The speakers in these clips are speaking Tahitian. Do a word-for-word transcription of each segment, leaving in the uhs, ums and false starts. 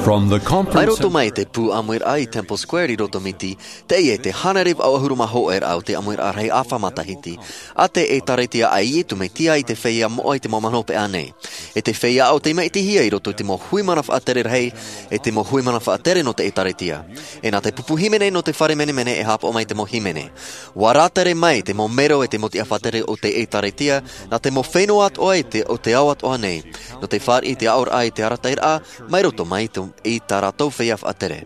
From the conference mai roto mai te pū ʻāmuiraʻa i Temple Square i Roto Miti, teie te hānere vaʻu ʻahuru mā hōʻē raʻa o te ʻāmuiraʻa rahi ʻāfa matahiti a te ʻĒtārētia a Iesu Mesia i te feiā moʻa i te mau manaʻo pēʻa nei. E te feiā o tei maʻitihia i roto i te mau hui mana faʻatere rahi, e te mau hui mana faʻatere nō te ʻĒtārētia. E nā te pupu hīmene nō te fare menemene e haʻapaʻo mai te mau hīmene. ʻUa rātere mai te mau mero e te mau tiʻa faʻatere o te ʻĒtārētia, nā te mau fenua atoʻa i te, o te ao atoʻa nei. Nō te fāriʻi i te aʻoraʻa i te arataʻiraʻa, mai roto mai i tō, i tā rātou feiā faʻatere.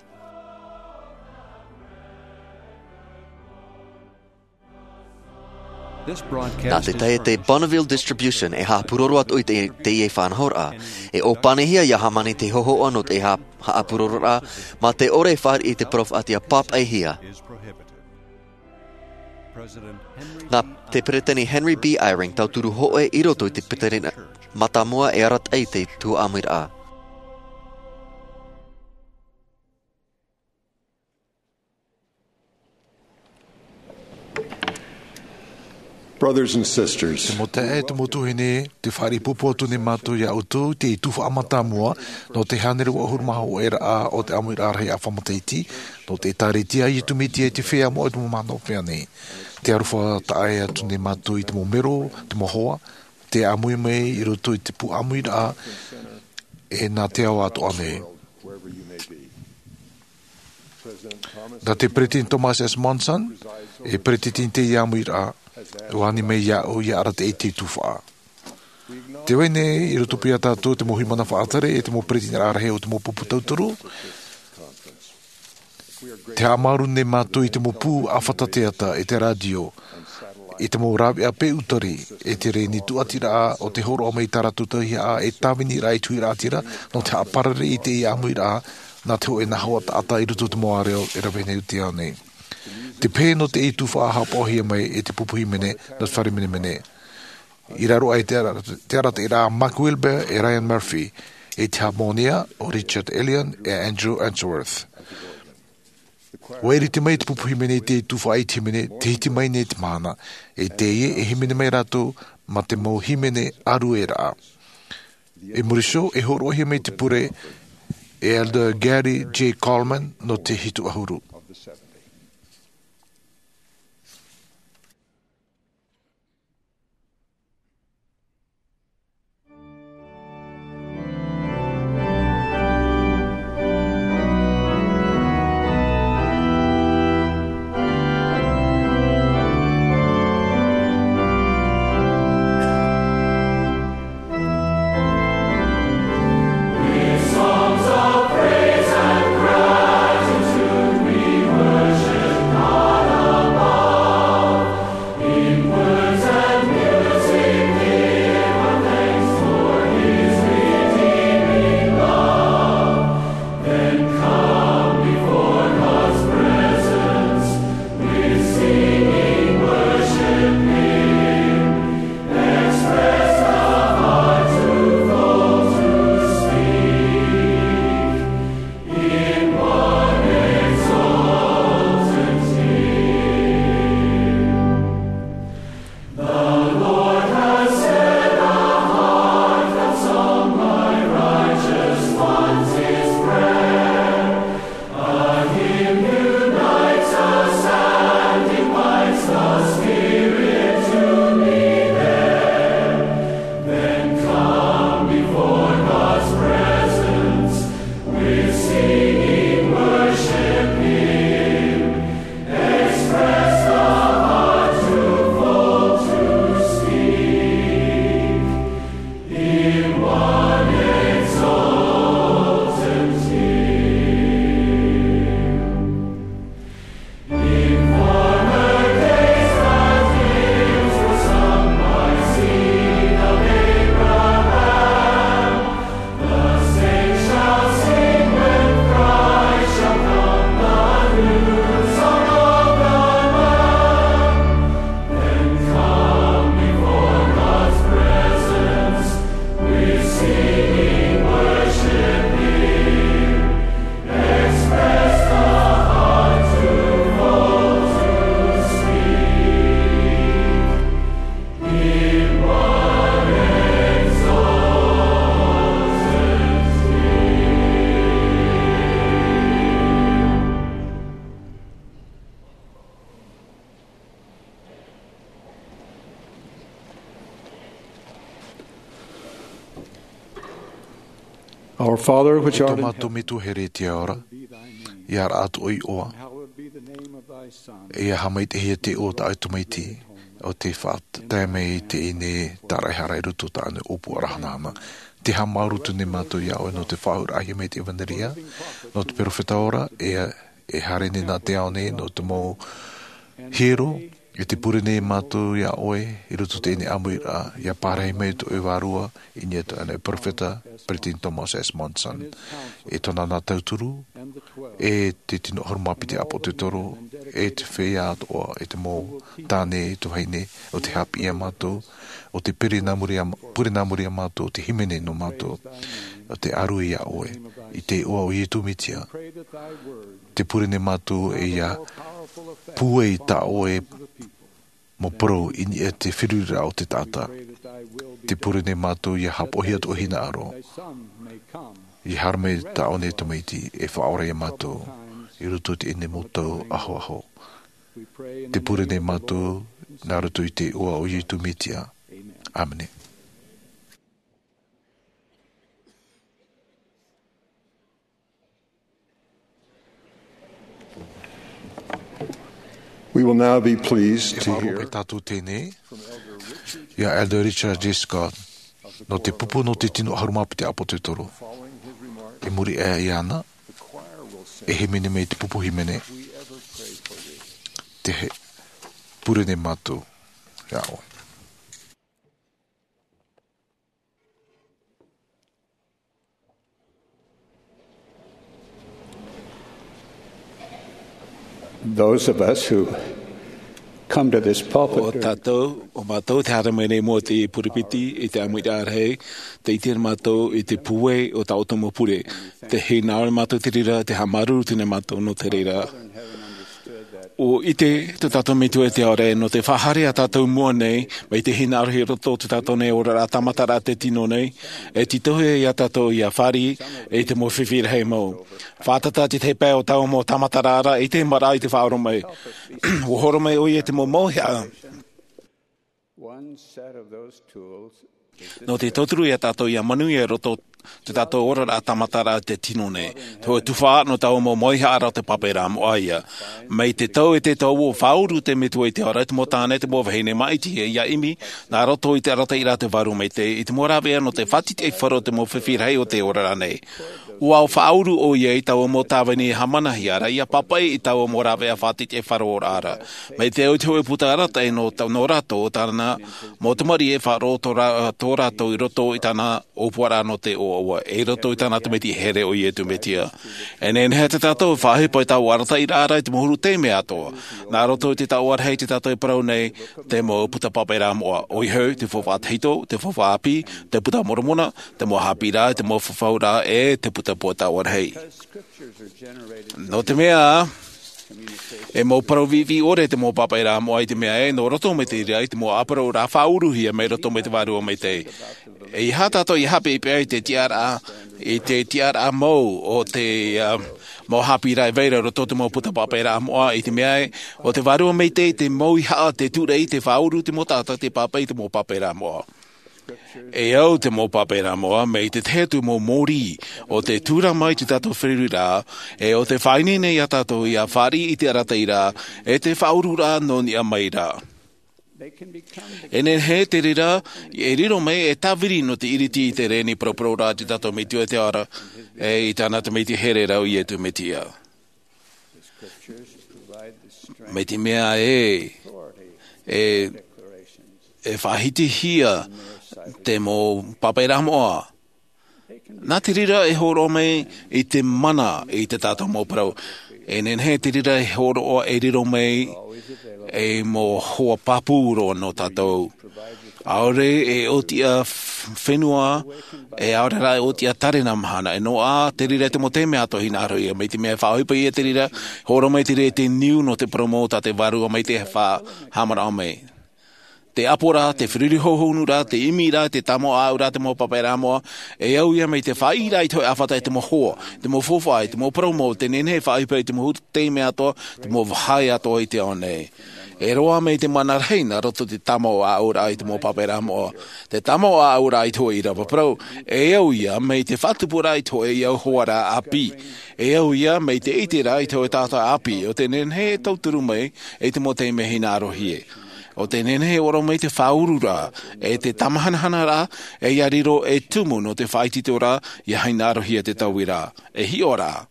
Nā te tahi te Bonneville Distribution e haʻapūroro atu i te, teie faʻanahoraʻa. E ʻōpanihia ia hāmani te hōhoʻa nō te ha-, haʻapūrororaʻa, mā te ʻore e fāriʻi i te parau faʻaʻite pāpaʻihia. Nā te Peresideni Henry B. Eyring, tauturu hōʻē i roto i te Peresideni Mātāmua e arataʻi i te tuhaʻa ʻāmuiraʻa. Brothers and sisters, te mau taeaʻe, te mau tuahine, tē fāriʻi ʻoutou nei mātou iā ʻoutou i te tuhaʻa mātāmua nō te hānere vaʻu ʻahuru mā hōʻē raʻa o te ʻāmuiraʻa rahi ʻāfa matahiti nō te ʻĒtārētia a Iesu Mesia i te feiā moʻa i te mau manaʻo pēʻa nei. Tē aroha taʻa ʻē atu nei mātou i te mau mero, te mau hoa, tē ʻāmui mai i roto i te pū ʻāmuiraʻa, e nā te ao atoʻa nei. Nā te Peresideni Thomas S. Monson, e Peresideni i teie ʻāmuiraʻa, ʻua ani mai iāʻu ia arataʻi i te tuhaʻa. Tē vai nei i roto paʻi iā tātou te mau hui mana faʻatere e te mau peresideni rahi o te mau pupu tauturu. Tē haʻamāuruuru nei mātou i te mau pū ʻāfata teata, e te rātio, i te mau rāveʻa pē ʻūtari, e te reni tūʻatiraʻa o te hōroʻa mai i tā rātou tauihaʻa e tāviniraʻa i te huiraʻatira, nō te haʻaparare i teie ʻāmuiraʻa, nā te hōʻē nā hoa taʻata i roto i te mau ʻāreʻa e rave nei i te ao nei. Te pehe nō teie tuhaʻa haʻapaʻohia mai e te pupu hīmene nō te fare menemene. I raro aʻe te ara-, te arataʻiraʻa a Mark Wilber e Ryan Murphy, e te hāmōnia ʻo Richard Ellion e Andrew Unsworth. ʻUa ʻiriti mai te pupu hīmene i te tuhaʻa i te hīmene, tē hiti mai nei te mahana, e teie e hīmene mai rātou mā te mau hīmene ʻārueraʻa. I muri iho, e hōroʻahia mai te pure e Elder Gary J. Coleman nō te hitu ʻahuru. Our Father, which art in heaven, mātou Metua here i te ao ra, ia raʻa tō ʻoe iʻoa, ia haʻamaitaʻihia te iʻoa o tā ʻoe tamaiti, ʻo tē faʻatae mai i teie nei tāraʻehara i roto i tāna ʻōpuaraʻa hanahana. Tē haʻamāuruuru nei mātou iā ʻoe nō te faʻaauraʻahia mai te ʻevanelia, nō te perofeta ora, e, e haere nei nā te ao nei, nō te mau hiero, e tē pure nei mātou iā ʻoe, i roto i teie nei ʻāmuiraʻa, ia pārahi mai tō ʻoe vārua, i niʻa i tō ʻoe perofeta, Peresideni Thomas S. Monson. E tōna nā tauturu, e te tino ʻahuru mā piti ʻāpōsetolo, e te feiā atoʻa, e te mau tāne, e te vahine, ʻo tē haʻapiʻi iā mātou, ʻo tē pure nā muri iā, pure nā muri iā mātou, ʻo tē hīmene nō mātou, ʻo tē ʻārue iā ʻoe, i te iʻoa o Iesu Mesia. Tē pure nei mātou e ia pūai tā ʻoe mau parau i niʻa i te feruriraʻa o te taʻata. Tē pure nei mātou ia haʻapaʻohia tō ʻoe hinaʻaro. Ia haere mai tā ʻoe nei tamaiti e faʻaora iā mātou i roto i teie nei mau tau ahoaho. Tē pure nei mātou nā roto i te iʻoa o Iesu Mesia. ʻĀmene. We will now be pleased to hear. E faʻaroʻo mai tātou teie nei iā Elder Richard J. Scott, nō te pupu nō te tino ʻahuru mā piti ʻāpōsetolo. I muri aʻe iāna, e hīmene mai te pupu hīmene, Tē pure nei mātou iā ʻoe. Those of us who come to this pulpit ʻO tātou, ʻo mātou te haere mai nei i mua i te purepiti, i te ʻāmuiraʻa rahi, tē ʻite ra mātou i te pūai o tā ʻoutou mau pure. Tē hinaʻaro nei mātou i te reira, tē haʻamāuruuru nei mātou nō te reira. ʻUa ʻite tō tātou Metua i te ao ra, nō te faʻahaere iā tātou i mua nei, mai te hinaʻarohia i roto i tō tātou nei oraraʻa tāmataraʻa tē tino nei, e tītauhia iā tātou ia fāriʻi i te mau fifi rahi mau. Fātata te tahi pae o taua mau tāmataraʻa ra, ʻeita e maraʻa i te faʻaroʻo mai. ʻUa hōroʻa mai ʻoia i te mau mauhaʻa. One set of those tools is the nō te tauturu iā tātou ia manuia i roto i tō tātou oraraʻa tāmataraʻa tē tino nei. Te hōʻē tuhaʻa nō taua mau mauhaʻa ra o te pāpaʻiraʻa moʻa ïa. Mai te tau e te tau ʻua faʻauru te Metua i te ao ra i te mau tāne, te mau vahine maʻiti ia ʻimi, nā roto i te arataʻiraʻa a te Vārua Maitaʻi, i te mau rāveʻa nō te faʻatiʻatiʻaifaro o te mau fifi rahi o te oraraʻa nei. ʻUa faʻauru ʻoia i taua mau tāvini e hāmanihia ra, ia pāpaʻi i taua mau rāveʻa faʻatiʻatiʻaifaro o te oraraʻa ra. Mai te au i te hōʻē puta arataʻi nō tā-, nō rātou, tāna mau tamariʻi e faʻaroʻo tō rā-, tō rātou i roto i tāna ʻōpuaraʻa nō te ʻoaʻoa, e i roto i tāna tamaiti here ʻo Iesu Mesia. E nehenehe tā tātou e faʻaʻohipa i taua arataʻiraʻa ra i te mau huru taime atoʻa. Nā roto i te taoʻa rahi tā tātou e parau nei, te mau puta pāpaʻiraʻa moʻa. ʻOia hoʻi, te faufaʻa tahito, te faufaʻa ʻāpī, te Buka a Moromona, te mau haʻapiʻiraʻa, te mau fafauraʻa, e te puta puaʻa taoʻa rahi. Nō te mea, e mau parau viʻiviʻi ʻore te mau pāpaʻiraʻa moʻa i te mea ē, nō roto mai te reira i te mau ʻāparauraʻa faʻauruhia mai roto mai te Vārua Maitaʻi. ʻEiaha tātou ia haʻapeʻapeʻa i te tiʻaraʻa, i te tiʻaraʻa mau o te, ā, mau haʻapiʻiraʻa e vai ra i roto i te mau puta pāpaʻiraʻa moʻa i te mea ē, ʻo te Vārua Maitaʻi te mauhaʻa, te tūraʻi, te faʻauru i te mau taʻata, te pāpaʻi i te mau pāpaʻiraʻa moʻa. E au te mau pāpaʻiraʻa moʻa, mai te tahi atu mau mōrī, ʻo tē tūrama i tō tātou feruriraʻa, e ʻo tē faʻaineine iā tātou ia fāriʻi i te arataʻiraʻa, e te faʻaururaʻa nō niʻa mai ra. E nehenehe te reira, e riro mai e tāviri nō te ʻiriti i te reni paraparau ra tō tātou Metua i te ao ra, e i tāna tamaiti here ra ʻo Iesu Mesia. Mai te mea ē, e, e faʻahitihia te mau pāpaʻiraʻa moʻa. Nā te reira e hōroʻa mai i te mana i tō tātou mau parau. E nehenehe te reira e hōroʻa e riro mai ei mau hoa pāpū roa nō tātou. ʻAore e ʻōtiʻa f-, fenua, e ʻaore rā e ʻōtiʻa tārena mahana. E noaʻa te reira i te mau taime atoʻa hinaʻaro ïa. Mai te mea e faʻaʻohipa ïa te reira, hōroʻa mai te reira i te niu nō te parau mau tā te Vārua Maitaʻi e faʻahaʻamanaʻo mai. Te ʻāpoʻoraʻa, te feruri hōhonuraʻa, te ʻimiraʻa, te tāmāʻoʻaraʻa, te mau pāpaʻiraʻa moʻa, e au ïa mai te faʻaʻiteraʻa i te hōʻē ʻāfata, i te mau hoa, te mau faufaʻa, i te mau parau mau, tē nehenehe e faʻaʻohipa i te mau taime atoʻa, te mau vāhi atoʻa i te ao nei. E roa mai te mana rahi nā roto i te tāmau ʻāʻauraʻa i te mau pāpaʻiraʻa moʻa. Te tāmau ʻāʻauraʻa i te hōʻē ʻīrava parau, e au ia mai te faʻatupuraʻa i te hōʻē ʻīrava hoʻi ʻāpī. E au ia mai te ʻiteraʻa i te hōʻē taʻata ʻāpī, ʻo tē nehenehe e tauturu mai i te mau taime hinaʻarohia. ʻO tē nehenehe e ʻōrero mai te faʻaururaʻa, e te tāmahanahanaʻa, e ʻia riro e tumu nō te faʻaitoitoraʻa, ʻia hinaʻarohia te tauiraʻa. E hiʻo ra.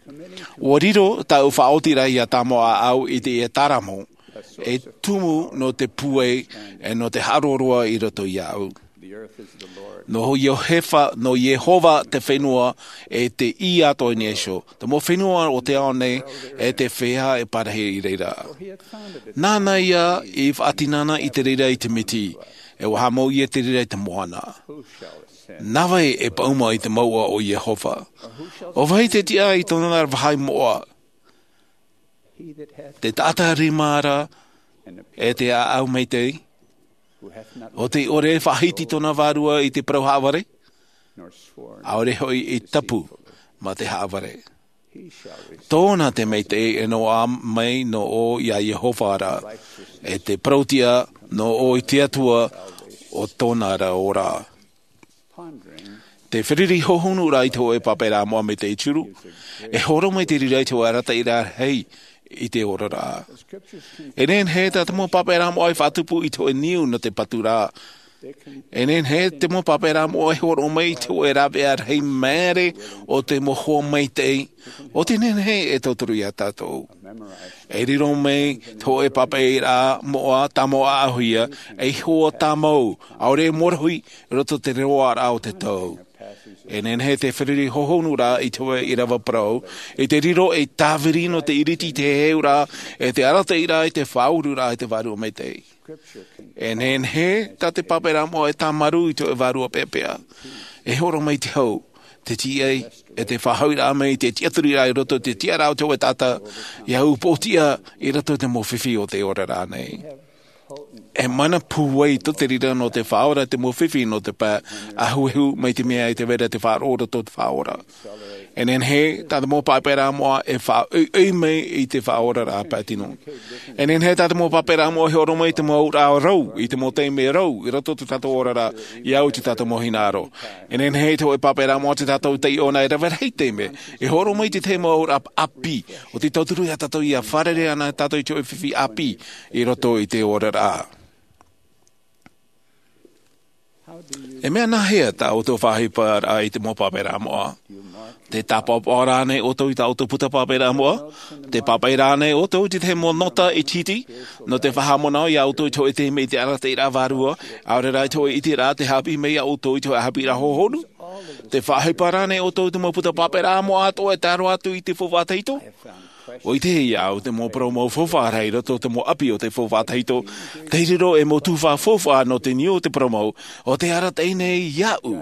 ʻUa riro tāʻu faʻaotiraʻa ʻia tāmau ʻāʻau i te ʻīrava tāmau. E tumu nō te pūai, e nō te haʻaroaroa i roto iāʻu. Nō Iehofa, nō Iehova te fenua, e te ʻī atoʻa i niʻa iho. Te mau fenua o te ao nei, e te feiā e parahi i reira. Nāna ia i faʻatinana i te reira i te miti, e ʻua haʻamau ia te reira i te moana. Nā vai e paʻuma i te mouʻa o Iehova? ʻO vai te tiʻa i tōna vāhi moʻa? Te taʻata rima ra, e te ʻāʻau maitaʻi, ʻo tē ʻore e faʻahiti tōna vārua i te parau haʻavare, ʻaore hoʻi i tapu mā te haʻavare. Tōna te maitaʻi e noaʻa mai nō ʻō iā Iehova ra, e te parau tiʻa nō ʻō i te Atua o tōna ra ora. Te fārerei hōhonu ra i te hōʻē pāpaʻiraʻa moʻa maitaʻi e toru, e hōroʻa mai te reira i te hōʻē arataʻiraʻa rahi i te oraraʻa. E nehenehe tā te mau pāpaʻiraʻa moʻa e faʻatupu i te hōʻē niu nō te paturaʻa. E nehenehe te mau pāpaʻiraʻa moʻa e hōroʻa mai i te hōʻē rāveʻa rahi māere o te mau hoa maitaʻi, ʻo tē nehenehe e tauturu iā tātou. E riro mai te hōʻē pāpaʻiraʻa moʻa tāmau ʻāʻauhia, ei hoa tāmau, ʻaore e mōrohi i roto i te roaraʻa o te tau. E nehenehe te fārerei hōhonu ra i te hōʻē ʻīrava parau, i te riro ei tāviri nō te ʻiriti i te heheuraʻa, e te arataʻiraʻa i te faʻaururaʻa i te Vārua Maitaʻi. E nehenehe tā te pāpaʻiraʻa moʻa e tāmarū i te hōʻē vārua peʻapeʻa. E hōroʻa mai te hau, te tīaʻi, e te faʻahouraʻa mai i te tiʻaturiraʻa i roto i te tiʻaraʻa o te hōʻē taʻata, ʻia upoʻotiʻa i roto i te mau fifi o te oraraʻa nei. E mana pūai tō te reira nō te faʻaora te mau fifi nō te pae ahuehu mai te mea e te vera te faʻaroʻo i roto i te faʻaora. E nehenehe tā te mau pāpaʻiraʻa moʻa e faʻaʻoiʻoi mai i te faʻaoraraʻa pae tino. E nehenehe tā te mau pāpaʻiraʻa moʻa e hōroʻa mai i te mau auraʻa rau, i te mau taime rau, i roto i tō tātou oraraʻa, ʻia au i tō tātou mau hinaʻaro. E nehenehe te hōʻē pāpaʻiraʻa moʻa tā tātou e taiʻo na e rave rahi taime, e hōroʻa mai i te tahi mau auraʻa ʻāpī, ʻo tē tauturu iā tātou ʻia fārerei ana tātou i te hōʻē fifi ʻāpī i roto i te oraraʻa. E mea nāhea tā ʻoutou faʻaʻohiparaʻa i te mau pāpaʻiraʻa moʻa? Tē tāpaʻopaʻo ra ānei ʻoutou i tā ʻoutou puta pāpaʻiraʻa moʻa? Tē pāpaʻi ra ānei ʻoutou i te tahi mau nota ʻitehite, nō te faʻahaʻamanaʻo iā ʻoutou i te hōʻē taime i te arataʻiraʻa vārua, ʻaore rā i te hōʻē ʻiteraʻa tē haʻapiʻi mai iā ʻoutou i te hōʻē haʻapiʻiraʻa hōhonu? Tē faʻaʻohipa ra ānei ʻoutou i te mau puta pāpaʻiraʻa moʻa atoʻa e tae roa atu i te faufaʻa tahito? ʻUa ʻitehia au te mau parau mau faufaʻa rahi i roto i te mau ʻapi o te faufaʻa tahito, tei riro ei mau tuhaʻa faufaʻa nō te niu o te parau mau, ʻo tē arataʻi nei iāʻu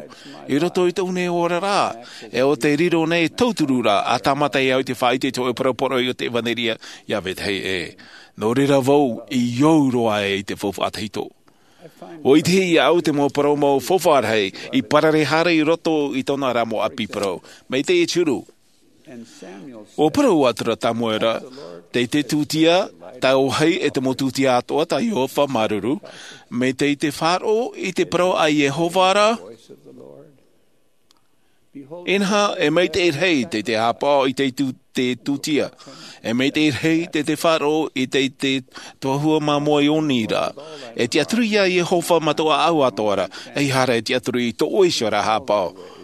i roto i tōʻu nei oraraʻa, e ʻo tē riro nei e tauturu ra ʻa tāmata e au i te faʻaʻite i te hōʻē parau poroʻi o te ʻevanelia iā vetahi ʻē. Nō reira vau i ō roa ai i te faufaʻa tahito. ʻUa ʻitehia au te mau parau mau faufaʻa rahi i parare haere i roto i tōna ra mau ʻapi parau. Mai te ʻitehia. ʻUa parau atu ra Samuela, tē tūtia, tauahi e te mau tūtia atoʻa tā Iehova māuruuru, mai te faʻaroʻo i te parau a Iehova ra, inaha, e maitaʻi rahi te, te haʻapaʻo i te tū-, te tūtia. E maitaʻi rahi te, te faʻaroʻo i te, te tohua māmoe ʻoni ra. E tiʻaturi iā Iehova mā tō ʻāʻau atoʻa ra, ʻeiaha e tiʻaturi i tō ʻoe iho ra haʻapaʻo.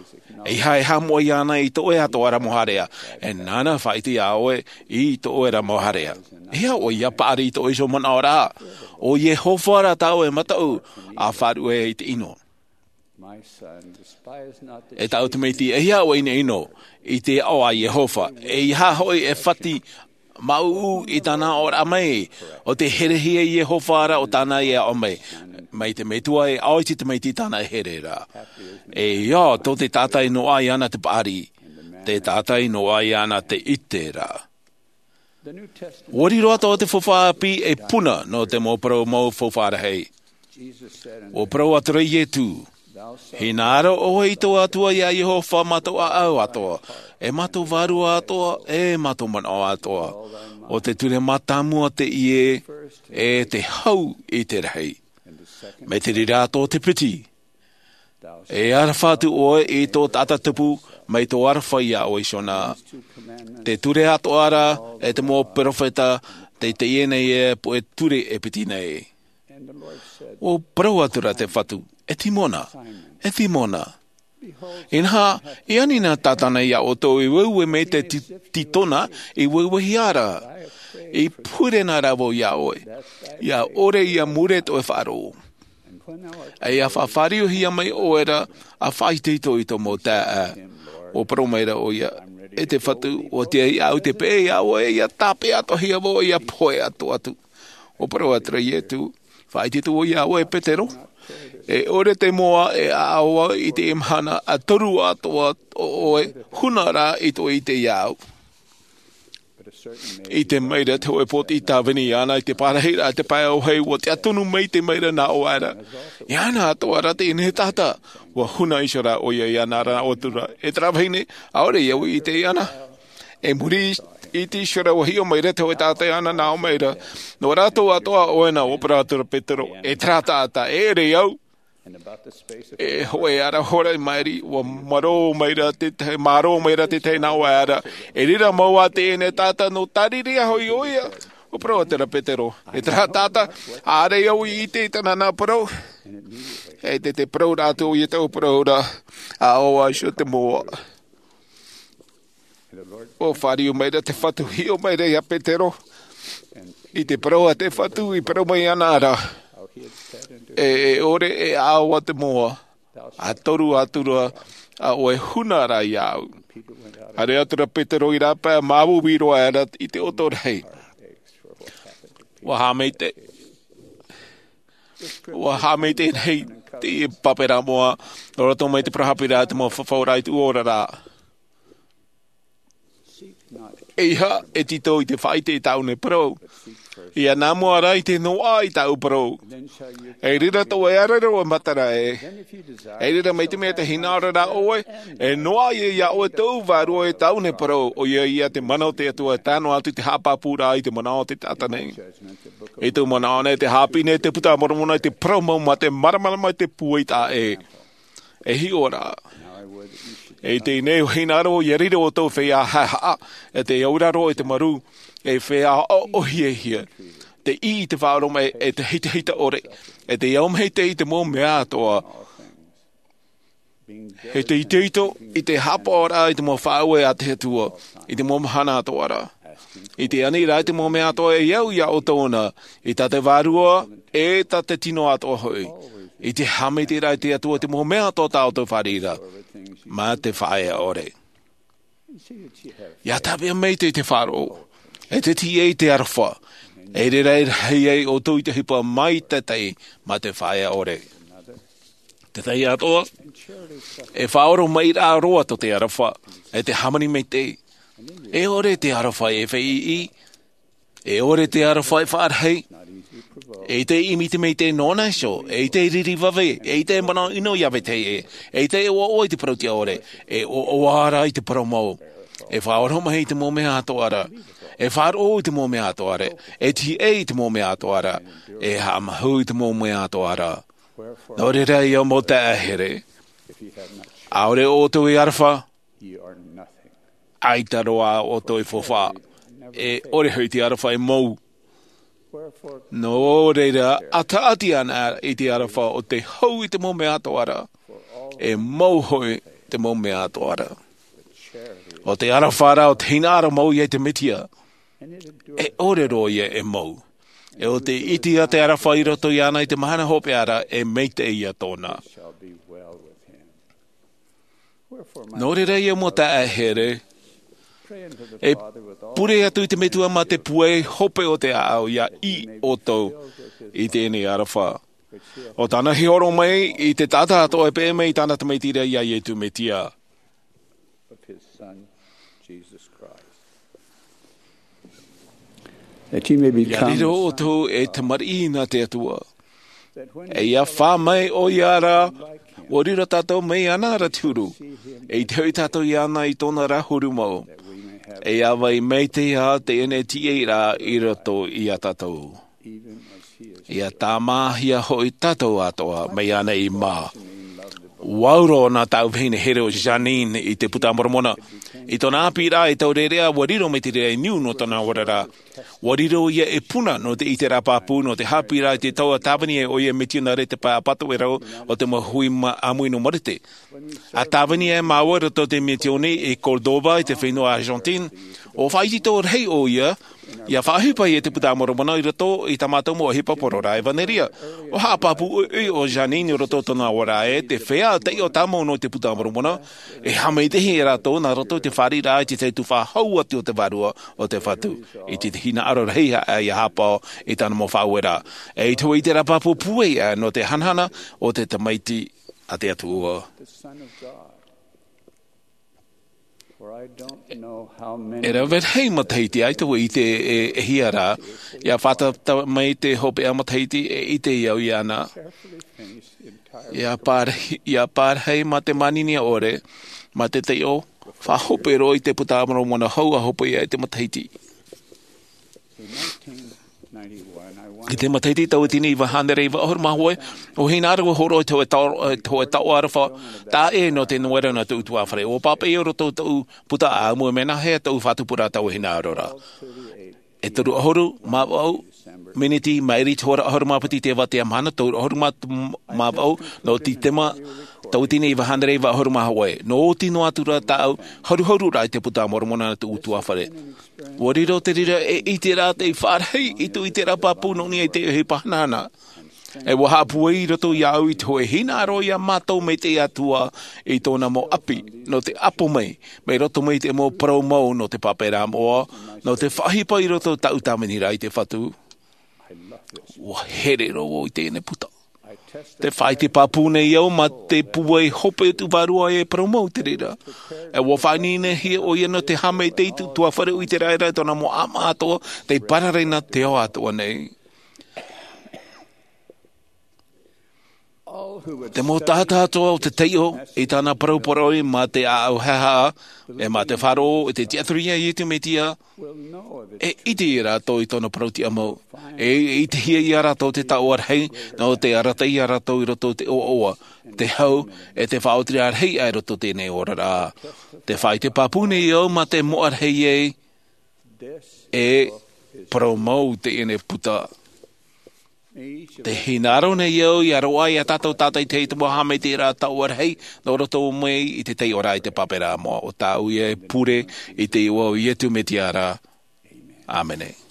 ʻEiaha e haʻamoʻe iāna i tō ʻoe atoʻa ra mau haʻarea. E nāna faʻaʻite iā ʻoe i tō ʻoe ra mau haʻarea. ʻEiaha ʻoe ʻia paʻari i tō ʻoe iho manaʻo ra. ʻO Iehova ra tā ʻoe mataʻu, ʻa faʻaruʻe i te ʻino. E tāʻu tamaiti, ʻeiaha ʻoe e ʻinoʻino i te aʻo a Iehova, ʻeiaha hoʻi e fati māʻuʻu i tāna aʻoraʻa mai, ʻo tē herehia e Iehova ra ʻo tāna e aʻo mai, mai te metua e ʻaita tamaiti tāna e here ra. E ia, tō te taʻata e noaʻa iāna te paʻari, te taʻata e noaʻa iāna te ʻite ra. ʻUa riro atoʻa te faufaʻa ʻāpī ei puna nō te mau parau mau faufaʻa rahi. ʻUa parau atu ra Iesu, Hinaʻaro ʻoe i tō Atua iā Iehova mā tō ʻāʻau atoʻa, e mā tō vārua atoʻa, e mā tō manaʻo atoʻa. ʻO te ture mātāmua teie, e te hau i te rahi. Mai te reira atoʻa te piti. E aroha atu ʻoe i tō taʻata tupu, mai tō aroha iā ʻoe iho na. Te ture atoʻa ra, e te mau peropheta, tei teie nei e puʻe ture e piti nei. ʻUa parau atu ra te Fatu, e Timona, e Timona. Inaha, i ani na Tātana iā ʻoutou i ueue mai te ti-, titona, i ueuehia ra. I pure na rāua iā ʻoe. ʻIa ʻore ʻia mure tō ʻoe faʻaroʻo. ʻIa faʻafāriuhia mai ʻoe ra, ʻa faʻaitoito i tō mau taeaʻe. ʻUa parau mai ra ʻoia, e te Fatu, ʻua tiaʻi au te peʻe iā ʻoe, ʻia tāpeʻa atoʻahia vau, ʻia pohe atoʻa atu. ʻUa parau atu ra Ietu, faʻaitoito vau iā ʻoe Petero. E ʻore te moa e ʻaʻau i te mahana, ʻa toru atoʻa ʻo ʻoe, huna rā i tō ʻite iā ʻu. ʻIte mai ra te hōʻē pōtiʻi tāvini iāna i te pārahi ra te pae ʻōhei, ʻua tiʻaturi maitaʻi mai ra nā ʻō aʻera. Iāna atoʻa rā teie taʻata, ʻua huna iho rā ʻoia iāna ra ʻo atu ra. E terā vahine, ʻaore au i ʻite iāna. E muri i te iho ra ʻua hiʻo mai ra te hōʻē taʻata iāna nā ʻō mai ra. Nō rātou atoʻa ʻoia na, ʻua parau atu ra Petero, e terā taʻata, e ʻere au. E hōʻē ara hora i maʻiri, ʻua marō mai ra te tahi, marō mai ra te tahi nā ʻō aʻera. E reira mau ā teie taʻata nō tāriri hoʻi ʻoia. ʻUa parau atu ra Petero, e terā taʻata, ʻaore au i ʻite i tāna nā parau. E te, te parau rā atu ʻoia taua parau ra, ʻa ʻō iho te moa. ʻUa fāriu mai ra te Fatu, hiʻo mai ra iā Petero. I te parau a te Fatu, i parau mai iāna ra. E, e ʻore e ʻaʻau te moa. ʻA toru atu ra, ʻa ʻoe huna rā iā ʻu. Haere atu ra Petero i rāpae, māuiui roa aʻera i te ʻoto rahi. ʻUa haʻamaitaʻi. ʻUa haʻamaitaʻi rahi te pāpā moa, nō roto mai te parau haʻapiʻiraʻa te mau fafauraʻa i te ora ra. ʻEiaha e tītau i te faʻaʻite i tāʻu nei parau. ʻIa nā mua rā i te noaʻa i tāʻu parau. E reira tō ʻoe ara roa matara ē. E reira mai te mea tē hinaʻaro ra ʻoe, e noaʻa ia iā ʻoe tō vārua i tāʻu nei parau, ʻoia ia te mana o te Atua e tae noa atu i te haʻapāpūraʻa i te manaʻo o te taʻata nei. I tō manaʻo nei te haʻapiʻi nei te Puta a Moromona i te parau mau mā te māramarama i te pūai taʻa ʻē. E hiʻo ra. E teie nei ʻua hinaʻaro ʻoe ʻia riro ʻoutou feiā haʻehaʻa, e tē auraro i te marū, e feiā ʻohiahia. Tē ʻī i te faʻaoromaʻi, e te hitahita ʻore, e tē au maitaʻi i te mau mea atoʻa. E tē itoito i te haʻapaʻoraʻa i te mau faʻaueraʻa a te Atua, i te mau mahana atoʻa ra. I te ani ra i te mau mea atoʻa e au iā ʻoutou na, i tā te Vārua, e tā te tino atoʻa hoʻi. I te haʻamaitaʻiraʻa i te Atua i te mau mea atoʻa tā ʻoutou fāriʻi ra, mā te faʻaea ʻore. ʻIa tāpeʻa maitaʻi te faʻaroʻo, e te tiʻa i te aroha, e reira e rahi ai ʻoutou i te ʻohipa maitaʻi mā te faʻaea ʻore. Te tahi atoʻa, e faʻaoromaʻiraʻa roa tō te aroha, e te hāmani maitaʻi. E ʻore te aroha e feiʻi, e ʻore te aroha e faʻarahi, e ʻite ʻimi i te maitaʻi nōna iho, e ʻite riri vave, e ʻite manaʻo ʻino iā vetahi ʻē, e ʻite ʻoaʻoa i te parau tiʻa ʻore, e ʻoaʻoa rā i te parau mau. E faʻaoromaʻi i te mau mea atoʻa ra, e faʻaroʻo i te mau mea atoʻa ra, e tiʻa i te mau mea atoʻa ra, e haʻamāuiui i te mau mea atoʻa ra. Nō reira ʻia mau taeaʻe here, ʻaore ʻoutou e aroha, ʻaita roa ʻoutou e faufaʻa, e ʻore hoʻi te aroha e mou. Nō reira, ʻataʻati ana i te aroha ʻo tē hau i te mau mea atoʻa ra, e mou hoʻi te mau mea atoʻa ra. ʻO te aroha ra ʻo te hinaʻaro mau iā te Mesia, e ʻore roa ia e mou. E ʻo tē ʻite ā te aroha i roto iāna i te mahana hopeʻa ra, e maitaʻi ia tōna. Nō reira ʻia mau taeaʻe here, e pure atu i te Metua mā te pūai hope o te ʻāʻau ʻia ʻī ʻoutou i teie nei aroha. ʻO tāna hiʻo roa mai i te taʻata atoʻa e peʻe mai i tāna Tamaiti ra iā Iesu Mesia. That you may ʻIa become riro ʻoutou e tamariʻi nā te Atua. E ʻia fā mai ʻoia ra, Ua riro tātou mai iāna ra te huru. E ʻite hoʻi tātou iāna i tōna ra huru mau. E ʻāvaʻe maitaʻi ā teie nei tīaʻiraʻa i roto iā tātou. ʻIa tāmāhia hoʻi tātou atoʻa mai iāna i mā. Ua ʻauro nā tāʻu vahine here ʻo Jeanene i te Buka a Moromona. I tōna ʻāpīraʻa e taureʻareʻa, ua riro mai te reira i niu nō tōna oraraʻa. Ua riro ïa e puna nō te ʻiteraʻa pāpū, nō te haʻapiʻiraʻa i te taua tāvini ai ʻoia e mitionare te pae ʻapatoʻerau o te mau hui ma-, ʻāmui nō Marite. ʻA tāvini ai māua i roto i te misiōni i Córdoba, i te fenua Argentine, ʻua faʻaitoito rahi ʻoia, ʻia faʻaʻohipa i te Buka a Moromona i roto i tā mātou mau ʻohipa porōraʻa ʻevanelia. ʻUa haʻapāpū ʻoiʻoi ʻo Jeanene i roto i tōna oraraʻa ē, te feiā taiʻo tāmau nō te Buka a Moromona, e haʻamaitaʻihia e rātou nā roto i te fāriʻiraʻa i te tahi tuhaʻa hau atu o te Vārua o te Fatu, i te hinaʻaro rahi aʻe ʻia haʻapaʻo i tāna mau faʻaueraʻa. E ʻite hoʻi i te reira pāpū pūai aʻe nō te hanahana o te Tamaiti a te Atua. E rave rahi matahiti ʻaita vau i ʻite e, e hia rā, ʻia fātata mai te hopeʻa matahiti e ʻite au iāna. ʻIa pārahi, ʻia pārahi mā te manihini ʻore, mā te taiʻo, faʻahope roa i te Buka a Moromona hou ʻa hope ia i te matahiti. I te matahiti tauatini iva hānere iva ʻahuru mā hōʻē, ʻua hinaʻaro au e hōroʻa i te hōʻē tao-, i te hōʻē taoʻa aroha taʻa ʻē nō te noera nā tōʻu tuafare. ʻUa pāpaʻi au i roto i tōʻu puta ʻāʻamu e mea nāhea tōʻu faʻatupuraʻa i taua hinaʻaro ra. E toru ʻahuru mā vaʻu miniti maʻiri i te hora ʻahuru mā piti i te ʻāvatea mahana, toru ʻahuru mā vaʻu, nō Tītema, tauatini iva hānere iva ʻahuru mā hōʻē. Nō ʻō tino atu ra tāʻu haruharuraʻa i te Buka a Moromona nā tōʻu tuafare. ʻUa riro te reira e ʻiteraʻa tei faʻarahi i tōʻu ʻiteraʻa pāpū nō niʻa i te ʻohipa hanahana. E ʻua haʻapūai roto iāʻu i te hōʻē hinaʻaro ia mātau mai te Atua i tōna mau ʻapi, nō te ʻapo mai, mai roto mai i te mau parau mau nō te pāpaʻiraʻa moʻa, nō te faʻaʻohipa i roto i tāʻu tāviniraʻa i te Fatu. ʻUa here roa vau i teie nei puta. Tē faʻaʻite pāpū nei au mā te pūai hope o tōʻu vārua e parau mau te reira. E ʻua faʻaineinehia ʻoia nō te haʻamaitaʻi i tōʻu tuafare, ʻo ʻiteraʻa i tōna mau ʻāʻamu atoʻa, tei parare nā te ao atoʻa nei. Te mau taʻata atoʻa o te taiʻo i tāna parau parau mā te ʻāʻau haʻehaʻa, e mā te faʻaroʻo i te tiʻaturi iā Iesu Mesia, e ʻite ia rātou i tōna parau tiʻamau. E, e ʻitehia ia rātou te taoʻa rahi, nō te arataʻi ia rātou i roto i te ʻoaʻoa, te hau, e te faʻaotiraʻa rahi aʻe i roto i teie nei oraraʻa. Tē faʻaʻite pāpū nei au mā te moʻa rahi ē, e parau mau teie nei puta. Tē hinaʻaro nei au ʻia roaʻa ia tātou tātaʻitahi i te mau haʻamaitaʻiraʻa taoʻa rahi, nō roto mai i te taiʻoraʻa i te pāpaʻiraʻa moʻa. ʻO tāʻu ia e pure i te iʻoa o Iesu Mesia ra. ʻĀmene.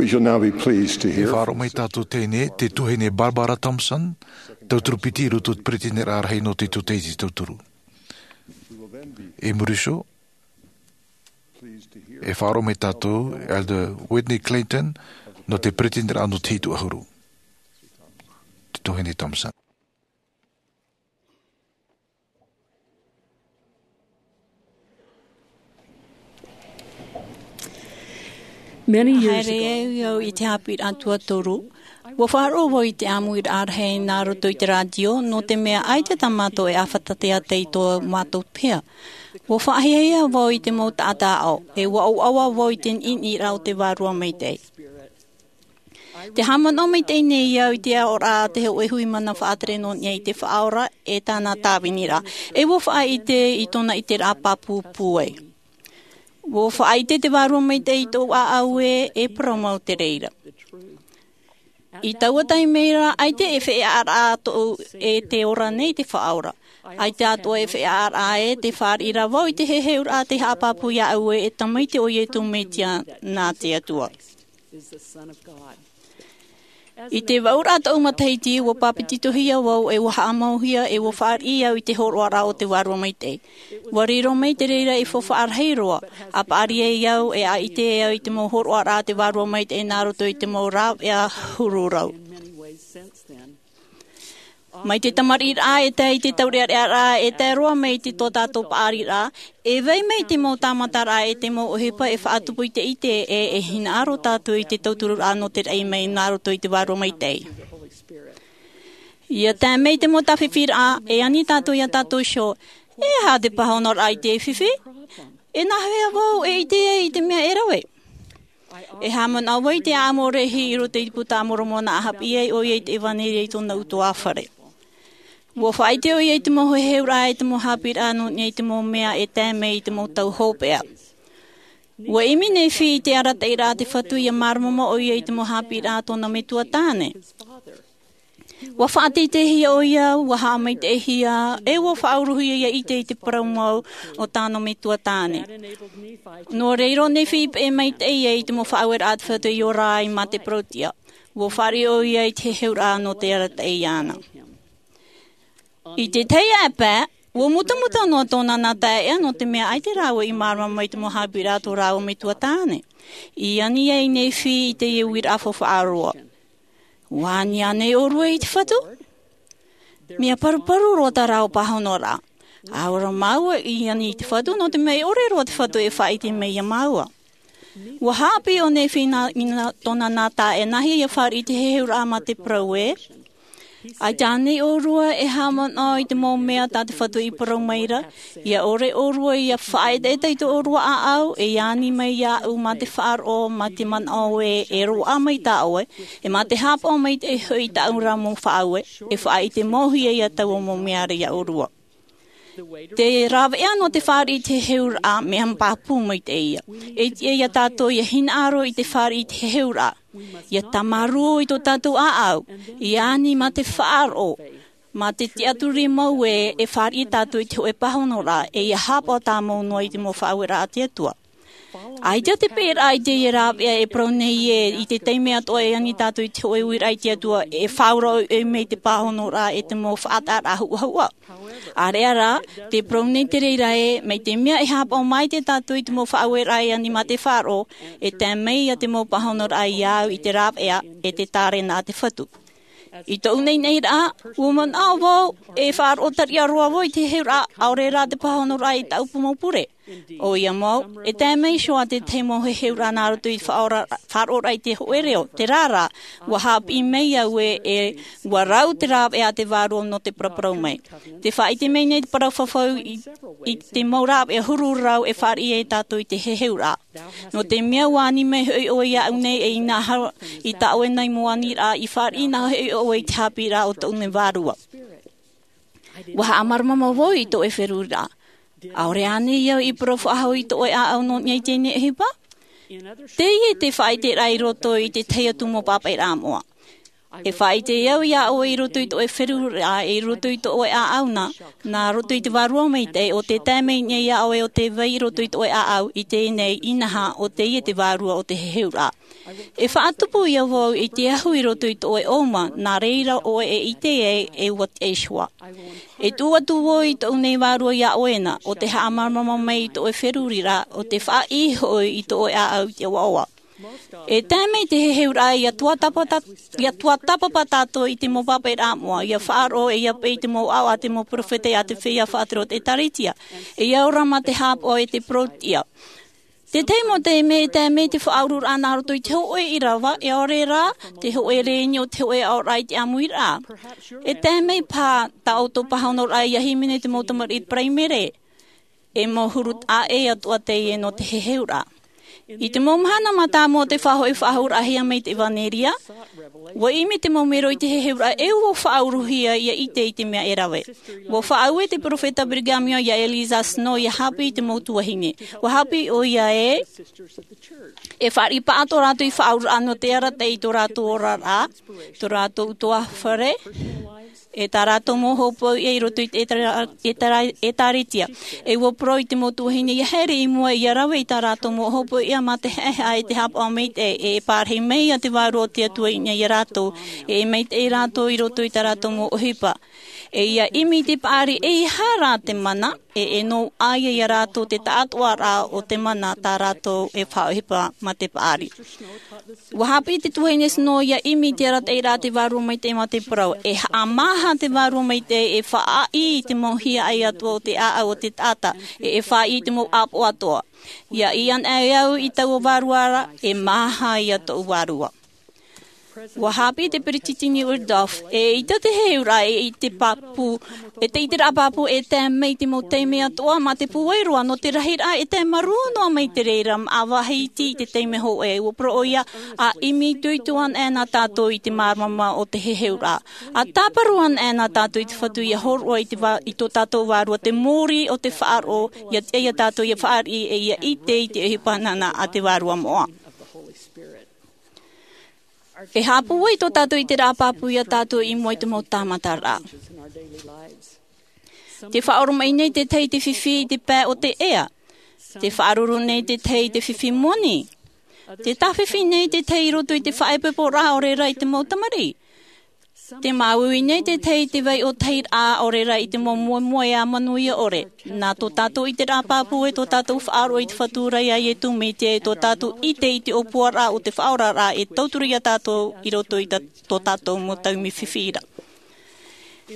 We shall now be pleased to E hear faʻaroʻo mai tātou teie, te tuahine Barbara Thompson, tauturu piti i roto i te peretiteniraʻa rahi nō te tūtei i te tauturu. I muri iho, e faʻaroʻo mai tātou Elder Whitney Clayton, nō te peretiteniraʻa nō te hitu ʻahuru. Te tuahine Thompson. Many years Haere ago, au i te haʻapiʻiraʻa tuatoru. Ua faʻaroʻo vau i te ʻāmuiraʻa rahi nā roto i te rātio, nō te mea ʻaita tā mātou e ʻāfata teata i tō mātou peha. Ua faʻahiahia vau i te mau taʻata aʻo, e ua ʻoaʻoa vau i te niʻiniʻiraʻa o te Vārua Maitaʻi. Te haʻamanaʻo maitaʻi nei au i te aʻoraʻa a te hōʻē hui mana faʻatere nō niʻa i te Faʻaora e tāna tāviniraʻa, e ua faʻaʻite i tōna ʻiteraʻa pāpū pūai. Ua faʻaʻite te Vārua Maitaʻi i tōʻu ʻāʻau ē, e parau mau te reira. I taua taime ra, ʻaita e feiā ra tōʻu e te ora nei te Faʻaora. ʻAita atoʻa e feiā ra ē, tē fāriʻi ra vau i te heheuraʻa tē haʻapāpū iāʻu ē, e Tamaiti o Iesu Mesia nā te Atua. I te vaʻuraʻa tōʻu matahiti, ua pāpetitohia vau e ua haʻamauhia e ua fāriʻi au i te hōroʻaraʻa o te Vārua Maitaʻi. Ua riro mai te reira ei faufaʻa rahi roa, a paʻari ai au e a ʻite ai au i te mau hōroʻaraʻa a te Vārua Maitaʻi nā roto i te mau rāveʻa huru rau. Mai te tamariʻiraʻa e tae i te taureʻareʻaraʻa e tae roa mai i tō tātou paʻariraʻa, e vai mai te mau tāmataraʻa e te mau ʻohipa e faʻatupu i te ʻite ē, e hinaʻaro tātou i te tautururaʻa nō te raʻi mai nā roto i te Vārua Maitaʻi. ʻIa tae mai te mau tāfifiraʻa, e ani tātou iā tātou iho, e aha te pāhonoraʻa i te fifi? E nāhea vau e ʻite ai i te mea e rave? E haʻamanaʻo vau i te ʻāʻamu rahi i roto i te Buka a Moromona, a haʻapiʻi ai ʻoia i te ʻevanelia i tōna ʻutuāfare. Ua faʻaʻite ʻoia i te mau heheuraʻa e te mau haʻapiʻiraʻa nō niʻa i te mau mea e tae mai i te mau tau hopeʻa. Ua ʻimi Nephi i te arataʻiraʻa a te Fatu ʻia māramarama ʻoia i te mau haʻapiʻiraʻa a tōna metua tāne. Ua faʻateiteihia ʻoia, ua haʻamaitaʻihia, e ua faʻauruhia ʻia ʻite i te parau mau o tāna metua tāne. Nō reira ʻo Nephi i peʻe maitaʻi ai i te mau faʻaueraʻa a te Fatu i ora ai mā te parauʻtiʻa. Ua fāriʻi ʻoia i te heheuraʻa nō te arataʻi iāna. I te tahi ʻāpae, ua mutamuta noa tōna nā taeaʻe nō te mea ʻaita rāua i māramarama i te mau haʻapiʻiraʻa a tō rāua metua tāne. I ani ai Nephi i teie uiraʻa faufaʻa roa. Ua ani ānei ʻōrua i te Fatu? Mea paruparu roa tā rāua pāhonoraʻa. ʻAore māua i ani i te Fatu, nō te mea e ʻore roa te Fatu e faʻaʻite mai iā māua. Ua haʻapiʻi ʻo Nephi nā, i nā, tōna nā taeaʻe, nāhea ʻia fāriʻi i te heheuraʻa mā te parau ē? ʻAita ānei ʻōrua e haʻamanaʻo i te mau mea tā te Fatu i parau mai ra, ʻia ʻore ʻōrua ʻia faʻaetaeta i tō ʻōrua ʻāʻau, e ani mai iāʻu mā te faʻaroʻo, mā te manaʻo ē, e roaʻa mai tā ʻoe, e mā te haʻapaʻo maitaʻi hoʻi i tāʻu ra mau faʻaue, e faʻaʻite mau hia iā taua mau mea ra iā ʻōrua. Te rāveʻa nō te fāriʻi i te heheuraʻa, mea pāpū maitaʻi ïa. E tiʻa iā tātou ʻia hinaʻaro i te fāriʻi i te heheuraʻa. ʻIa tāmarū i tō tātou ʻāʻau, ʻia ani mā te faʻaroʻo, mā te tiʻaturi mau ē, e fāriʻi tātou i te hōʻē pāhonoraʻa, e ʻia haʻapaʻo tāmau noa i te mau faʻaueraʻa a te Atua. ʻAita te peʻeraʻa i teie rāveʻa e parau nei ē, i te taime atoʻa e ani tātou i te hōʻē uiraʻa i te Atua, e faʻaora ʻoiʻoi mai te pāhonoraʻa e te mau faʻataʻaraʻa huʻahuʻa. ʻĀreʻa rā, tē parau nei te reira ē, mai te mea e haʻapaʻo maitaʻi tātou i te mau faʻaueraʻa e ani mā te faʻaroʻo, e tae mai ïa te mau pāhonoraʻa iāʻu i te rāveʻa, e te tārena a te Fatu. I tōʻu naʻinaʻiraʻa, ua manaʻo vau, e faʻaroʻo tariʻa roa vau i te heheuraʻa, ʻaore rā te pāhonoraʻa i tāʻu mau pure. ʻOia mau, e tae mai iho ā te tahi mau heheuraʻa nā roto i te faʻaora-, faʻaroʻoraʻa i te hōʻē reo, terā rā, ua haʻapiʻi mai au ē, e ua rau te rāveʻa a te Vārua nō te paraparau mai. Tē faʻaʻite mai nei te parau fafau i, i te mau rāveʻa huru rau e fāriʻi ai tātou i te heheuraʻa. Nō te mea ua ani mai hoʻi ʻoe iāʻu nei, e inaha i tā ʻoe nei mau aniraʻa, i fāriʻi na hoʻi ʻoe i te haʻapiʻiraʻa o tōʻu nei Vārua. Ua haʻamāramarama vau i tō ʻoe feruriraʻa. ʻAore ānei au i parau faʻahou i tō ʻoe ʻāʻau nō niʻa i teie ʻohipa? Teie te faʻaʻiteraʻa i roto i te tahi atu mau pāpaʻiraʻa moʻa. E faʻaʻite au iā ʻoe i roto i tō ʻoe feruriraʻa, i roto i tō ʻoe ʻāʻau na, nā roto i te Vārua Maitaʻi, ʻo tē tae mai nei iā ʻoe ʻo tē vai i roto i tō ʻoe ʻāʻau i teie nei inaha, ʻo teie te Vārua o te heheuraʻa. E faʻatupu ia vau i te ahu i roto i tō ʻoe ʻōuma, nā reira ʻoe e ʻite ai e ʻua tiʻa Iehova. E tuʻu atu vau i tōʻu nei vārua iā ʻoe na, ʻo te haʻamāramarama mai i tō ʻoe feruriraʻa, ʻo te faʻaʻī hoʻi i tō ʻoe ʻāʻau i te ʻoaʻoa. E tae mai te heheuraʻa ia tuatāpapa, ia tuatāpapa tātou i te mau pāpaʻiraʻa moʻa, ia faʻaroʻo e ia peʻe i te mau ʻaʻoʻa a te mau peropheta, ia te feiā faʻatere o te ʻĒtārētia, e ia ora mā te haʻapaʻo e te parauʻtiʻa. Te tahi mau taime e tae mai te faʻaururaʻa nā roto i te hōʻē ʻīrava, e ʻaore rā te hōʻē rēni o te hōʻē aʻoraʻa i te ʻāmuiraʻa. E tae mai paha tā ʻoutou pāhonoraʻa ia hīmene te mau tamariʻi paraimere. E mau huru taʻa ʻē atoʻa teie nō te heheuraʻa. I te mau mahana mātāmua o te faʻahoʻi faʻahou raʻahia mai te ʻevanelia, ʻua ʻimi te mau mero i te heheuraʻa e ʻua faʻauruhia ia ʻite i te mea e rave. ʻUa faʻaue te peropheta Brigham Young iā Eliza Snow ia haʻapiʻi i te mau tuahine. ʻUa haʻapiʻi ʻoia ē, e fāriʻi paʻatoʻa rātou i faʻaururaʻa nō te arataʻi i tō rātou oraraʻa, tō rātou ʻutuāfare, e tā rātou mau hopoiʻa i roto i te ʻĒtārē-, ʻĒtārē-, ʻĒtārētia. E ʻua parau i te mau tuahine ia haere i mua ia rave i tā rātou mau hopoiʻa mā te haʻehaʻa e te haʻapaʻo maitaʻi, e, e pārahi mai ia te Vārua o te Atua iʻinā iā rātou, e, e maitaʻi rātou i roto i tā rātou mau ʻohipa. E ia ʻimi i te paʻari ʻeiaha rā te mana, e, e nō ʻā ia iā rātou te taʻatoʻaraʻa o te mana tā rātou e faʻaʻohipa mā te paʻari. ʻUa haʻapiʻi te tuahine Snow ia ʻimi i te arataʻiraʻa a te Vārua Maitaʻi mā te parau, e haʻamāha te Vārua Maitaʻi e faʻaʻī i te mau hiaʻai atoʻa o te ʻāʻau o te taʻata, e, e faʻaʻī i te mau ʻāpoʻo atoʻa. Ia ʻī anaʻe au i taua vārua ra, e māha ia tōʻu vārua. ʻUa haʻapiʻi te peretiteni Uchtdorf, e ʻaita te heheuraʻa e ʻite pāpū, e te ʻiteraʻa pāpū e tae mai i te mau taime atoʻa mā te pūai roa nō te rahiraʻa e tae marū noa mai te reira māʻa vāhi iti i te taime hōʻē. ʻUa parau ʻoia, ʻa ʻimi itoito anaʻe nā tātou i te māramarama o te heheuraʻa. ʻA tāparu anaʻe nā tātou i te Fatu ia hōroʻa i te vā-, i tō tātou vārua te mōrī o te faʻaroʻo, ia tiʻa ia tātou ia fāriʻi e ia ʻite i te ʻohipa nāna a te Vārua Moʻa. E haʻapūai tō tātou ʻiteraʻa pāpū ia tātou i mua i te mau tāmataraʻa. Te faʻaoromaʻi nei te tahi i te fifi i te pae o te ea. Te faʻaruru nei te tahi i te fifi moni. Te tāfifi nei te tahi i roto i te faʻaipoiporaʻa ʻaore rā i te mau tamariʻi. Te māuiui nei te tahi i te vai ʻōtahiraʻa ʻaore rā i te mau moemoeā manuia ʻore. Nā tō tātou ʻiteraʻa pāpū e tō tātou faʻaroʻo i te Fatu ra iā Iesu Mesia e tō tātou ʻite i te ʻōpuaraʻa o te Faʻaoraraʻa e tauturu ia tātou i roto i tā-, tō tātou mau taime fifi ra.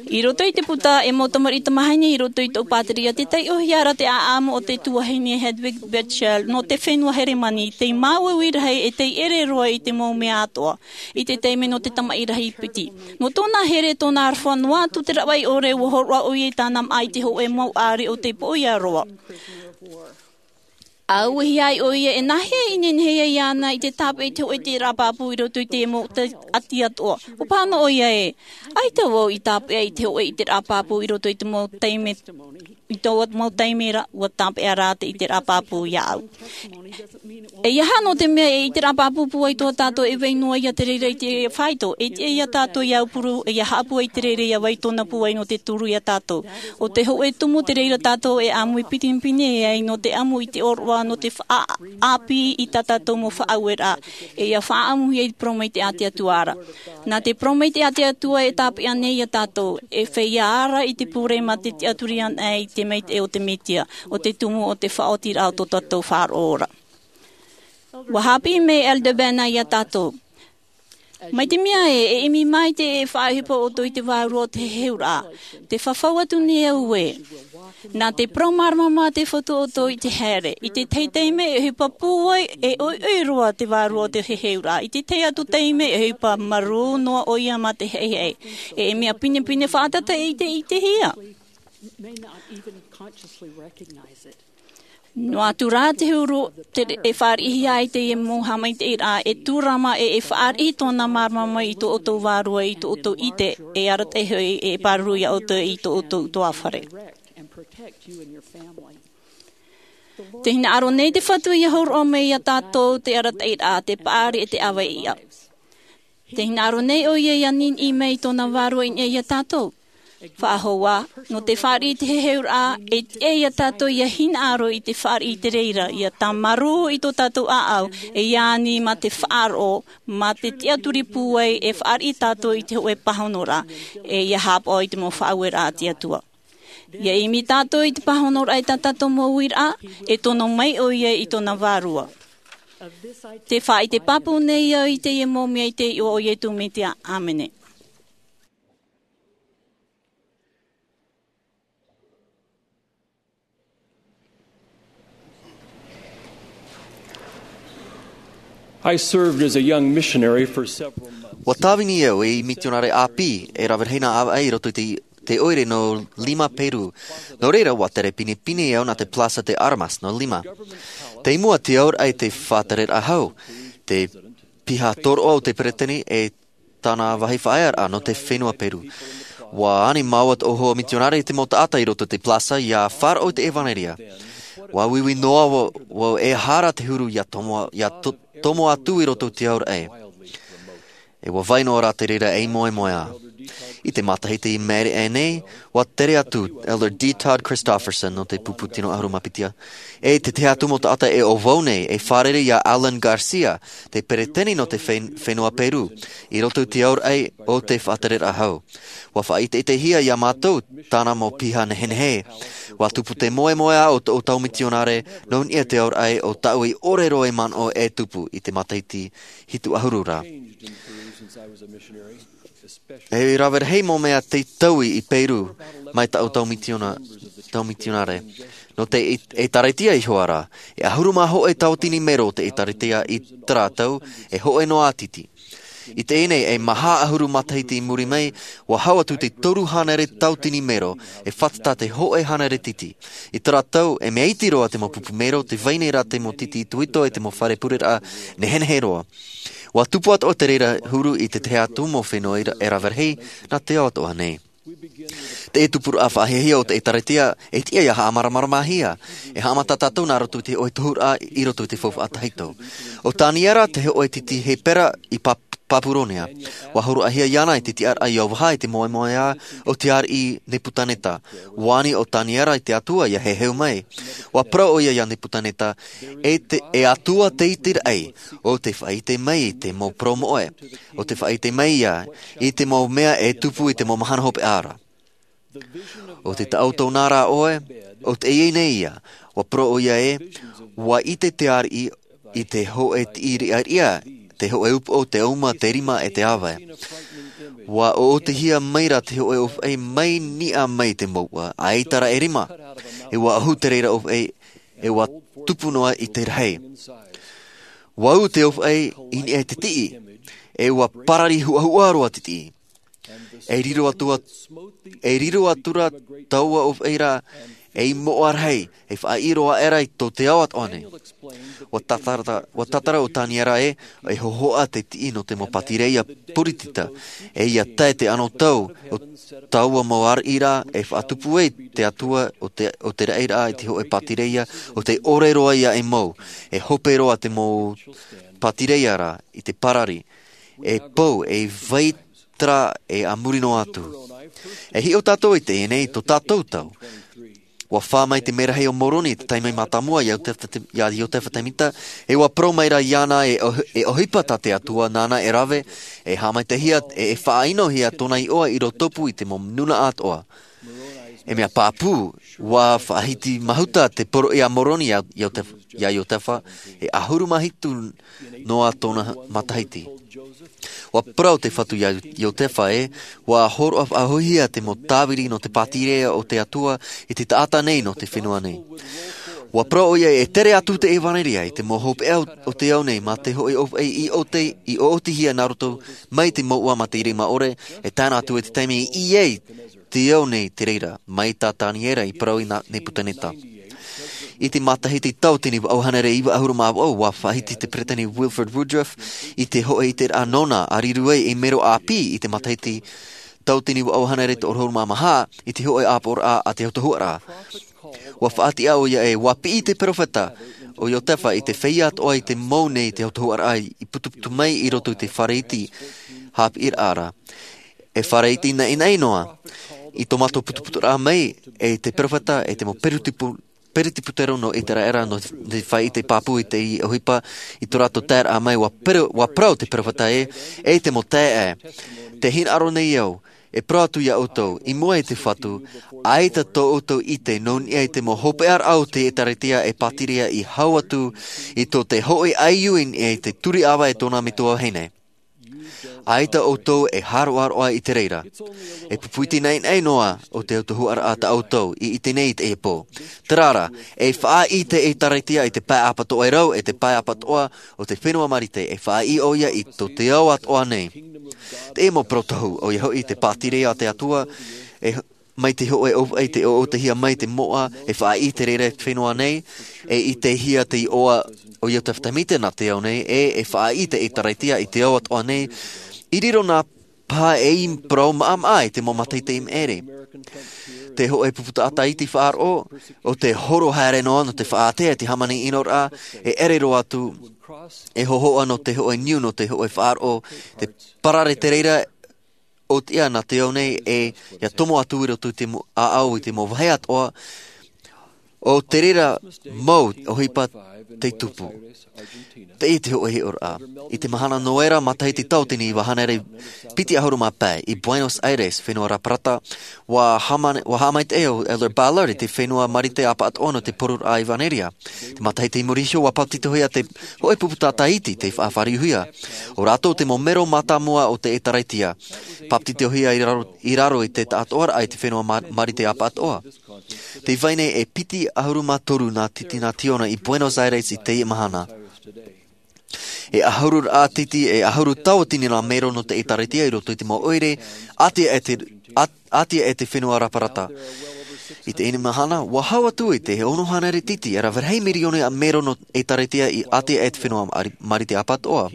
I roto i te puta e mau tamariʻi tamāhine i roto i tōʻu pātireia, tē taiʻohia ra te ʻāʻamu o te tuahine Hedwig Bechtel nō te fenua Heremani, tei māuiui rahi e tei ʻere roa i te mau mea atoʻa, i te taime nō te tamaʻi rahi piti. Nō tōna here, tōna aroha noa atu te rāveʻa ʻore, ʻua hōroʻa ʻoia i tāna māʻa i te hōʻē mau ʻāriʻi o te poʻia roa. ʻA uehia ai ʻoia e nāhea i nehenehe ai iāna i te tāpeʻa i te hōʻē ʻiteraʻa pāpū i roto i te mau ʻati atoʻa. ʻUa paha noa ʻoia ē, ʻaita vau i tāpeʻa i te hōʻē ʻiteraʻa pāpū i roto i te mau taime, i tō mau taime ra, ʻua tāpeʻa rā te ʻiteraʻa pāpū iāʻu. E ʻeiaha nō te mea e ʻiteraʻa pāpū pūai tō tātou e vai noa ia te reira i te fāito, e tiʻa ia tātou ia aupuru, e ia haʻapūai i te reira ia vai tōna pūai nō te turu ia tātou. ʻO te hōʻē tumu te reira tātou e ʻāmui pinepine ai nō te ʻamu i te ʻōroʻa, nō te faʻaʻāpī i tā tātou mau faʻaueraʻa, e ia faʻaʻamuhia i te parau mai te, a te Atua ra. Nā te parau mai te, a te Atua e tāpeʻa nei ia tātou, e feiā ra i te pure mā te tiʻaturi anaʻe i te maitaʻi o te Mesia, ʻo te tumu o te faʻaotiraʻa o tō tātou faʻaroʻo ra. ʻUa haʻapiʻi mai Elder Bednar ia tātou. Mai te mea ē, e ʻimi maitaʻi e faʻaʻohipa ʻoutou i te vārua o te heheuraʻa. Tē fafau atu nei au ē. Nā te parau māramarama a te Fatu ʻoutou i te haere. I te tahi taime e ʻohipa pūai, e ʻoiʻoi roa te vārua o te heheuraʻa. I te tahi atu taime e ʻohipa marū noa ʻoia mā te haʻehaʻe. E mea pinepine fātata e ʻite, ʻitehia. Noa atu rā te huru, te, e fāriʻihia ai teie mau haʻamaitaʻiraʻa, e tūrama e, e fāriʻi tōna māramarama i tō ʻoutou vārua, i tō ʻoutou ʻite, e arataʻi hoʻi e pāruru ia ʻoutou i tō ʻoutou ʻutuāfare. Tē hinaʻaro nei te Fatu ia hōroʻa mai ia tātou te arataʻiraʻa, te paʻari e te ʻāvaʻe iʻa. Te hinaʻaro nei ʻoia ia niniʻi mai i tōna vārua i niʻa iā tātou. Faʻahou ā, nō te fāriʻi i te heheuraʻa, e tiʻa iā tātou ia hinaʻaro i te fāriʻi i te reira, ia tāmarū i tō tātou ʻāʻau, e ia ani mā te faʻaroʻo, mā te tiʻaturi pūai e fāriʻi tātou i te hōʻē pāhonoraʻa, e ia haʻapaʻo i te mau faʻaueraʻa a te Atua. Ia ʻimi tātou i te pāhonoraʻa i tā tātou mau uiraʻa, e tono mai ʻoia i tōna vārua. Te faʻaʻite pāpū nei au i teie mau mea i te iʻoa o Iesu Mesia. ʻĀmene. I served as a young missionary for several months. Ua tāvini au ei mitionare ʻāpī, e rave rahi nā ʻāvaʻe i roto i te, te ʻoire nō Lima, Peru. Nō reira, ua tere pinepine au nā te Plaza de Armas nō Lima. Tei mua te auraʻa i te faʻatereraʻa hau, te piha tōroʻa o te peretiteni e tāna vāhi faʻaearaʻa nō te fenua Peru. Ua ani māua tōʻu hoa mitionare i te mau taʻata i roto i te plaza ia faʻaroʻo i te ʻevanelia. Ua uiui noa vau, vau e aha ra te huru ia tomo, ia to-, tomo atu i roto i te auraʻa. E ua vai noa rā te reira ei moemoeā. I te matahiti i maʻiri aʻe nei, ua tere atu Elder D. Todd Christofferson nō te pupu tino ʻahuru mā piti. E te tahi atu mau taʻata e ʻo vau nei, e fārerei iā Alan García, te peretiteni nō te fen-, fenua Peru, i roto i te auraʻa o te faʻatereraʻa hau. Ua faʻaʻiteʻitehia iā mātou tāna mau piha nehenehe. Ua tupu te moemoeā o tō, o tōʻu mitionare, nō niʻa i te auraʻa o tāʻu i ʻore roa i manaʻo e tupu i te matahiti hitu ʻahuru ra. E rave rahi mau mea tei taui i Peru mai tāʻu tau mitiona-, tau mitionare. Nō te ʻē-, ʻēkālesia iho ā rā, e ʻahuru mā hōʻē tauatini mero o te ʻēkālesia i terā tau, e hōʻē noa ā tītī. I teie nei, e maha ʻahuru matahiti i muri mai, ua hau atu te toru hānere tauatini mero, e fātata te hōʻē hānere tītī. I terā tau, e mea iti roa te mau pupu mero, tē vai nei rā te mau tītī itoito e te mau fare pureraʻa nehenehe roa. Ua tupu atoʻa te reira huru i te tahi atu mau fenua e rave rahi nā te ao atoʻa nei. Te tupuraʻa faʻahiahia o te ʻēkālesia, e tiʻa ia haʻamāramaramahia, e haʻamata tātou nā roto i te hōʻē tohuraʻa i roto i te faufaʻa tahito. ʻO Taniera te hōʻē tītī Hepera i Pap-, Papuronia. Ua hōroʻahia iāna i te tiʻaraʻa i ʻōvaha i te moemoeā o te ariʻi Nepukaneta. Ua ani ʻo Taniera i te Atua ia heheu mai. Ua parau ʻoia iā Nepukaneta, e te, e Atua te iti raʻi, ʻo tē faʻaʻite mai i te mau parau moʻe, ʻo tē faʻaʻite mai ia i te mau mea e tupu i te mau mahana hopeʻa ra. ʻO te taʻoto nā rā ʻoe, ʻo teie nei ia, ua parau ʻoia ē, ua ʻite te ariʻi i te hōʻē tiʻi riʻariʻa, te hōʻē upoʻo, te uma, te rima, e te ʻāvae. Ua ʻoʻotihia mai rā te hōʻē ʻōfaʻi mai niʻa mai te mouʻa, ʻaita rā e rima. E ua ʻohu te reira ʻōfaʻi, e ua tupu noa i te rahi. Ua ū te ʻōfaʻi i niʻa i te tiʻi, e ua parari huʻahuʻa roa te tiʻi. E riro atu a-, e riro atu rā taua ʻōfaʻi ra, ei moʻa rahi, e faʻaʻī roa aʻera i tō te ao atoʻa nei. Ua tātara, ua tātara ʻo Taniera ē, e hōhoʻa te tiʻi nō te mau pātireia puritita, e ia tae te anotau o taua mau ariʻi ra, e faʻatupu ai te Atua o te, o te raʻi ra i te hōʻē pātireia, ʻo tē ʻore roa ia e mau, e hope roa te mau pātireia ra i te parari, e pou, e vai terā e a muri noa atu. E hiʻo tātou i teie nei tō tātou tau. Ua fā mai te merahi o Moroni i te taime mātāmua iā Iotefa Te-, iā Iotefa Temita, e ua parau mai rā iāna e ʻohi-, e ʻohipa tā te Atua nāna e rave, e haʻamaitaʻihia, e, e faʻaʻinohia tōna iʻoa i rotopū i te mau nūnaʻa atoʻa. E mea pāpū, ua faʻahiti mahuta te poroʻi a Moroni iā, iā Iotef-, iā Iotefa, e ʻahuru mā hitu noa tōna matahiti. Ua parau te Fatu iā Iotefa ē, ua hōroʻa faʻahouhia te mau tāviri nō te pātireia o te Atua i te taʻata nei nō te fenua nei. Ua parau ʻoia e tere atu te ʻevanelia i te mau hopeʻa o, o te ao nei mā te hōʻē ʻōfaʻi i ʻōte-, i ʻōʻotihia nā roto mai te mouʻa mā te rima ʻore, e tae noa atu i te taime i ʻī ai te ao nei te reira, mai tā Taniera i parau iā Nepukaneta. I te matahiti tauatini vaʻu hānere iva ʻahuru mā vaʻu, ua faʻahiti te Peretiteni Wilford Woodruff i te hōʻē ʻiteraʻa nōna, a riro ai ei mero ʻāpī i te matahiti tauatini vaʻu hānere toru ʻahuru mā maha, i te hōʻē ʻāpoʻoraʻa a te autahuʻaraʻa. Ua faʻatiʻa ʻoia ē, ua piʻi te perofeta o Iotefa i te feiā atoʻa i te mau nei te autahuʻaraʻa i putuputu mai i roto i te fare iti. haʻapiʻiraʻa ra. E fare iti naʻinaʻi noa i tō mātou putuputuraʻa mai, e te peropheta, e te mau perutipu-, peretiputero nō Iteraera, nō te fāʻite pāpū i te ʻohipa i tō rātou taeraʻa mai, ʻua pero-, ʻua parau te peropheta ē, e te mau taeaʻe. Tē hinaʻaro nei au, e parau atu iā ʻoutou, i mua i te Fatu, ʻaita tō ʻoutou ʻite nō niʻa i te mau hopeʻaraʻa o te ʻĒtārētia e pātireia i hau atu i tō te hōʻē ʻāiū i niʻa i te turi ʻava e tōna metua vahine. ʻAita ʻoutou e hāroʻaroʻa i te reira. E pupu iti naʻinaʻi noa o te autahuʻaraʻa tā ʻoutou i ʻite nei i teie pō. Terā rā, e faʻaʻī te ʻĒtārētia i te pae ʻāpatoʻa e rau, e te pae ʻāpatoʻa o te fenua Marite, e faʻaʻī ʻoia i tō te ao atoʻa nei. Teie mau parau tohu, ʻoia hoʻi te pātireia a te Atua, e mai te hōʻē ʻōfaʻi tei ʻoʻotahia mai te moʻa, e faʻaʻī te reira i te fenua nei, e ʻitehia te iʻoa o Iotefa Tēmita nā te ao nei, e, e faʻaʻī te ʻĒtārētia i te ao atoʻa nei, i riro na paha ei parau maʻamaʻa i te mau matahiti i maʻiri. Te hōʻē pupu taʻata iti faʻaroʻo, ʻo tē horo haere noa nō te faʻaātea i te hāmani ʻinoraʻa, e ʻere roa atu, e hōhoʻa nō te hōʻē niu nō te hōʻē faʻaroʻo, te parare te reira, ʻo tiʻa nā te ao nei, e, ʻia tomo atu i roto i te mo-, ʻāʻau i te mau vāhi atoʻa, ʻo te reira mau ʻohipa tei tupu. Teie te hōʻē hiʻoraʻa. I te mahana Noera, matahiti tauatini iva hānere piti ʻahuru mā pae, i Buenos Aires, fenua Raparata, ʻua hāmani-, ʻua haʻamaitaʻi ʻo Elder Ballard i te fenua Marite ʻāpatoʻa nō te poruraʻa ʻevanelia. Te matahiti i muri iho, ʻua papetitohia te hōʻē pupu taʻata iti tei faʻafāriuhia. ʻO rātou te mau mero mātāmua o te ʻĒtārētia. Papetitohia i raro, i raro i te taʻatoʻaraʻa i te fenua Ma-, Marite ʻāpatoʻa. Tē vai nei e piti ʻahuru mā toru nā titi nā tiona i Buenos Aires i teie mahana. E ʻahuru rā titi, e ʻahuru tauatini nā mero nō te ʻĒtārētia i roto i te mau ʻoire, ʻātea e te, ʻā-, ʻātea e te fenua Raparata. I teie mahana, ʻua hau atu i te ono hānere titi, e rave rahi mirioni ā mero nō ʻĒtārētia i ʻātea e te fenua Mari-, Marite ʻāpatoʻa.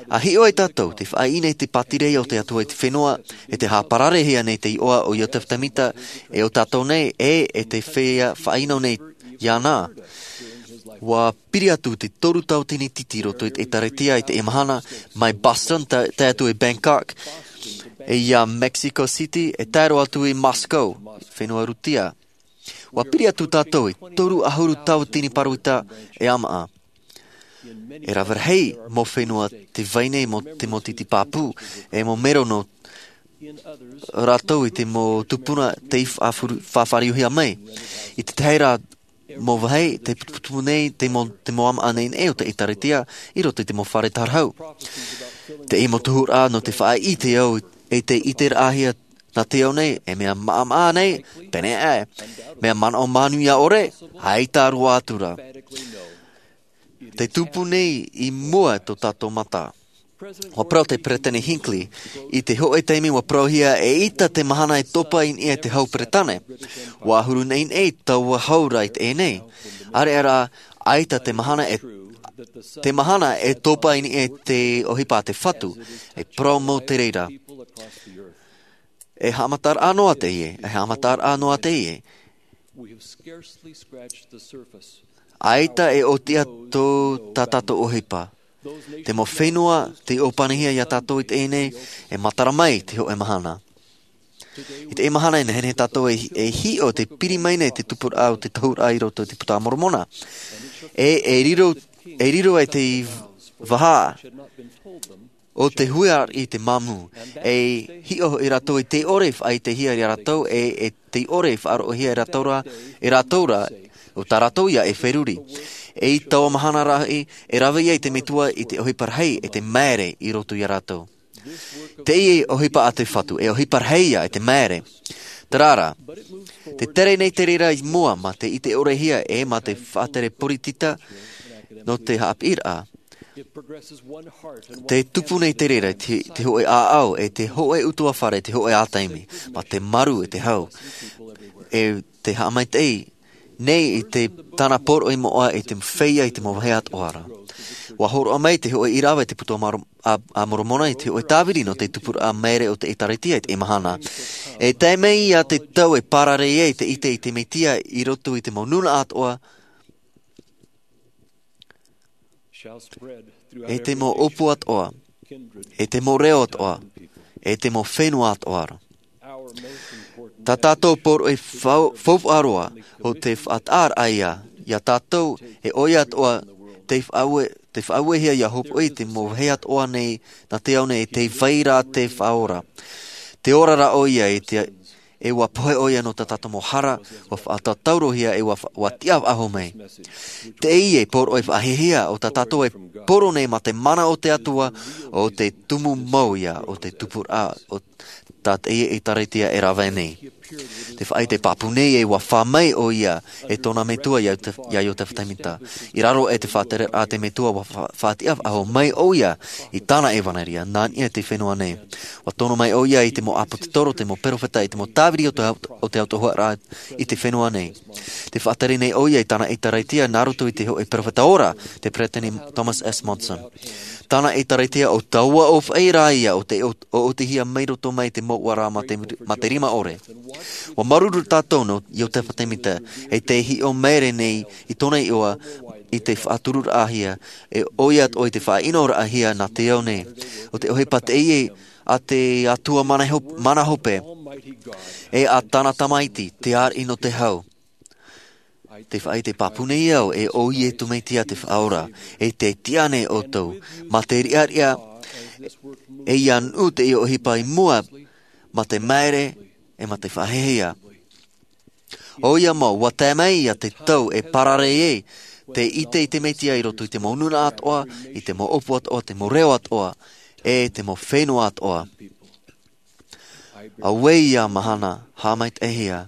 ʻA hiʻo ai tātou, tē faʻaʻī nei te pātireia o te Atua i te fenua, e tē haʻapararehia nei te iʻoa o Iotefa Tēmita, e ʻo tātou nei, e, e tē feiā faʻaʻino nei iāna. ʻUa piri atu te toru tauatini titi i roto i te ʻĒtārētia i teie mahana, mai Boston, tae, tae atu i Bangkok, e ia Mexico City, e tae roa atu i Moscow, fenua Rūtia. ʻUa piri atu tātou i toru ʻahuru tauatini pāroita e ʻāmaʻa. E rave rahi mau fenua tē vai nei mau, te mau titi pāpū, e mau mero nō rātou i te mau tupuna tei faʻafuru-, faʻafāriuhia mai. I te tahi rā mau vāhi, tē putuputu nei te mau, te mau ʻāmaʻa naʻinaʻi o te ʻĒtārētia i roto i te mau fare tārahu. Teie mau tohuraʻa nō te faʻaʻite au, e tē ʻiteraʻahia nā te ao nei, e mea maʻamaʻa nei, pēneiaʻe. Mea manaʻo manuia ʻore, ʻaita roa atu rā. Tē tupu nei i mua tō tātou mata. ʻUa parau te Peresideni Hinckley, i te hōʻē taime ʻua parauhia eʻita te mahana e topa i niʻa i te hau Peretāne. ʻUa ʻahuru naʻinaʻi taua hau ra i teie nei. ʻAreʻa rā, ʻaita te mahana e, te mahana e topa i niʻa i te ʻohipa a te Fatu, e parau mau te reira. E haʻamataraʻa noa teie, e haʻamataraʻa noa teie. ʻAita e ʻōtiʻa tō tā tātou ʻohipa. Te mau fenua tei ʻōpanihia iā tātou i teie nei, e matara mai te hōʻē mahana. I teie mahana e nehenehe tātou e, e hiʻo tē piri mai nei te tupuraʻa o te tohuraʻa i roto i te Puta a Moromona. E, e riro, e riro ai te vaha o te huiraʻatira i te māmū, e hiʻo hoʻi rātou e tē ʻore e faʻaʻitehia iā rātou, e, e tē ʻore e faʻaroʻohia e rātou ra, e rātou ra, ʻo tā rātou ia e feruri. E i taua mahana ra hoʻi, e rave ia i te Metua i te ʻohipa rahi, e te māere i roto iā rātou. Teie ʻohipa a te Fatu, e ʻohipa rahi ia, e te māere. Terā rā, tē tere nei te reira i mua, mā te ʻite ʻorehia, e mā te faʻatere poritita, nō te haʻapiʻiraʻa. Tē tupu nei te reira, te, te hōʻē ʻāʻau, e te hōʻē ʻutuāfare, te hōʻē ā taime, mā te maru, e te hau. E tē haʻamaitaʻi nei i te tāna poroʻi moʻa, i te feiā, i te mau vāhi atoʻa ra. ʻUa hōroʻa mai te hōʻē ʻīrava i te Puta a Moro-, a, a Moromona, i te hōʻē tāviri nō te tupuraʻa māere o te ʻĒtārētia i teie mahana. E tae mai ia te tau e pārare ai te ʻite i te Mesia i roto i te mau nūnaʻa atoʻa, e te mau ʻōpū atoʻa. e te mau reo atoʻa, e te mau fenua atoʻa ra. Tā tātou poroʻi fau-, faufaʻa roa, ʻo te faʻataʻaraʻa ia, ia tātou, e ʻoia atoʻa, te faʻaue-, te faʻauehia ia hopoiʻa i te mau vāhi atoʻa nei, nā te ao nei, e tē vai ra te Faʻaora. Tē ora ra ʻoia i te, e ʻua pohe ʻoia nō tā tātou mau hara, ʻua faʻatātaurohia e ʻua fa-, ʻua tiʻa faʻahou mai. Teie poroʻi faʻahiahia ʻo tā tātou e poro nei mā te mana o te Atua, ʻo te tumu mau ia, ʻo te tupuraʻa, ʻo tā teie ʻĒtārētia e rave nei. Te faʻaʻite pāpū nei e ʻua fā mai ʻoia e tōna metua ia Iote-, ia Iotefa Temita. I raro i te faʻatereraʻa a te Metua ʻua fa-, faʻatiʻa faʻahou mai ʻoia i tāna ʻevaneria, nā niʻa i te fenua nei. ʻUa tono mai ʻoia i te mau ʻāpōsetolo, te mau perofeta, i te mau tāviri o te au-, o te autahuʻaraʻa i te fenua nei. Tē faʻatere nei ʻoia i tāna ʻĒtārētia nā roto i te hōʻē perofeta ora, te Peresideni Thomas S. Monson. Tāna ʻĒtārētia ʻo taua ʻōfaʻi ra ia ʻo tē ʻo-, ʻoʻotihia mai roto mai te mouʻaraʻa mā te, mā te rima ʻore. ʻUa māuruuru tātou nō Iotefa Temita, e tē hiʻo maere nei i tōna iʻoa, i te faʻatururaʻahia, e ʻoia atoʻa i te faʻaʻinoraʻahia nā te ao nei. ʻO te ʻohipa teie a te Atua mana hop-, mana hope, e a tāna Tamaiti, te ariʻi nō te hau. Te faʻaʻite pāpū nei au, e ʻo Iesu Mesia te Faʻaora, e tē tiʻa nei ʻoutou, mā te riʻariʻa, e ʻia nuʻu teie ʻohipa i mua, mā te maere, e mā te faʻahiahia. ʻOia mau, ʻua tae mai ia te tau e parare ai, te ʻite i te Mesia i roto i te mau nūnaʻa atoʻa, i te mau ʻōpū atoʻa, te mau reo atoʻa, e te mau fenua atoʻa. Auē ia mahana, haʻamaitaʻihia.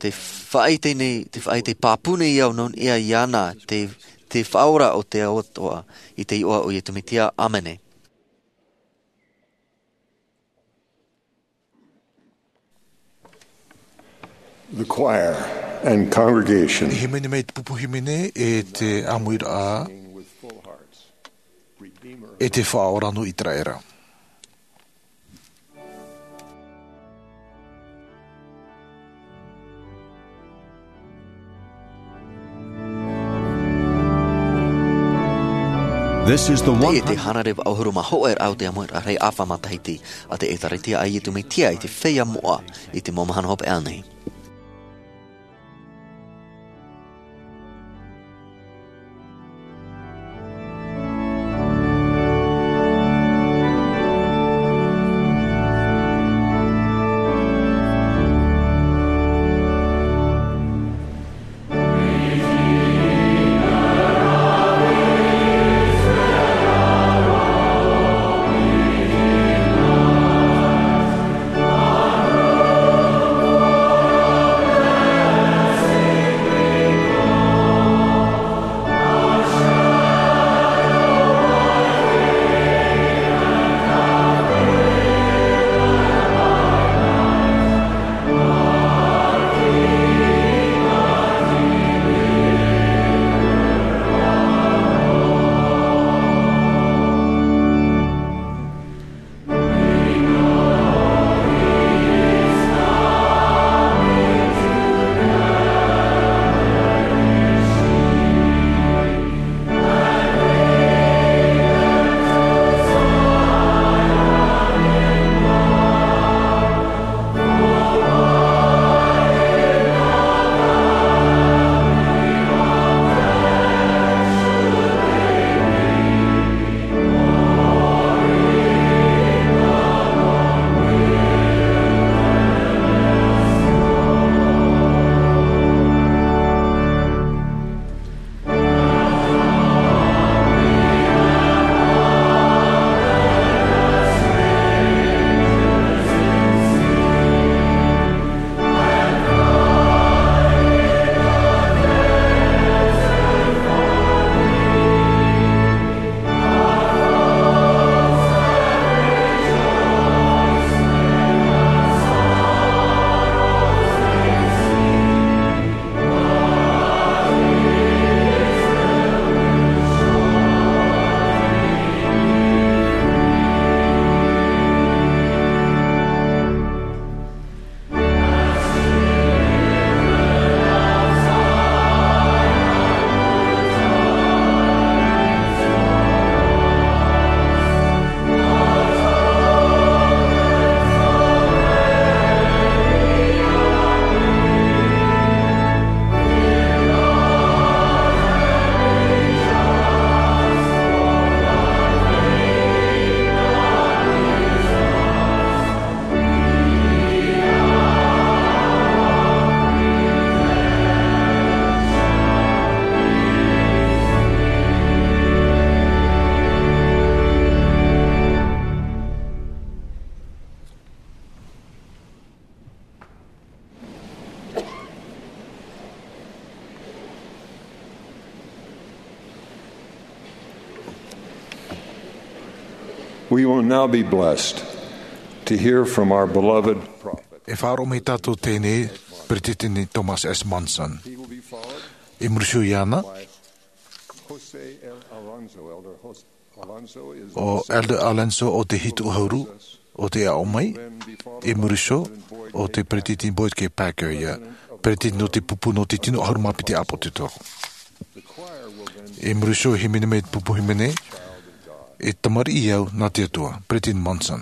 Te faʻaʻite nei, te faʻaʻite pāpū nei au nō niʻa iāna, te, te Faʻaora o te ao atoʻa, i te iʻoa o Iesu Mesia. ʻĀmene. The choir and congregation. E hīmene mai te pupu hīmene e te ʻāmuiraʻa, e te Faʻaora nō ʻĪteraʻera. This is the one hundred. Teie te hānere vaʻu ʻahuru mā hōʻē raʻa o te ʻāmuiraʻa rahi ʻāfa matahiti a te ʻĒtārētia a Iesu Mesia i te feiā moʻa i te mau mahana hopeʻa nei. We will now be blessed to hear from our beloved prophet. E faʻaroʻo mai tātou teie nei, Peresideni Thomas S. Monson. He will be followed I muri iho iāna, by Jose L. Alonso. Elder Jos-, Alonso is ʻo Elder Alonso ʻo te hitu ʻahuru, ʻo tē aʻo mai. I muri iho, ʻo te Peresideni Boyd K. Packer ïa, Peresideni nō te pupu nō te tino ʻahuru mā piti ʻāpōsetolo. I muri iho, hīmene mai te pupu hīmene, E tamariʻi au nā te Atua, Peresideni Monson.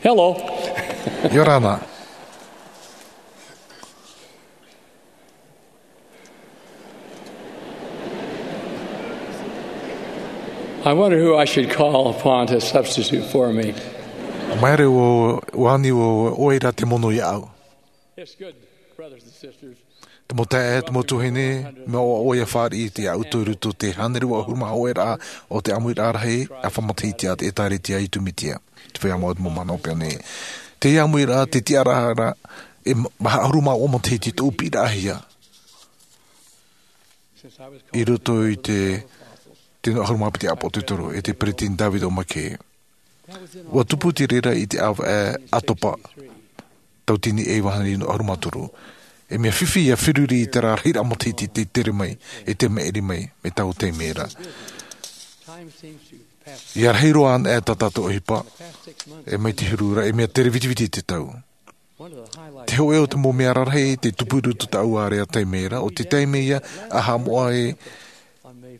Hello. ʻIa ora na. I wonder who I should call upon to substitute for me. Māere ʻua, ʻua ani ʻoe ra te mono iāʻu. It's good, brothers and sisters. Te mau taeaʻe, te mau tuahine, mea ʻoaʻoa ʻia fāriʻi i te ʻāuto i roto i te hānere ʻahuru mā hōʻē raʻa o te ʻāmuiraʻa rahi ʻāfa matahiti a te ʻĒtārētia ʻĒtūmētia, te feiā moʻa o te mau mahana hopeʻa nei. Teie ʻāmuiraʻa, te tiʻaraʻa, e ma-, maha ʻahuru mā ua matahiti tōʻu piʻiraʻahia i roto i te tino ʻahuru mā piti ʻāpōsetolo, e te Peresideni David O. McKay. ʻUa tupu te reira i te ʻāvaʻe ʻĀtopa, tauatini e iva hānere iva ʻahuru mā toru. E mea fifi ʻia feruri i terā rahiraʻa matahiti tē tere mai, e tē maʻiri mai, mai taua taime ra. ʻIa rahi roa anaʻe tā tātou ʻohipa, e mai te huru ra, e mea tere vitiviti te tau. Te hōʻē o te mau mea rarahi tei tupu i roto i tāʻu ārea taime ra, ʻo te taime ïa ʻa haʻamoʻa ai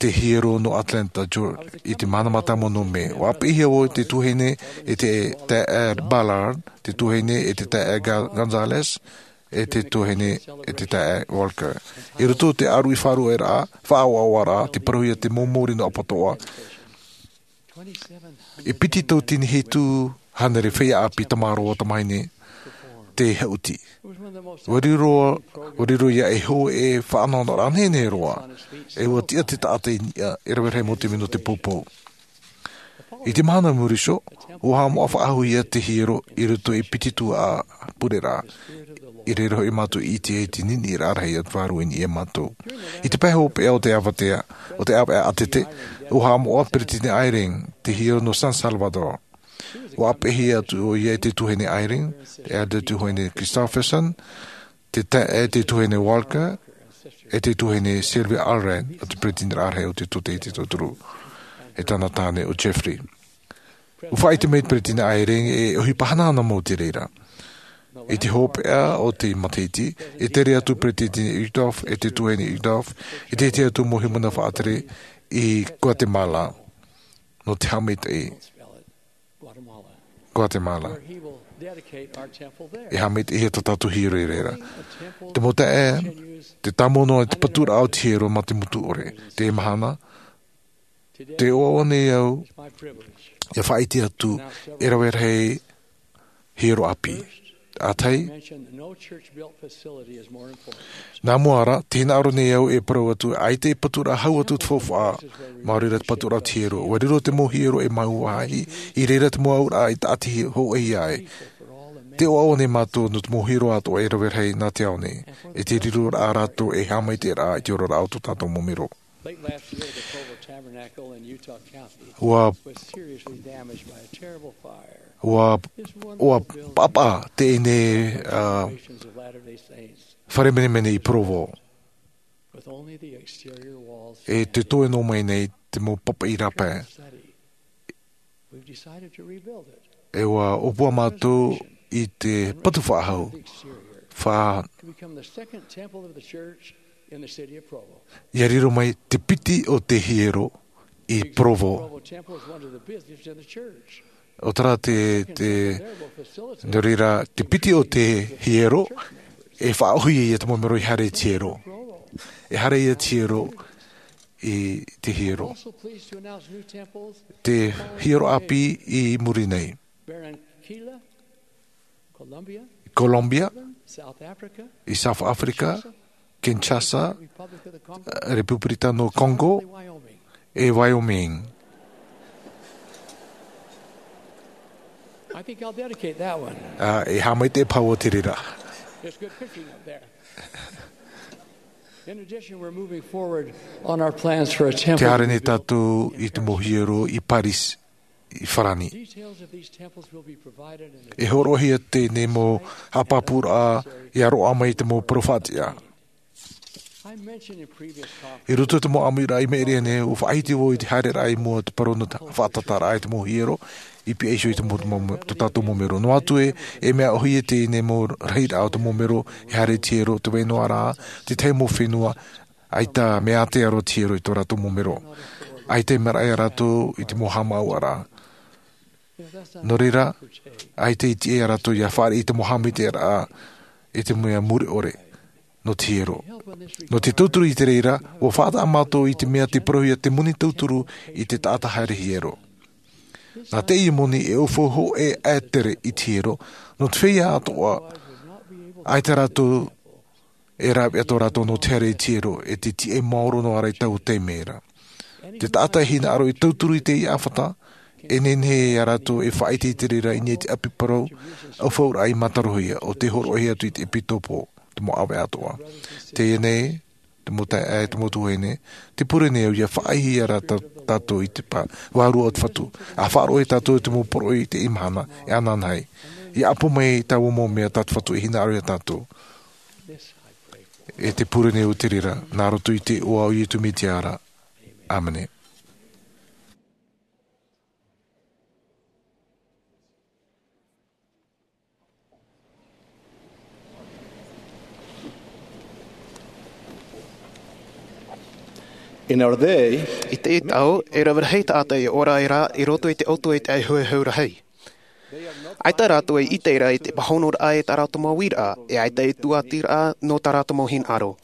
te hiero nō Atlanta, Georgia, i te mahana mātāmua nō Mē. ʻUa ʻāpeʻehia vau e te tuahine e te taeaʻe Ballard, te tuahine e te taeaʻe Ga-, Gonzalez, e te tuahine e te taeaʻe Walker. I roto i te ʻāruʻi faʻaruʻeraʻa, faʻaʻoaʻoaraʻa, tei parauhia te mau mōrī nō Apatoʻa. E piti tauatini hitu hānere feiā ʻāpī, tamāroa, tamāhine tei haʻuti. ʻUa riro, ʻua riro ïa ei hōʻē faʻanahonahoraʻa nehenehe roa, e ʻua tiʻa te taʻata i niʻa, e rave rahi mau taime nō te poupou. I te mahana i muri iho, ʻua haʻamoʻa faʻahou ïa te hiero i roto i te piti tuhaʻa pureraʻa. I reira hoʻi mātou i ʻite ai te niniʻiraʻa rahi a te Vārua i niʻa ia mātou. I te pae hopeʻa o te ʻāvaʻe, o te ʻāvaʻe ʻātete, ʻua haʻamoʻa Peresideni Eyring te hiero nō San Salvador. ʻUa ʻāpeʻehia atu ʻoia e te tuahine Eyring, e te tuahine Christofferson, te taeaʻe, e te tuahine Walker, e te tuahine Sylvia Allred, ʻo te Peresideni rahi o te Tōtaiete Tauturu, e tāna tāne ʻo Jeffrey. ʻUa faʻaʻite mai te Peresideni Eyring e ʻohipa hanahana mau te reira. I te hopeʻa o te matahiti, e tere atu Peresideni Uchtdorf, e te tuahine Uchtdorf, i te tahi atu mau hīmene faʻatere i Guatemala, nō te haʻamaitaʻi. Guatemala. E haʻamaitaʻihia tā tātou hiero i reira. Te mau taeaʻe, tē tāmau noa te paturaʻa o te hiero mā te motu ʻore. Teie mahana, tē ʻoaʻoa nei au ʻia faʻaʻite atu e rave rahi hiero ʻāpī. ʻA tahi, nā mua ra, tē hinaʻaro nei au e parau atu, ʻaita e paturaʻa hau atu te faufaʻa, maori rā te paturaʻa o te hiero. ʻUa riro te mau hiero e mau vāhi, i reira te mau auraʻa i taʻati hōʻēhia ai. Tē ʻoaʻoa nei mātou nō te mau hiero atoʻa e rave rahi nā te ao nei, e te riroraʻa rātou ei haʻamaitaʻiraʻa i te oraraʻa o tō tātou mau mero. ʻUa, ʻua, ʻua paʻapaʻa teie nei, ā, fare menemene i Provo. E te toe noa mai nei te mau papaʻi rāpae. E ʻua ʻōpua mātou i te patu faʻahou. Fa-, ʻia riro mai te piti o te hiero i Provo. ʻO terā te, te, nō reira, te piti o te hiero, e faʻaʻōhie ia te mau mero i haere i te hiero. E haere ia te hiero i te hiero. Te hiero ʻāpī i muri nei. Colombia, i South Africa, Kinshasa, Republic of the Congo, Repupirita nō Congo, Wyoming. E Wyoming. I think I'll dedicate that one. Ā, e haʻamaitaʻi paha vau i te reira. It's good fishing up there. In addition, we're moving forward on our plans for a temple. Te haere nei tātou i te mau hiero i Paris, i Farani. Details of these temples will be provided in the E hōroʻahia teie nei mau haʻapāpūraʻa ia roaʻa mai i te mau parau faʻatiʻa. I mentioned in previous conferences I roto i te mau ʻāmuiraʻa i maʻiri aʻe nei, ʻua faʻahiti vau i te haereraʻa i mua o te parau nō te faʻatataraʻa i te mau hiero, i pihaʻi iho i te mau, mau, tō tātou mau mero. Noa atu ē, e mea ʻōhie teie nei mau rahiraʻa o te mau mero e haere i te hiero, te vai noa ra, te tahi mau fenua, ʻaita mea ātea roa te hiero i tō rātou mau mero. ʻAita e maraʻa ia rātou i te mau haʻamāuʻaraʻa. Nō reira, ʻaita i tiʻa ia rātou ia fāriʻi i te mau haʻamaitaʻiraʻa, i te mea mure ʻore, nō te hiero. Nō te tauturu i te reira, ʻua faʻataʻa mātou i te mea tē parauhia te moni tauturu i te taʻata haere hiero. Nā teie moni e ʻaufau hōʻē ʻaetere i te hiero, nō te feiā atoʻa, ʻaita rātou e rāveʻa tō rātou nō te haere i te hiero, e te tiʻa maoro noa ra i taua taime ra. Te taʻata e hinaʻaro e tauturu i teie ʻāfata, e nehenehe ia rātou e faʻaʻite i te reira i niʻa i te ʻapi parau, ʻaufauraʻa i mātarohia, ʻo tē hōroʻahia atu i te ʻepitopo, te mau ʻāvae atoʻa. Teie nei, te mau taeaʻe, te mau tuahine, tē pure nei au ia faʻaʻite ia rā tā-, tātou i te pā, vārua o te Fatu. ʻA faʻaroʻo ia tātou i te mau poroʻi i teie mahana, e ananahi. ʻIa ʻapo mai taua mau mea tā te Fatu e hinaʻaro ia tātou. E tē pure nei au te reira, nā roto i te iʻoa o Iesu Mesia ra. ʻĀmene. In our day, I teie tau, e rave rahi taʻata e ora ai ra i roto i te ʻoto i te ʻāihuehu rahi. ʻAita rātou e ʻite ra i te pāhonoraʻa e tā rātou mau uiraʻa, e ʻaita e tūʻatiraʻa nō tā rātou mau hinaʻaro.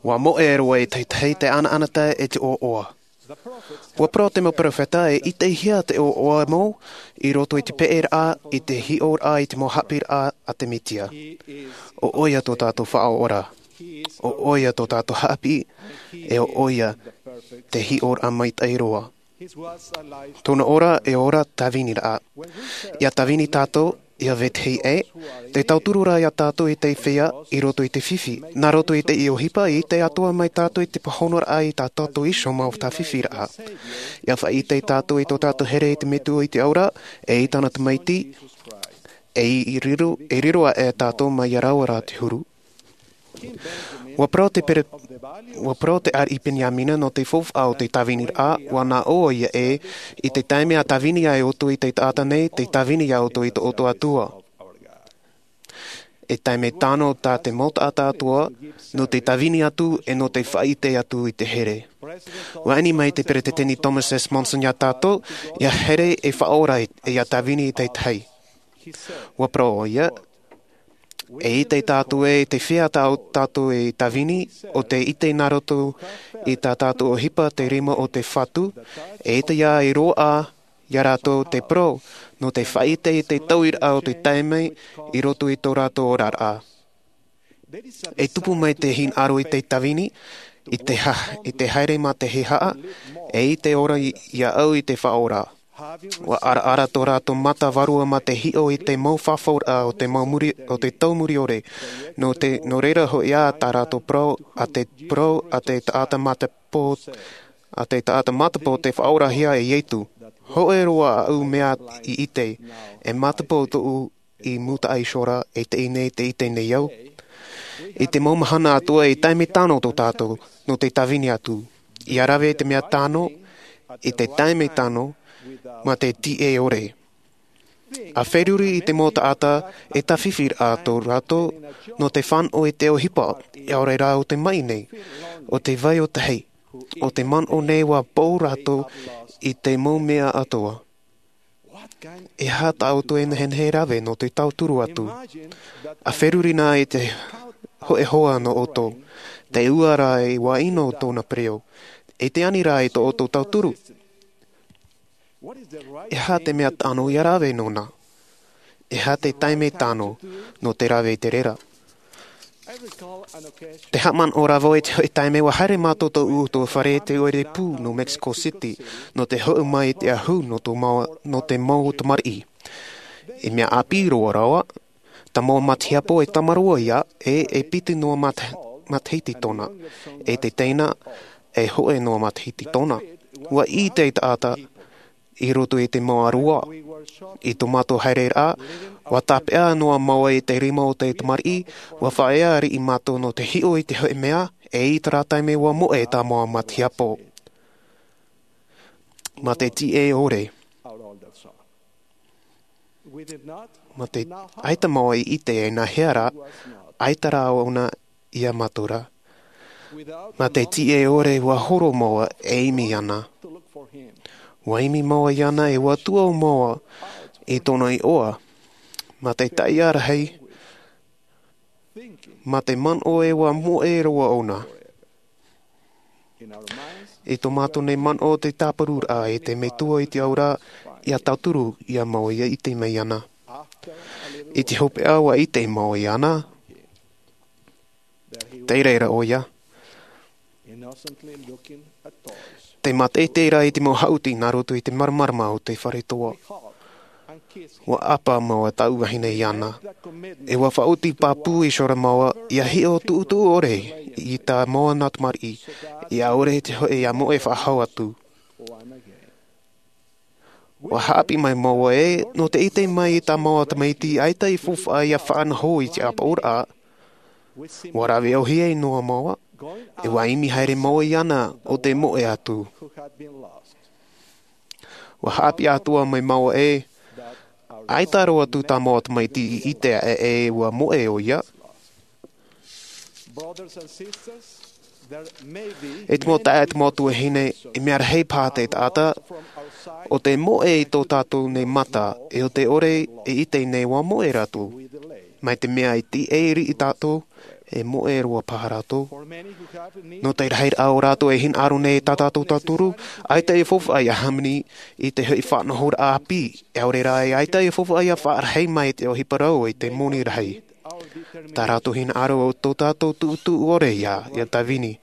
ʻUa moʻe roa e te tahi te ʻanaʻanatae e te ʻoaʻoa. ʻUa parau te mau peropheta e ʻitehia te ʻoaʻoa mau i roto i te peʻeraʻa, i te hiʻoraʻa, i te mau haʻapiʻiraʻa a te Mesia. ʻO ʻoia tō tātou Faʻaora. ʻO ʻoia tō tātou haʻapiʻi, e ʻo ʻoia te hiʻoraʻa maitaʻi roa. Tōna ora e ora tāviniraʻa. ʻIa tāvini tātou, ʻia vetahi ʻē, tē tauturu ra ia tātou i te feiā i roto i te fifi. Nā roto i teie ʻohipa, e ʻite atoʻa mai tātou i te pāhonoraʻa i tā tātou iho mau tāfifiraʻa. ʻIa faʻaʻite tātou i tō tātou here i te Metua i te ao ra, e i tāna Tamaiti, e i riro, e riro aʻe tātou mai ia rāua ra te huru. ʻUa parau te pere-, ʻua parau te ariʻi Peniamina nō te faufaʻa o te tāviniraʻa, ʻua nā ʻō ia ē, i te taime ʻa tāvini ai ʻoutou i te taʻata nei, tē tāvini ia ʻoutou i tō ʻoutou Atua. E taime tano tā te mau taʻata atoʻa, nō te tāvini atu, e nō te faʻaʻite atu i te here. ʻUa ani mai te Peresideni Thomas S. Monson ia tātou, ʻia here e faʻaora e, e ʻia tāvini i te tahi. ʻUa parau ʻoia, e ʻite tātou ē, te feiā tā tātou e tāvini, ʻo tē ʻite nā roto i tā tātou ʻohipa te rima o te Fatu, e ʻite ia e roaʻa, ia rātou te parau, nō te faʻaʻite i te tauiraʻa o te taime i roto i tō rātou oraraʻa. E tupu mai te hinaʻaro i te tāvini, i te ha-, i te haere mā te hehea, e i te ora i, ia au i te Faʻaora. ʻUa araara tō rātou mata vārua mā te hiʻo i te mau fafauraʻa o te mau muri, o te tau muriore. Nō te, nō reira hoʻi ā tā rātou parau, ʻa te parau, ʻa te taʻata matapō, ʻa te taʻata matapō tē faʻaorahia e Iesu. Hōʻē roa aʻu mea i ʻite, e matapō tōʻu i mūtaʻa iho ra, e teie nei tē ʻite nei au. I te mau mahana atoʻa e taime tano tō tātou, nō te tāvini atu. ʻIa rave te mea tano, i te taime tano, mā te tiʻe ʻore. ʻA feruri i te mau taʻata, e tāfifiraʻa tō rātou, nō te fānaʻo i te ʻohipa, ʻaore rā ʻo te maʻi nei, ʻo te vai ʻo tahi, ʻo te manaʻo nei ʻua pau rātou i te mau mea atoʻa. E aha tā ʻoutou e nehenehe e rave nō te tauturu atu? ʻA feruri na i te hōʻē hoa nō ʻoutou, te ua rā e ʻua ʻino tōna pereʻoʻo, e te ani rā i tō ʻoutou tauturu. E aha te mea tano ʻia rave nōna? E aha te taime tano nō te rave i te reira? Tē haʻamanaʻo ra vau i te hōʻē taime ʻua haere mātou tōʻu ʻutuāfare i te ʻoire pū nō Mexico City, nō te hoʻi mai i te ahu nō tō mau, nō te mau tamariʻi. I mea ʻāpī roa rāua, Te mau matahiapo e tamaroa ia, e e piti noa mata- matahiti tōna, e te teina e hoʻe noa matahiti tōna. Ua ʻite te taʻata i roto i te mau aroa. I tō mātou haereraʻa, ua tāpeʻa noa māua i te rima o te tamariʻi, ua faʻaea riʻi mātou nō te hiʻo i te hoʻe mea, e i terā taime ua moʻe tā māua matahiapo. Mā te tiʻe ʻore. Mā te ʻaita māua i ʻite e nā hea rā, ʻaita rā ʻōna ia mātou rā. Mā te tiʻe ʻore ua horo māua e imi ana. Ua imi māua iāna e ua tuʻu māua i tōna iʻoa. Mā te taiʻa rahi, mā te manaʻo e ua moʻe roa ʻōna. I tō mātou nei manaʻo te tāpururaʻa e te metua i te aura, ia tauturu ia māua ia ʻite mai ana. I te hopeʻa ua ʻite māua iāna. Tei reira ʻoia. Te mātaʻitaʻi rā i te mau haʻuti nā roto i te māramarama o te fare toa. Ua ʻapa māua taʻu vahine iāna. E ua faʻaoti pāpū i sora māua ia hiʻo tuʻutuʻu ʻore i tā māua nā tamariʻi, ia ʻore te hoʻe ia moʻe faʻahou atu. Ua haʻapiʻi mai māua ē, nō te ʻite mai i tā māua tamaiti ʻaita i faufaʻa ia faʻanaho i te ʻāpoʻoraʻa. Ua rave ʻōhie noa māua, e ua imi haere māua iāna ʻo te moʻe atu. Ua haʻapiʻi atoʻa mai māua ē, ʻaita roa atu tā māua tamaiti i ʻite aʻe e ua moʻe ʻoia. E te mau taeaʻe, te mau tuahine, e mea rahi paha te taʻata, ʻo te moʻe i tō tātou nei mata, e ʻo te ʻore e ʻite nei ua moʻe rātou. Mai te mea i tiʻa riʻi tātou, e moʻe roa paha rātou. Nō te rahiraʻa o rātou e hinaʻaro nei tā tātou tauturu, ʻaita e faufaʻa ia hāmani i te hoʻi faʻanahoraʻa ʻāpī, e ʻaore rā e ʻaita e faufaʻa ia faʻarahi mai te ʻohipa rau i te moni rahi. Tā rātou hinaʻaro o tō tātou tuʻutuʻu ʻore ia, ia tāvini.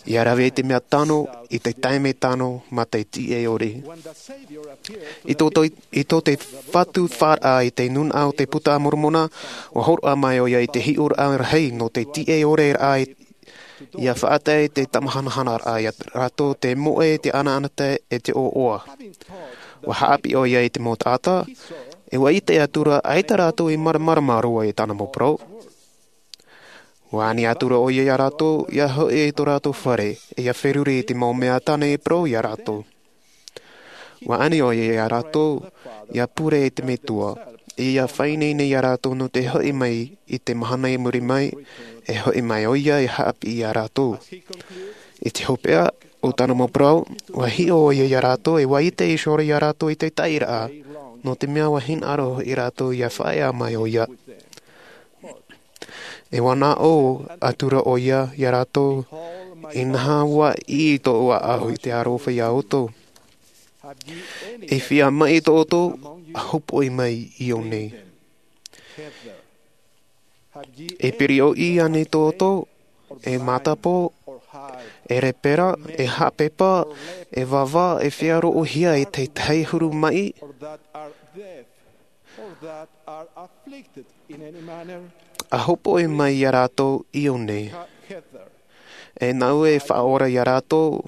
Ia rave i te mea tano, i te taime tano, mā te tiʻe ʻore. I tō, tō, i tō te Fatu faʻaraʻa i te nūnaʻa o te Puta a Moromona, ua hōroʻa mai ʻoia i te hiʻoraʻa rahi nō te tiʻe ʻore raʻa i, ia faʻatae i te tamahanahanaraʻa ia rātou te moʻe, te anaanatae e te ʻoaʻoa. Ua haʻapiʻi ʻoia i te mau taʻata, e ua ʻite atura ʻaita rātou i māramarama roa i tāna mau parau. Ua ani atura ʻoia ia rātou, ia hoʻi i tō rātou fare, e ia feruri i te mau mea tāna i parau ia rātou. Ua ani ʻoia ia rātou, ia pure i te Metua, e ia faʻaineine ia rātou nō te hoʻi mai i te mahana i muri mai, e hoʻi mai ʻoia e haʻapiʻi ia rātou. I te hopeʻa o tāna mau parau, ua hiʻo ʻoia ia rātou, e ua ʻite iho ā ia rātou i te taʻiraʻa, nō te mea ua hinaʻaro hoʻi rātou ia faʻaea mai ʻoia. E ua nā ʻō atura ʻoia ia rātou, inaha ua ʻī tōʻu ʻāʻau i te aroha ia ʻoutou. E feiā maʻi tō ʻoutou, ʻa hopoʻi mai i ʻō nei. E piriōʻī ānei tō ʻoutou, e mātāpō, e rēpera, e haʻapepa, e vāvā, e feiaroʻohia i te tahi huru maʻi? ʻA hopoʻi mai ia rātou i ʻō nei. E nāʻu e faʻaora ia rātou,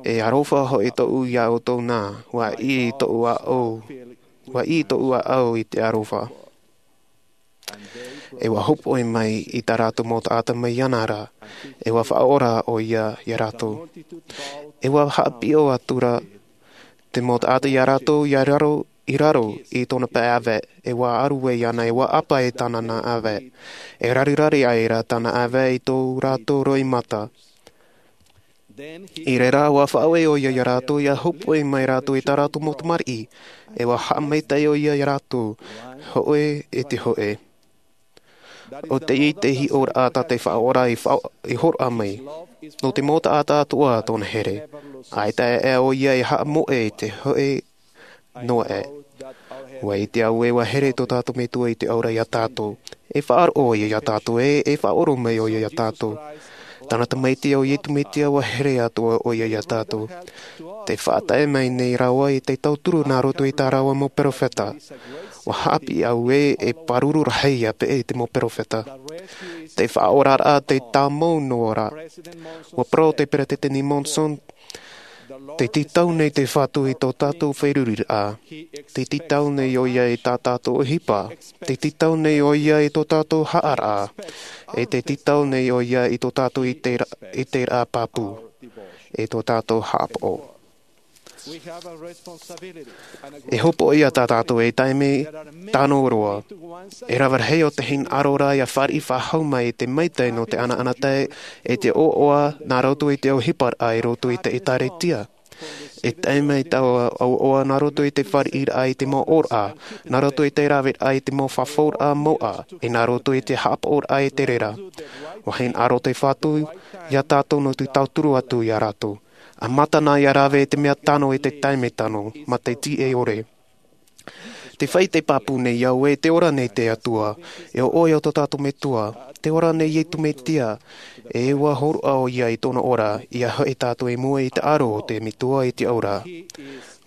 e aroha hoʻi tōʻu ia ʻoutou nā, ua ʻī tōʻu ʻāʻau, ua ʻī tōʻu ʻāʻau i te aroha. E ua hopoʻi mai i tā rātou mau taʻata mai iāna ra, e ua faʻaora ʻoia ia rātou. E ua haʻapiʻo atura te mau taʻata ia rātou ia raro, i raro i tōna pae ʻāvae, e ua ʻaru ai iāna, e ua ʻapa i tāna nā ʻāvae. E rariraʻi ai rā tāna ʻāvae i tō rātou roimata. I reira ua faʻaue ʻoia ia rātou, ia hopoʻi mai rātou i tā rātou mau tamariʻi, e ua haʻamaitaʻi ʻoia ia rātou, hōʻē i te hōʻē. ʻO teie te hiʻoraʻa tā te Faʻaora i fa-, i hōroʻa mai, nō te mau taʻata atoʻa tōna here. ʻAita e ʻoia e haʻamoʻe i te hōʻē noa aʻe. Ua ʻite au ē ua here tō tātou Metua i te aura ia tātou. E faʻaroʻo ʻoia ia tātou ē, e faʻaʻoro mai ʻoia ia tātou. Tāna Tamaiti ʻo Iesu Mesia, ua here atoʻa ʻoia ia tātou. Tē faʻatae mai nei rāua i te tauturu nā roto i tā rāua mau peropheta. Ua haʻapiʻi au ē e pāruru rahi ia peʻe i te mau peropheta. Te faʻaoraraʻa te tāmau noa ra. Ua parau te peresideni Monson, te tītau nei te Fatu i tō tātou feruriraʻa. Te tītau nei ʻo ia i tā tātou ʻohipa. Te tītau nei ʻo ia i tō tātou haʻaraʻa. E te tītau nei ʻo ia i tō tātou i te ra- i te raʻa pāpū. E tō tātou haʻapaʻo. E hopoʻi ia tā tātou e taime tano roa. E rave rahi o te hinaʻaro ra ia fāriʻi faʻahou mai i te maitaʻi nō te ʻanaʻanatae e te ʻoaʻoa nā roto i te ʻohiparaʻa i roto i te ʻēkālesia. E taime i taua ʻoaʻoa nā roto i te fāriʻiraʻa i te mau ʻōraʻa, nā roto i te raveraʻa i te mau fafauraʻa mauʻa, e nā roto i te haʻapaʻoraʻa i te reira. Ua hinaʻaro te Fatu ia tātou nō te tauturu atu ia rātou. A mātana ia rave i te mea tano i te taime tano, ma te tiʻe ʻore. Te faʻaʻite pāpū nei au ē te ora nei te Atua, e ʻo ʻoe o tō tātou Metua, te ora nei Iesu Mesia, e ua hōroʻa ʻo ia i tōna ora, ia hoʻi tātou i mua i te aro o te Metua i te ora.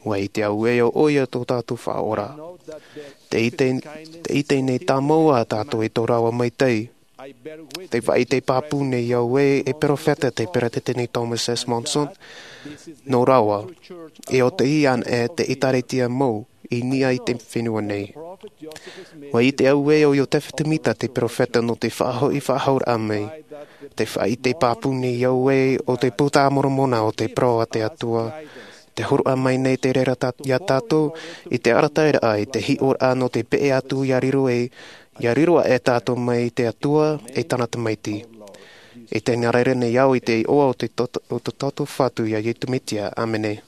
Ua ʻite au ē ʻo ʻoe o tō tātou Faʻaora. Te ʻite, te ʻite nei tāmau ā tātou i tō rāua maitaʻi. Te faʻaʻite pāpū nei au ē e peropheta te peresideni Thomas S. Monson, nō rāua, e ʻo te ia anaʻe te ʻēkālesia mau i niʻa i te fenua nei. Ua ʻite au ē ʻo Iosefa Sāmita te peropheta nō te faʻahoʻi faʻahouraʻa mai. Te faʻaʻite pāpū nei au ē ʻo te Buka a Moromona ʻo te parau a te Atua. Te hōroʻa mai nei te reira tā- ia tātou i te arataʻiraʻa i te hiʻoraʻa nō te peʻe atu ia riro e, ia riro aʻe tātou mai i te Atua e tāna Tamaiti. E tē nā reira nei au i te iʻoa o te tot- o tō tātou Fatu ia Iesu Mesia. ʻĀmene.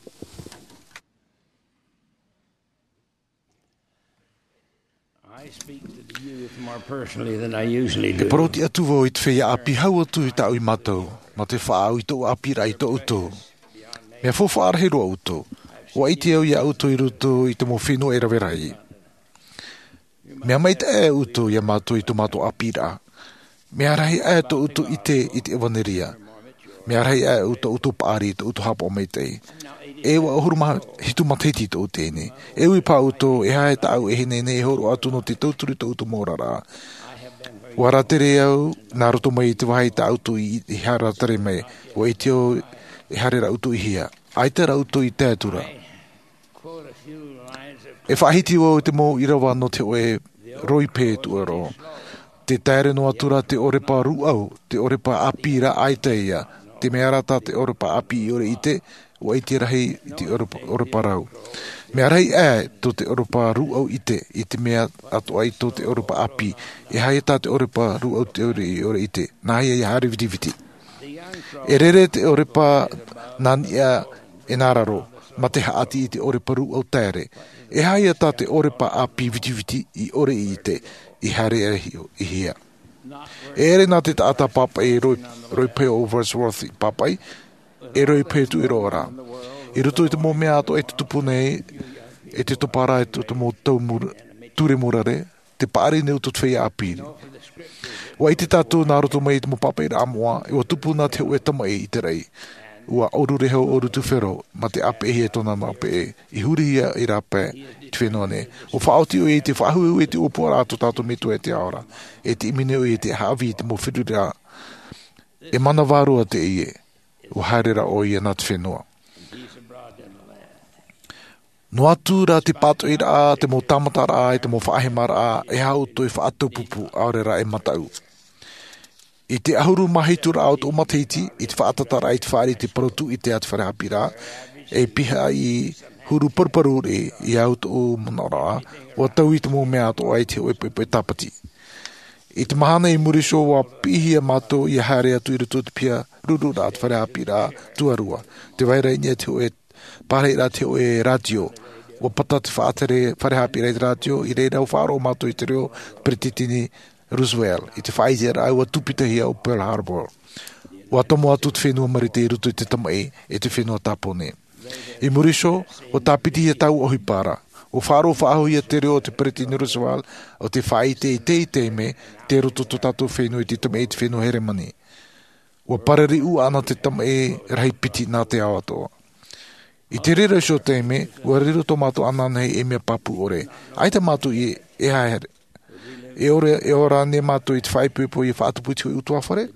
I speak to the youth more personally than I usually do. E paroti atu vau i te feiā ʻāpī hau atu i tāʻu i mātou, ma te faʻaau i tōʻu ʻāpīraʻa i tō ʻoutou. Mea faufaʻa rahi roa ʻoutou. Ua ʻite au ia ʻoutou i roto i te mau fenua e rave rahi. Mea maitaʻi ʻoutou ia mātou i tō mātou ʻāpīraʻa. Mea rahi aʻe tō ʻoutou ʻite i te ʻevanelia. Mea rahi aʻe tō ʻoutou paʻari, tō ʻoutou haʻapaʻo maitaʻi. E vaʻu ʻahuru mā hitu matahiti tō ʻoutou teie nei. E ui paha ʻoutou, e aha e tāʻu e hinaʻaro nei e hōroʻa atu nō te tauturu i tō ʻoutou mau oraraʻa. Ua rātere au, nā roto mai i te vāhi tā ʻoutou i, i haere rātere mai. Ua ʻite au, e haere rā ʻoutou i hea. ʻAita rā ʻoutou i tae atu ra. E faʻahiti vau i te mau ʻīrava nō te hōʻē roipē tuʻaro. Te taere noa atu ra te ʻorepa rūʻau, te ʻorepa ʻāpī rā ʻaita ia. Te mea ra tā te ʻorepa ʻāpī i ʻore ʻite, ua ʻite rahi i te ʻorepa, ʻorepa rau. Mea rahi aʻe tō te ʻorepa rūʻau ʻite, i te mea atoʻa i tō te ʻorepa ʻāpī, e aha ia tā te ʻorepa rūʻau te ʻore i ʻore ʻite. Nāhea ia haere vitiviti. E rere te ʻorepa nā niʻa e nā raro, ma te haʻati i te ʻorepa rūʻau taere. E aha ia tā te ʻorepa ʻāpī vitiviti i ʻore i ʻite, i haere e hi-, i hea. E ʻere nā te taʻata pāpaʻi roi-, roipē o Wordsworth i pāpaʻi, e roipē tuʻaro ra. I roto i te mau mea atoʻa e tutupu nei, e te toparaʻa e te, te mau tau mur-, ture mōrare, te paʻari nei ʻoutou te feiā ʻāpī. Ua ʻite tātou nā roto mai i te mau pāpaʻiraʻa moʻa, e ua tupu na te hōʻē tamaʻi i te raʻi. Ua ʻōrurehau, ʻōru tufero, ma te ʻāpeʻehia tōna mau peʻe, i hurihia i rāpae i te fenua nei. Ua faʻaoti ʻoia i te faʻahuehue i te ʻōpuaraʻa a tō tātou Metua e te Ao ra. E te ʻimi nei ʻoia i te haʻavī i te mau feruriraʻa. E mana vārua teie. Ua haere ra ʻoia nā te fenua. Noa atu rā te pātoʻiraʻa, te mau tāmataraʻa, e te mau faʻahemaraʻa, e aha ʻoutou e faʻataupupu, ʻaore rā e mataʻu. I te ʻahuru mā hitu raʻa o tōʻu matahiti, i te faʻatataraʻa i te fāriʻi i te parau tūʻite a te fare haʻapiʻiraʻa, e pihaʻi huru paruparu rē, i au tōʻu manaʻoraʻa, ua taui te mau mea atoʻa i te hōʻē poʻipoʻi tāpati. I te mahana i muri iho ua piʻihia mātou ia haere atu i roto i te piha rururaʻa a te fare haʻapiʻiraʻa tuarua. Tē vai ra i niʻa te hōʻē pārahiraʻa te hōʻē rātio. Ua pata te faʻatere fare haʻapiʻiraʻa i te rātio, i reira ua faʻaroʻo mātou i te reo Peretiteni Roosevelt, i te faʻaʻiteraʻa ua tūpitahia ʻo Pearl Harbor. Ua tomo atu te fenua Marite i roto i te tamaʻi e te fenua Tāpōnē. I muri iho, ua tāpitihia taua ʻohipa ra. Ua faʻaroʻo faʻahou ia te reo o te Peretiteni Roosevelt, ʻo tē faʻaʻite i teie taime, tei roto tō tātou fenua i te tamaʻi i te fenua Heremani. Ua parariʻi ʻana te tamaʻi rahi piti nā te ao atoʻa. I te reira iho taime, ua riro tō mātou ananahi ei mea pāpū ʻore. ʻAita mātou i e haere. E ora nei mātou i te faʻaipoipo ia faʻatupu i te hoʻi ʻutuāfare.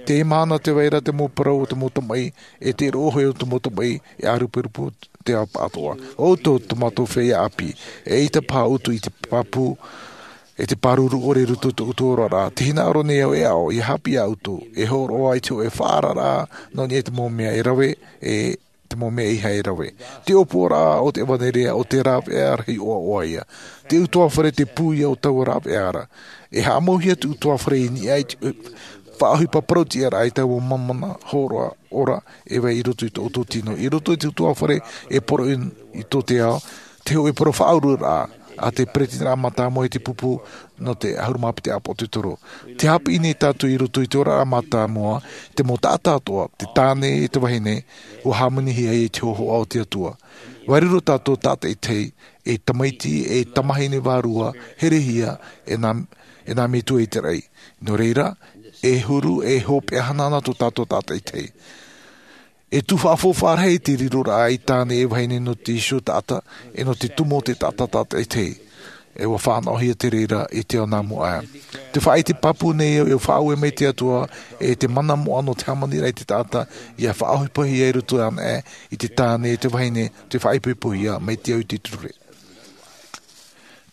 Te mahana te vai ra te mau parau o te mau tamaʻi, e te roʻohia o te mau tamaʻi, e ʻāruperupe te ao paʻatoʻa. ʻO ʻoutou tō mātou feiā ʻāpī, e ʻaita paha ʻoutou i te pāpū, e te pāruru ʻore i roto i tō ʻoutou oraraʻa. Te hinaʻaro nei au e aʻo ia haʻapiʻi iā ʻoutou, e hōroʻa i te hoʻe faʻaararaʻa nō niʻa i te mau mea e rave, e te mau mea ʻeiaha e rave. Te ʻōpuaraʻa o te ʻevanelia o te rāveʻa rahi ʻoaʻoa ia. Te ʻutuāfare te pū ia o taua rāveʻa ra. E haʻamauhia te ʻutuāfare i niʻa i te faʻaʻohipa parauʻtiʻaraʻa i taua mau mana hōroʻa ora e vai i roto i tō ʻoutou tino. I roto i te ʻutuāfare e poroʻi i tō te ao, te hoʻe parau faʻaururaʻa a te peretiteniraʻa mātāmua i te pupu nō te ʻahuru mā piti ʻāpoʻo te toro. Te haʻapiʻi nei tātou i roto i te oraraʻa mātāmua, te mau taʻata atoʻa, te tāne e te vahine, ua hāmanihia i te hōhoʻa o te Atua. Ua riro tātou tātaʻitahi, e tamaiti, e tamahine vārua, herehia, e nā, e nā metua i te raʻi. Nō reira, e huru, e hopeʻa hanahana tō tātou tātaʻitahi. E tū faʻafaufaʻa rahi te riroraʻa i tāne e vahine nō te iho taʻata, e nō te tumu o te taʻata tātaʻitahi. E ua fānaʻohia te reira i te ao nā mua aʻe. Te faʻaʻite pāpū nei au e faʻaue mai te Atua, e te mana moʻa nō te hāmaniraʻa i te taʻata, ia faʻaʻohipahia i roto ana aʻe, i te tāne, te vahine, te faʻaipoipohia, mai te au i te ture.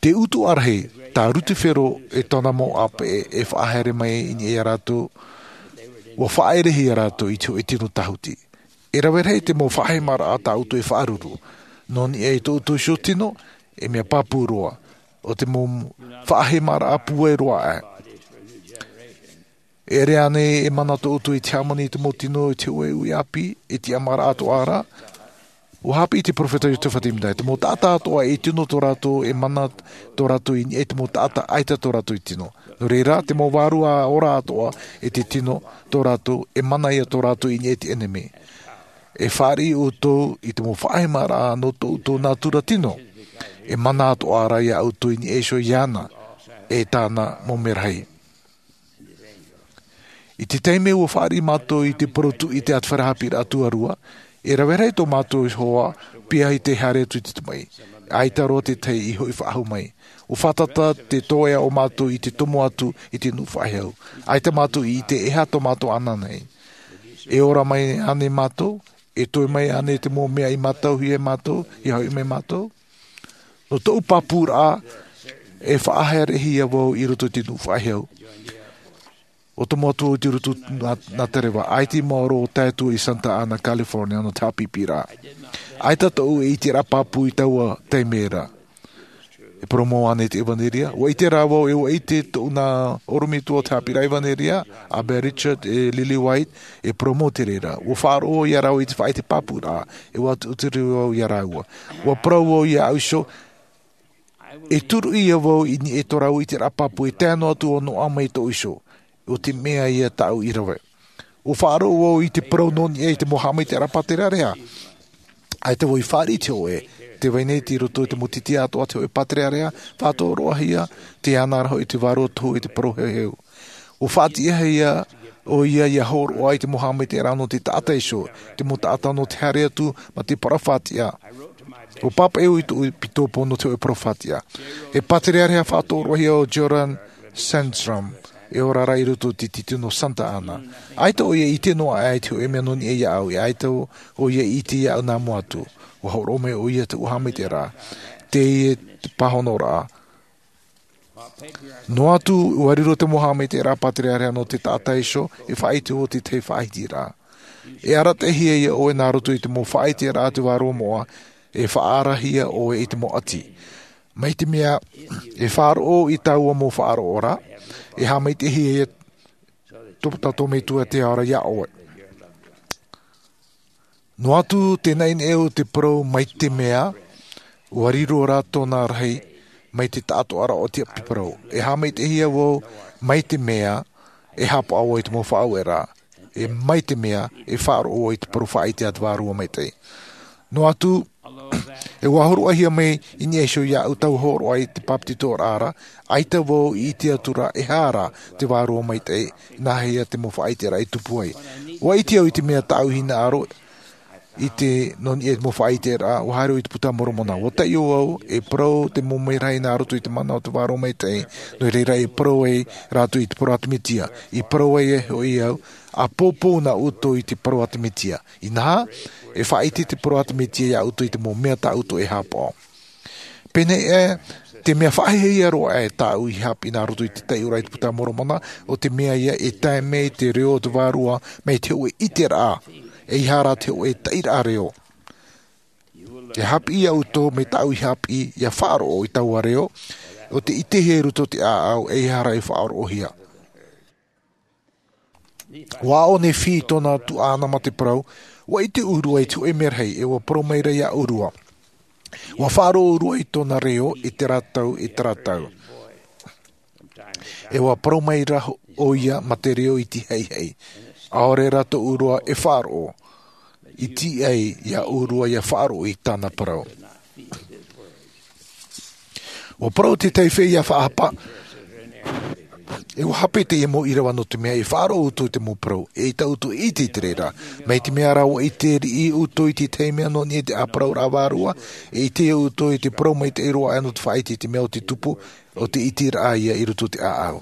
Te utuʻa rahi, tā Rutifero e tōna mau ʻāpeʻe e faʻahaere mai i niʻa iā rātou, ua faʻaʻerehia rātou i te hoʻe tino tāhuti. E rave rahi te mau faʻahemaraʻa tā ʻoutou e faʻaruru. Nō niʻa i tō ʻoutou iho tino, e mea pāpū roa. ʻO te mau faʻahemaraʻa pūai roa aʻe. E ʻere ānei e mana tō ʻoutou i te hāmani i te mau tino i te hoʻe uʻi ʻāpī, e tiʻamāraʻa atoʻa ra? Ua haʻapiʻi te peropheta Iosefa Sāmita, te mau taʻata atoʻa e tino tō rātou, e mana tō rātou i niʻa i te mau taʻata ʻaita tō rātou i tino. Nō reira, te mau vārua ora atoʻa e te tino tō rātou, e mana ia tō rātou i niʻa i te ʻenemi. E fāriʻi ʻoutou i te mau faʻahemaraʻa nō tō ʻoutou nātura tino. E mana atoʻa ra iā ʻoutou i niʻa iho iāna, e tāna mau merahi. I te taime ua fāriʻi mātou i te parau tuʻi i te ʻāti fare haʻapiʻiraʻa tuarua, e rave rahi tō mātou hoa, pīhaʻi tei haere atu i te tamaʻi. ʻAita roa te tahi i hoʻi faʻahou mai. Ua fātata te toeʻa o mātou i te tomo atu i te nuʻu faʻahou. ʻAita mātou i ʻite e aha tō mātou ananahi. E ora mai ānei mātou, e toe mai ānei te mau mea i mātauhia e mātou, i hoʻi mai mātou. Nō tōʻu pāpūraʻa, e faʻahaerehia vau i roto i te nuʻu faʻahou. ʻO te mau atu i te roto nā, nā te reva, ʻaita i maoro o tae atu i Santa Ana, California, nō te haʻapiʻiraʻa. ʻAita tōʻu e ʻiteraʻa pāpū i taua taime ra. E parau mau ānei te ʻevanelia? Ua ʻite rā vau, e ua ʻite tōʻu nā ʻorometua o te haʻapiʻiraʻa ʻevanelia, a Bea Richard, e Lily White, e parau mau te reira. Ua faʻaroʻo iā rāua i te faʻaʻite pāpūraʻa, e ua ʻutuʻuturi vau iā rāua. Ua parau vau iā ʻau iho, e turuʻi ia vau i niʻa i tō rāua ʻiteraʻa pāpū, e tae noa atu ʻo noaʻa mai tōʻu iho. ʻO te mea ia tāʻu i rave. Ua faʻaroʻo vau i te parau nō niʻa i te mau haʻamaitaʻiraʻa pātereareha. ʻAita vau i fāriʻi i te hoʻe, tē vai nei i roto i te mau titi atoʻa te hoʻe pātereareha, faʻatōroʻahia, tē ana ra hoʻi te vārua tohu i te parau heuheu. Ua faʻatiʻahia ʻoia ia hōroʻa i te mau haʻamaitaʻiraʻa nō te taʻata iho, te mau taʻata nō te haere atu, mā te parau faʻatiʻa. Ua pāpaʻi au i tōʻu ʻēpitōpo nō te hoʻe parau faʻatiʻa. E pātereareha faʻatōroʻahia ʻo Jordan Sandstrom, e ora ra i roto i te titi nō Santa Ana. ʻAita ʻoia i ʻite noa aʻe i te hoʻe mea nō niʻa iāʻu, e ʻaita ʻoia i ʻite iāʻu nā mua atu. Ua hōroʻa mai ʻoia i tōʻu haʻamaitaʻiraʻa. Teie te pāhonoraʻa. Noa atu, ua riro te mau haʻamaitaʻiraʻa pātereareha nō te taʻata iho, e faʻaʻite ʻoe i te tahi faʻahitiraʻa. E arataʻihia ʻoe nā roto i te mau faʻaʻiteraʻa a te Vārua Moʻa, e faʻaarahia ʻoe i te mau ʻati. Mai te mea, e faʻaroʻo i taua mau faʻaroʻo ra, e haʻamaitaʻihia tō tātou Metua te Ao ra iā ʻoe. Noa atu te naʻinaʻi o te parau mai te mea, ua riro rā tōna rahi mai te taʻatoʻaraʻa o te ʻapi parau. E haʻamaitaʻihia vau mai te mea, e haʻapaʻo vau i te mau faʻaueraʻa. E mai te mea, e faʻaroʻo vau i te parau faʻaʻite a te Vārua Maitaʻi. Noa atu, e ua hōroʻahia mai i niʻa iho iāʻu taua hōroʻa i te bāpetizoraʻa ra, ʻaita vau i ʻite atu ra e aha rā te Vārua Maitaʻi, nāhea te mau faʻaʻiteraʻa i tupu ai. Ua ʻite au i te mea tāʻu hinaʻaro, I te nō niʻa i te mau faʻaʻiteraʻa ua haere i te puta a Moromona. Ua taʻi au e parau te mau merahi nā roto i te mana o te vārua maitaʻi. Nō reira e parau ai rātou i te parau ʻātimitia. I parau ai e hoʻi au, a poupou nā ʻoutou i te parau ʻātimitia. Inaha, e faʻaʻite te parau ʻātimitia iā ʻoutou i te mau mea tā ʻoutou e hāpaʻo. Pēnei e te mea faʻahiahia roa e tāʻu i haʻapiʻi nā roto i te taiʻoraʻa i te puta a Moromona, o te mea ia e tae mai te reo o te vārua mai te hoʻe ʻiteraʻa, e ihara te hoʻe taʻiraʻa reo. E haʻapiʻi iā ʻoutou mai tāʻu i haʻapiʻi ia faʻaroʻo i taua reo, o te ʻitehia i roto o te ʻāʻau e ihara e faʻaroʻohia. Ua ʻaʻo nei fī i tōna tuaʻana ma te parau. Ua ʻite ʻōrua i te hoʻe merahi e ua parau mai ra iā ʻōrua. Ua faʻaroʻo ʻōrua i tōna reo i te rātau i te rātau. E ua parau mai ra ʻo ia ma te reo i te haihai. ʻAore rā tō ʻōrua e faʻaroʻo i tīaʻi iā ʻōrua ia faʻaroʻo i tāna parau. Ua parau te taifeʻa ia faʻahapa. E ua hape teie mau ʻīrava nō te mea e faʻaroʻo ʻoutou i te mau parau e ʻaita ʻoutou e ʻite i te reira. Mai te mea rā ua ʻite riʻi ʻoutou i te tahi mea nō niʻa i te ʻāparauraʻa vārua, e ʻite ʻoutou i te parau maitaʻi roa aʻe nō te faʻaʻite i te mea o te tupu, o te ʻiteraʻa ia i roto i te ʻāʻau.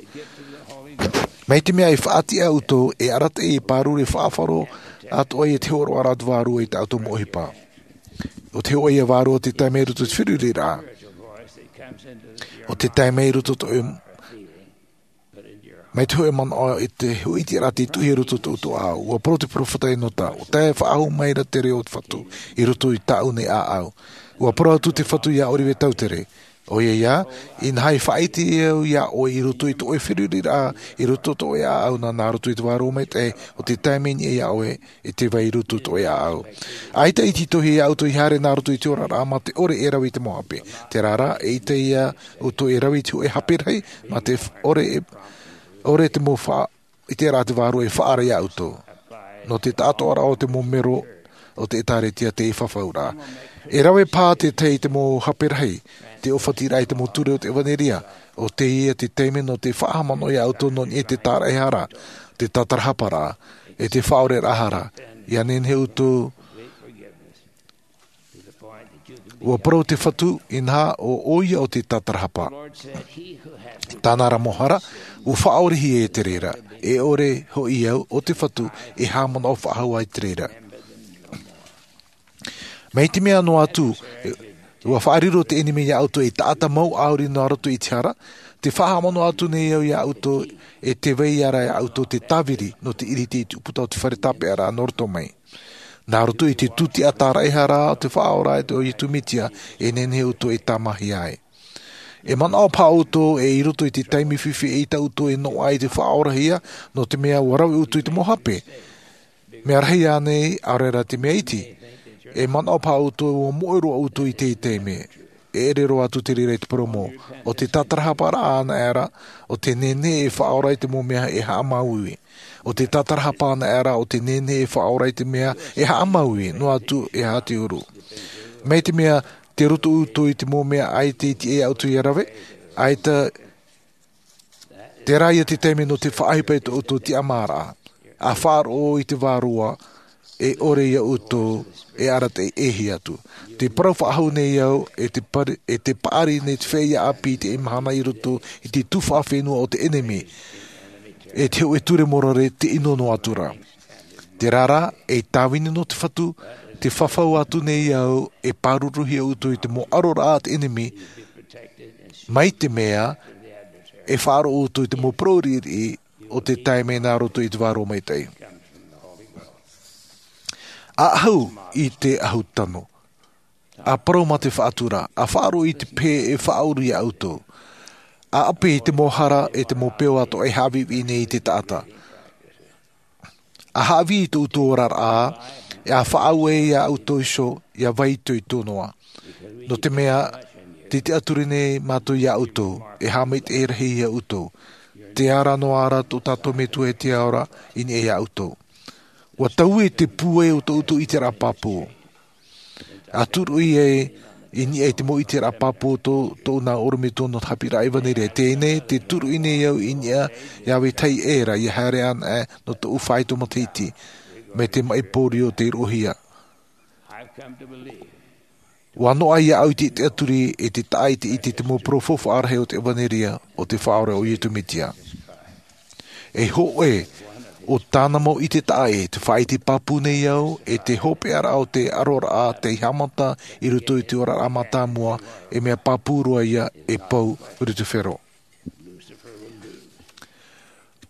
Mai te mea e faʻatiʻa ʻoutou e arataʻi e pāruru e faʻaroʻo atoʻa ia te hōroʻaraʻa o te vārua i tā ʻoutou mau ʻohipa. O te hoʻe ia vārua o te taime i roto i te feruriraʻa, o te taime i roto i te hoʻe mai te hoʻe manaʻo i te hoʻe ʻiteraʻa te tuhi i roto i tō ʻoutou ʻāʻau. Ua parau te peropheta Enota, ua tae faʻahou mai ra te reo o te Fatu i roto i tāʻu nei ʻāʻau. Ua parau atu te Fatu iā Oliver Cowdery, ʻoia ia, inaha e faʻaʻite au iā ʻoe i roto i tō ʻoe feruriraʻa, i roto i tō ʻoe ʻāʻau nā, nā roto i te vārua maitaʻi, o te taime i niʻa iā ʻoe e te vai i roto i tō ʻoe ʻāʻau. ʻAita e tītauhia iā ʻoutou e haere nā roto i te oraraʻa ma te ʻore e rave i te mau hape. Terā rā, e ʻaita iā ʻoutou e rave i te hoʻe hape rahi, ma te ʻore e, ʻore te mau faʻa-, ʻiteraʻa a te vārua e faʻaara iā ʻoutou. Nō te taʻatoʻaraʻa o te mau mero o te ʻĒtārētia te fafauraʻa. E rave paha te tahi i te mau hape rahi, te ʻōfatiraʻa i te mau ture o te ʻevanelia, ʻo teie te taime nō te faʻahaʻamanaʻo iā ʻoutou nō niʻa i te tāraʻehara, te tātarahaparaʻa, e te faʻaoreraʻa hara, ʻia nehenehe ʻoutou. Ua parau te Fatu, inaha, ʻo ʻoia ʻo te tātarahapa. Tāna ra mau hara, ua faʻaorehia e te reira, e ʻore hoʻi au, ʻo te Fatu, e haʻamanaʻo faʻahou ai te reira. Mai te mea noa atu, ua faʻariro te ʻenemi iā ʻoutou ei taʻata mau ʻāuri nā roto i te hara, tē faʻahaʻamanaʻo atu nei au iā ʻoutou, e tē vai ra iā ʻoutou te tāviri, nō te ʻiriti i te ʻūputa o te fare tāpeʻaraʻa nō roto mai. Nā roto i te tūtiʻa tāraʻehara o te Faʻaora e te ʻo Iesu Mesia, e nehenehe ʻoutou e tāmāhia ai. E manaʻo paha ʻoutou e i roto i te taime fifi e ʻaita ʻoutou e noaʻa i te faʻaorahia, nō te mea ua rave ʻoutou i te mau hape. Mea rahi ānei, ʻaore rā te mea iti? E manaʻo paha ʻoutou ua moʻe roa ʻoutou i teie taime. E ʻere roa atu te reira i te parau mau. ʻO te tātarahaparaʻa anaʻe ra, ʻo te nehenehe e faʻaora i te mau mea e haʻamāuiui. ʻO te tātarahapa anaʻe ra, ʻo te nehenehe e faʻaora i te mea e haʻamāuiui, noa atu e aha te huru. Mai te mea, tē roto ʻoutou i te mau mea ʻaita e tiʻa iā ʻoutou ia rave, ʻaita, terā ia te taime nō te faʻaʻohipa i tō ʻoutou tiʻamāraʻa. ʻA faʻaroʻo i te Vārua, e ʻore iā ʻoutou e arataʻi e ʻēhia atu. Tē parau faʻahou nei au, e tē pari-, e tē paʻari nei te feiā ʻāpī i teie mahana i roto i te tuhaʻa fenua o te ʻenemi, e te hōʻē ture morare tē ʻino noa atu ra. Terā rā, ei tāvini nō te Fatu, tē fafau atu nei au, e pāruruhia ʻoutou i te mau ʻaroraʻa a te ʻenemi, mai te mea, e faʻaroʻo ʻoutou i te mau parau riʻiriʻi o te taime nā roto i te Vārua Maitaʻi. ʻA ʻahu i te ʻahu tano. ʻA parau mā te faʻatura, ʻa faʻaroʻo i te pehe e faʻauru iā ʻoutou. ʻA ʻape i te mau hara e te mau peʻo atoʻa e haʻaviʻiviʻi nei i te taʻata. ʻA haʻavī i tō ʻoutou oraraʻa, e ʻa faʻaue iā ʻoutou iho, ʻia vai itoito noa. Nō te mea, tē tiʻaturi nei mātou iā ʻoutou, e haʻamaitaʻi rahi iā ʻoutou. Te ara noa ra tō tātou Metua e te ao ra, i niʻa iā ʻoutou. ʻUa taui te pūai o tō ʻoutou ʻiteraʻa pāpū. ʻA turuʻi ai i niʻa i te mau ʻiteraʻa pāpū o tō, tōʻu nā ʻorometua nō te haʻapiʻiraʻa ʻevanelia. Teie nei, tē turuʻi nei au i niʻa iā vetahi ʻē ra, ʻia haere anaʻe nō tōʻu faito matahiti, mai te maʻi pōrio tei roʻohia. Ua noaʻa iāʻu i te tiʻaturi e te taʻa i te ʻite i te mau parau faufaʻa rahi o te ʻevanelia o te Faʻaora o Iesu Mesia. E hōʻē o tāna mau ʻite taʻa ʻē, te faʻaʻite pāpū nei au, e te hopeʻaraʻa o te aroraʻa tei haʻamata i roto i te oraraʻa mātāmua, e mea pāpū roa ia e pau Lusifero.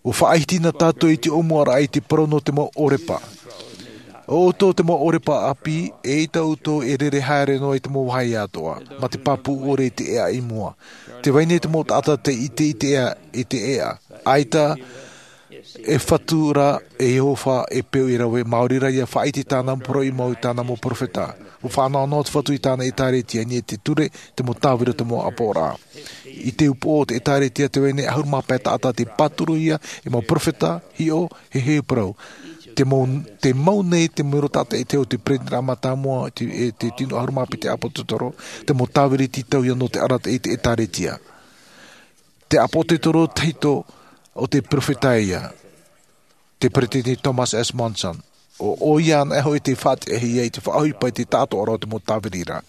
ʻUa faʻaʻite na tātou i te ʻōmuaraʻa i te parau nō te mau ʻōrepa. ʻO ʻoutou te mau ʻōrepa ʻāpī, eʻita ʻoutou e rere haere noa i te mau vāhi atoʻa, mā te pāpū ʻore i te ʻēʻa i mua. Tē vai nei te mau taʻata tei ʻite i te ʻēʻa, i te ʻēʻa. ʻAita e Fatu rā, e Iehova e peu e rave, maori rā ia faʻaʻite i tāna mau parau i mua i tāna mau perofeta. ʻUa faʻanaho noa te Fatu i tāna ʻēkālesia, i niʻa i te ture, te mau tāviri, te mau ʻāpoʻoraʻa. I te upoʻo o te ʻēkālesia tē vai nei ʻahuru mā pae taʻata tei pāturuhia e mau perofeta, hiʻo, e heheu parau. Tē mau, tē mau nei te mero tātaʻitahi o te peretiteni mātāmua, te, e te tino ʻahuru mā piti ʻāpōsetolo, te mau tāviri tītauhia nō te arataʻi i te ʻēkālesia. Te ʻāpōsetolo tahito o te perofeta ia, te peretiteni Thomas S. Monson. ʻO, ʻoia anaʻe hoʻi tei faʻatiʻahia i te faʻaʻohipa i te tāʻātoʻaraʻa o te mau tāviri ra.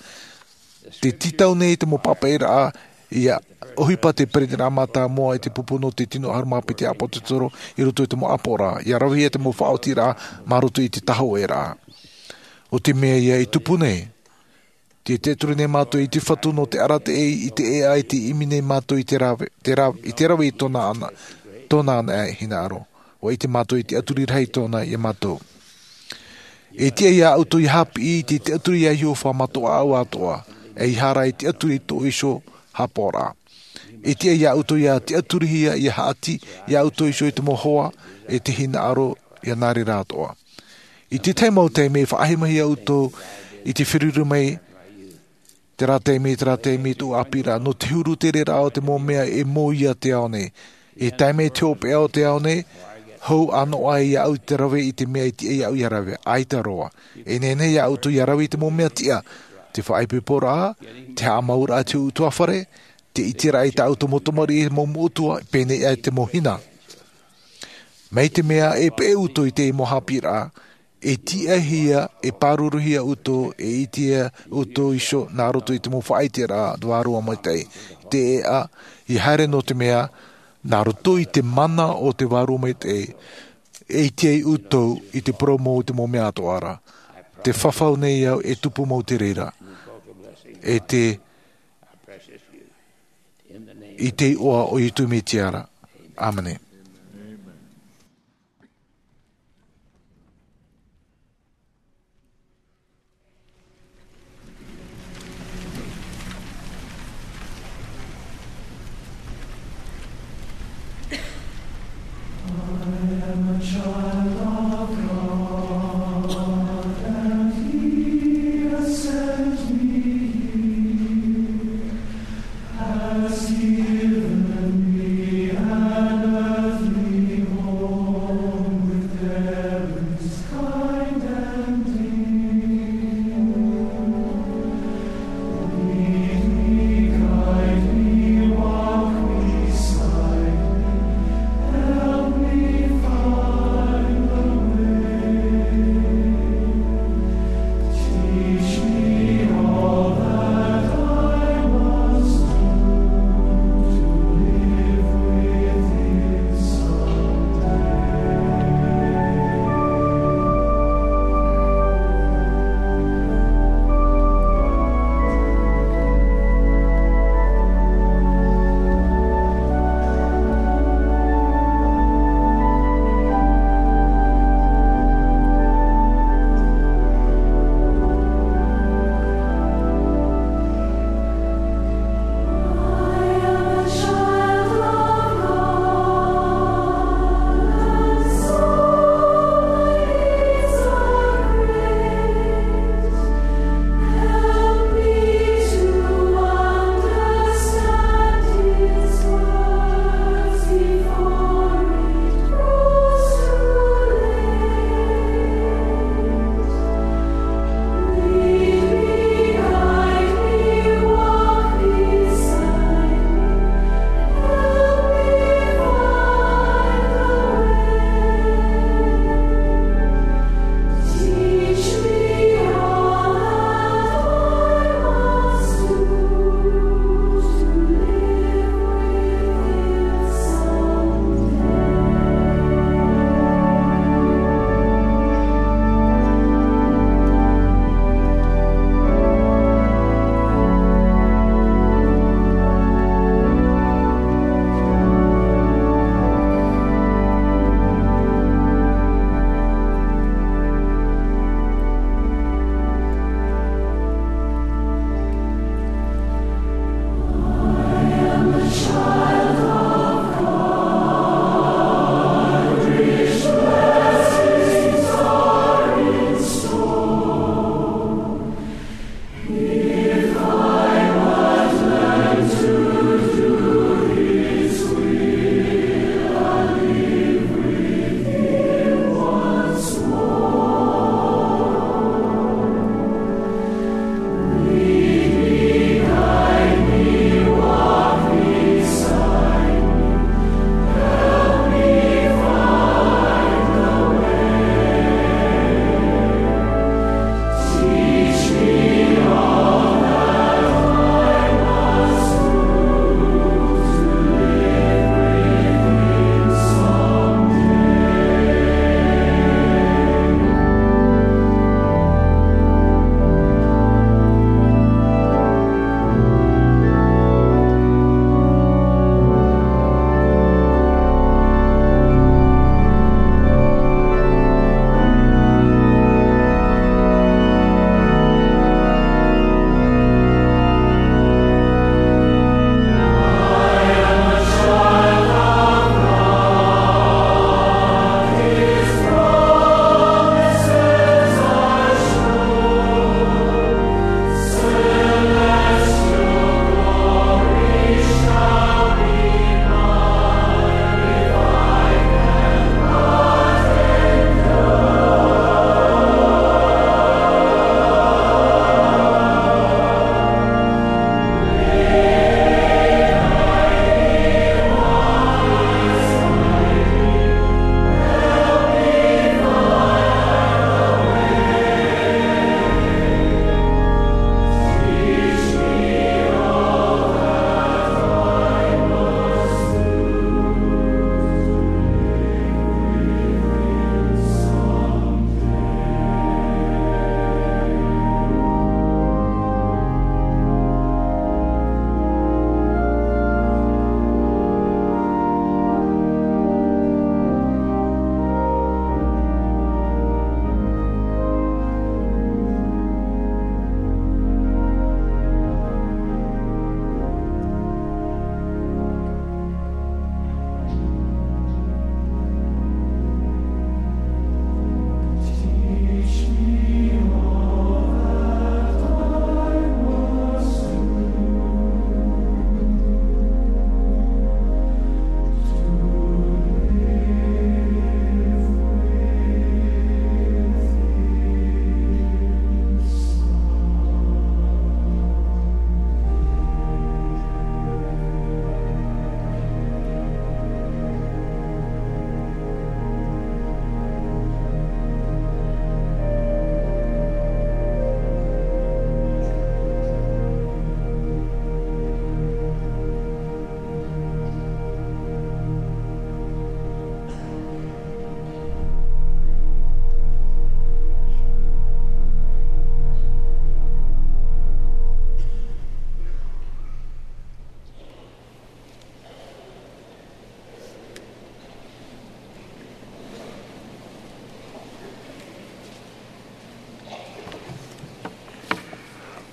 Tē tītau nei te mau pāpaʻiraʻa ia ʻohipa te peretiteni mātāmua i te pupu nō te tino ʻahuru mā piti ʻāpōsetolo i roto i te mau ʻāpoʻoraʻa, ia ravehia te mau faʻaotiraʻa mā roto i te tāhōʻēraʻa. ʻO te mea ia i tupu nei, tē tiʻaturi nei mātou i te Fatu nō te arataʻi i te ʻēʻa, e tē ʻimi nei mātou i te rave, te rave, i te rave i tōna ana, tōna ana hinaʻaro. ʻUa ʻite mātou i te tiʻaturi rahi tōna ia mātou. E tiʻa ia ʻoutou ia haʻapiʻi i te tiʻaturi a Iehova mā tō ʻoe ʻāʻau atoʻa, ʻeiaha rā i te tiʻaturi i tō ʻoe iho haʻapaʻoraʻa. E tiʻa ia ʻoutou ia tiʻaturihia, ia haʻati ia ʻoutou iho i te mau hoa, e te hinaʻaro, ia nā reira atoʻa. I te tahi mau taime, faʻahemahia ʻoutou i te feruri mai, terā taime, terā taime, tō ʻāpīraʻa, nō te huru tereraʻa o te mau mea e mōhia te ao nei. E tae mai te hopeʻa o te ao nei, hou ʻānoʻa ia ʻoutou i te rave i te mea e tiʻa ia ʻoutou ia rave, ʻaita roa. E nehenehe ia ʻoutou ia rave i te mau mea tiʻa, te faʻaipoiporaʻa, te haʻamauraʻa i te hōʻē ʻutuāfare, te ʻiteraʻa i tā ʻoutou mau tamariʻi, mau metua, pēneiaʻe te mau hina. Mai te mea e peʻe ʻoutou i te mau haʻapiʻiraʻa, e tiʻahia, e pāruruhia ʻoutou, e ʻitehia ʻoutou iho nā roto i te mau faʻaʻiteraʻa a te Vārua Maitaʻi. Te ʻēʻa, ia haere nō te mea, nā roto i te mana o te Vārua Maitaʻi, e ʻite ai ʻoutou i te parau mau i te mau mea atoʻa ra. Tē fafau nei au e tupu mau te reira. E te, i te iʻoa o Iesu Mesia ra. ʻĀmene.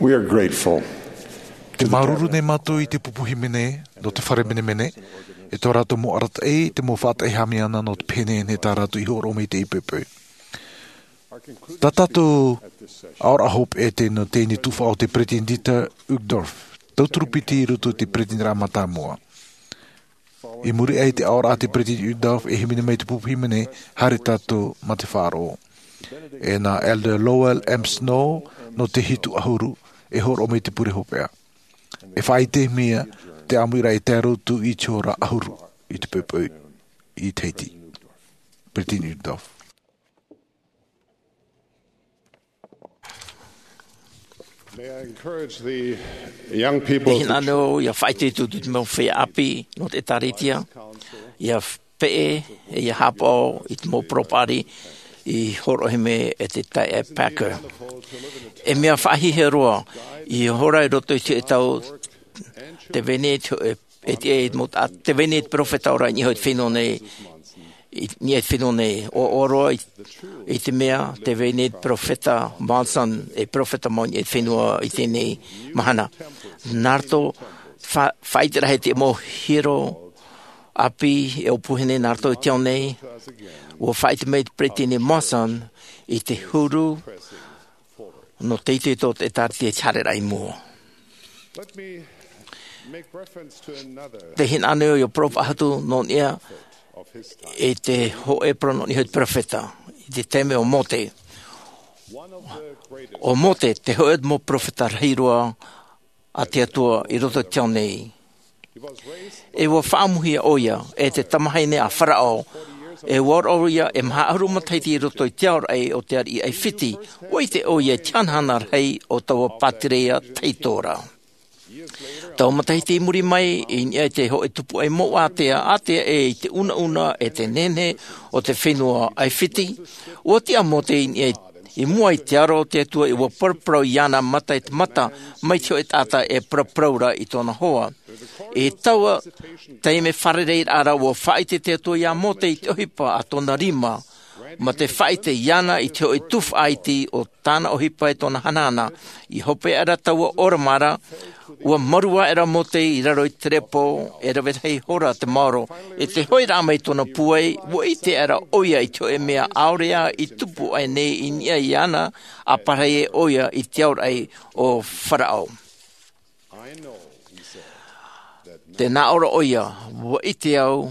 We are grateful. Te māuruuru nei mātou i te pupu hīmene nō te fare menemene, e tō rātou mau arataʻi, te mau faʻataʻi hāmani nō te pēnei nei tā rātou i hōroʻa mai i te poʻipoʻi. Tā tātou aoraʻa hopeʻa e tei nō teie tuhaʻa o te Peresideni Dieter Uchtdorf, tauturu piti i roto i te Peresideni mātāmua. I muri aʻe i te aoraʻa a te Peresideni Uchtdorf e hīmene mai te pupu hīmene, haere tātou mā te faʻaroʻo. E nā Elder Lowell M. Snow nō te hitu ʻahuru e hōroʻa mai te pure hopeʻa. E faʻaʻite mai te ʻāmuiraʻa e tae roa atu i te hora ʻahuru i te poʻipoʻi i Tahiti. Peresideni Uchtdorf. May I encourage the young people E to hinaʻaro ia faʻaʻite atu i te mau feiā ʻāpī nō te ʻĒtārētia, ia peʻe, e ia haʻapaʻo i te mau parau paʻari i hōroʻahia mai e te taeaʻe Packer. E mea faʻahiahia roa, i hora i roto i te tau, tē vai nei te hōʻē, e te, e mau ta-, tē vai nei te peropheta ora i niʻa i te fenua nei, i niʻa i te fenua nei, ʻoaʻoa roa i, i te mea, tē vai nei te peropheta Monson, e peropheta mau i niʻa i te fenua i teie nei mahana. Nā roto, fa-, faʻaʻite rahi te mau hiero ʻāpī e ʻōpuahine nā roto i te ao nei, ʻua faʻaʻite mai te Peresideni Monson i te huru nō te itoito o te ʻĒtārētia i te haereraʻa i mua. Let me make reference to another Te hinaʻaro ia parau faʻahou nō niʻa of his time. I te hōʻē parau nō niʻa i te peropheta, i te taime o Mōte. One of the greatest. ʻO Mōte, te hōʻē mau peropheta rahi roa a te Atua i roto i te ao nei. He was raised E ʻua faʻaʻamuhia ʻoia, e te tamahine a Faraō, e ʻua ora ʻoia e maha ʻahuru matahiti i roto i te aoraʻi o te ariʻi ʻAifiti, ʻua ʻite ʻoia i te hanahana rahi o taua pātireia taitora. Tau matahiti i muri mai, i niʻa i te hōʻē tupuaʻi mau ātea, ātea ʻē i te unauna e te nehenehe o te fenua ʻAifiti, ʻua tiʻa Mōte i niʻa i, i mua i te aro o te Atua e ʻua paraparau iāna mata i te mata, mai te hōʻē taʻata e paraparau ra i tōna hoa. I taua taime fārereiraʻa ra ʻua faʻaʻite te Atua iā Mōte i te ʻohipa a tōna rima, mā te faʻaʻite iāna i te hōʻē tufaʻa iti o tāna ʻohipa e tōna hanahana, i hope aʻera taua ʻōrama ra, ʻua marū aʻera Mōte i raro i te terepo, e rave rahi hora te maoro, i te hoʻiraʻa mai tōna pūai, ʻua ʻite aʻera ʻoia i te hōʻē mea ʻaore ā i tupu aʻe nei i niʻa iāna, ʻa pārahi ʻoia i te aoraʻi o Faraō. I know, he said, that Tē nā ʻō ra ʻoia, ʻua ʻite au,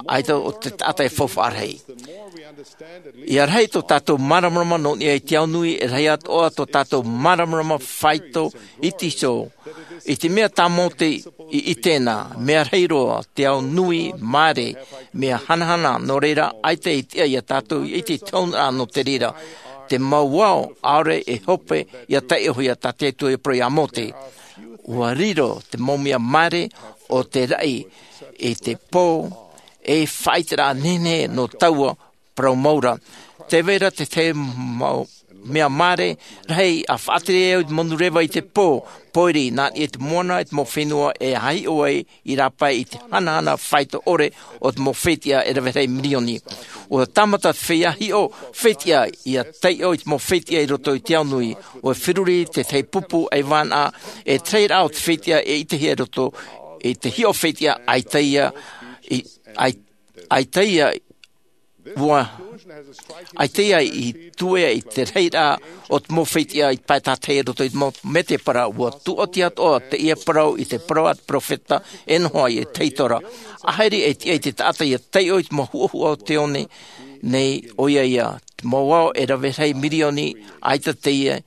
ʻaita o te taʻata e faufaʻa rahi. Ia rahi tō tātou māramarama nō niʻa i te ao nui, e rahi atoʻa tō tātou māramarama faito i te iho. I te mea tā Mōte i ʻite na, mea rahi roa, te ao nui, māere, mea hanahana, nō reira, ʻaita i tiʻa iā tātou i te tauna nō te reira. Te mau ao, ʻaore e hope, ia taiʻohia tā te Atua i parau iā Mōte. ʻUa riro te mau mea māere o te raʻi i te pō, e faʻaʻiteraʻa nehenehe nō taua parau mau ra. Tē vai ra te tahi mau mea māere rahi ʻa faʻatere ai au i te manu reva i te pō, pōiri, nā niʻa i te moana, i te mau fenua e haʻiʻo ai i rāpae i te hanahana faito ʻore o te mau fetiʻa e rave rahi mirioni. ʻUa tāmata te feiā hiʻo fetiʻa ia taiʻo i te mau fetiʻa i roto i te ao nui, ʻua feruri te tahi pupu ʻaivānaʻa, e te rahiraʻa o te fetiʻa e ʻitehia i roto i te hiʻo fetiʻa, ʻaita ia, i, ʻai-, ʻaita ia, ʻua, ʻaita ia i tuea i te rahiraʻa o te mau fetiʻa i pae tātahi i roto i te mau mētēpara, ʻua tūʻati atoʻa teie parau i te parau a te peropheta e noho ai e taitora. ʻAhiri e tiʻa i te taʻata ia taiʻo i te mau huʻahuʻa o te one nei, ʻoia ia, te mau ao e rave rahi mirioni, ʻaita teie,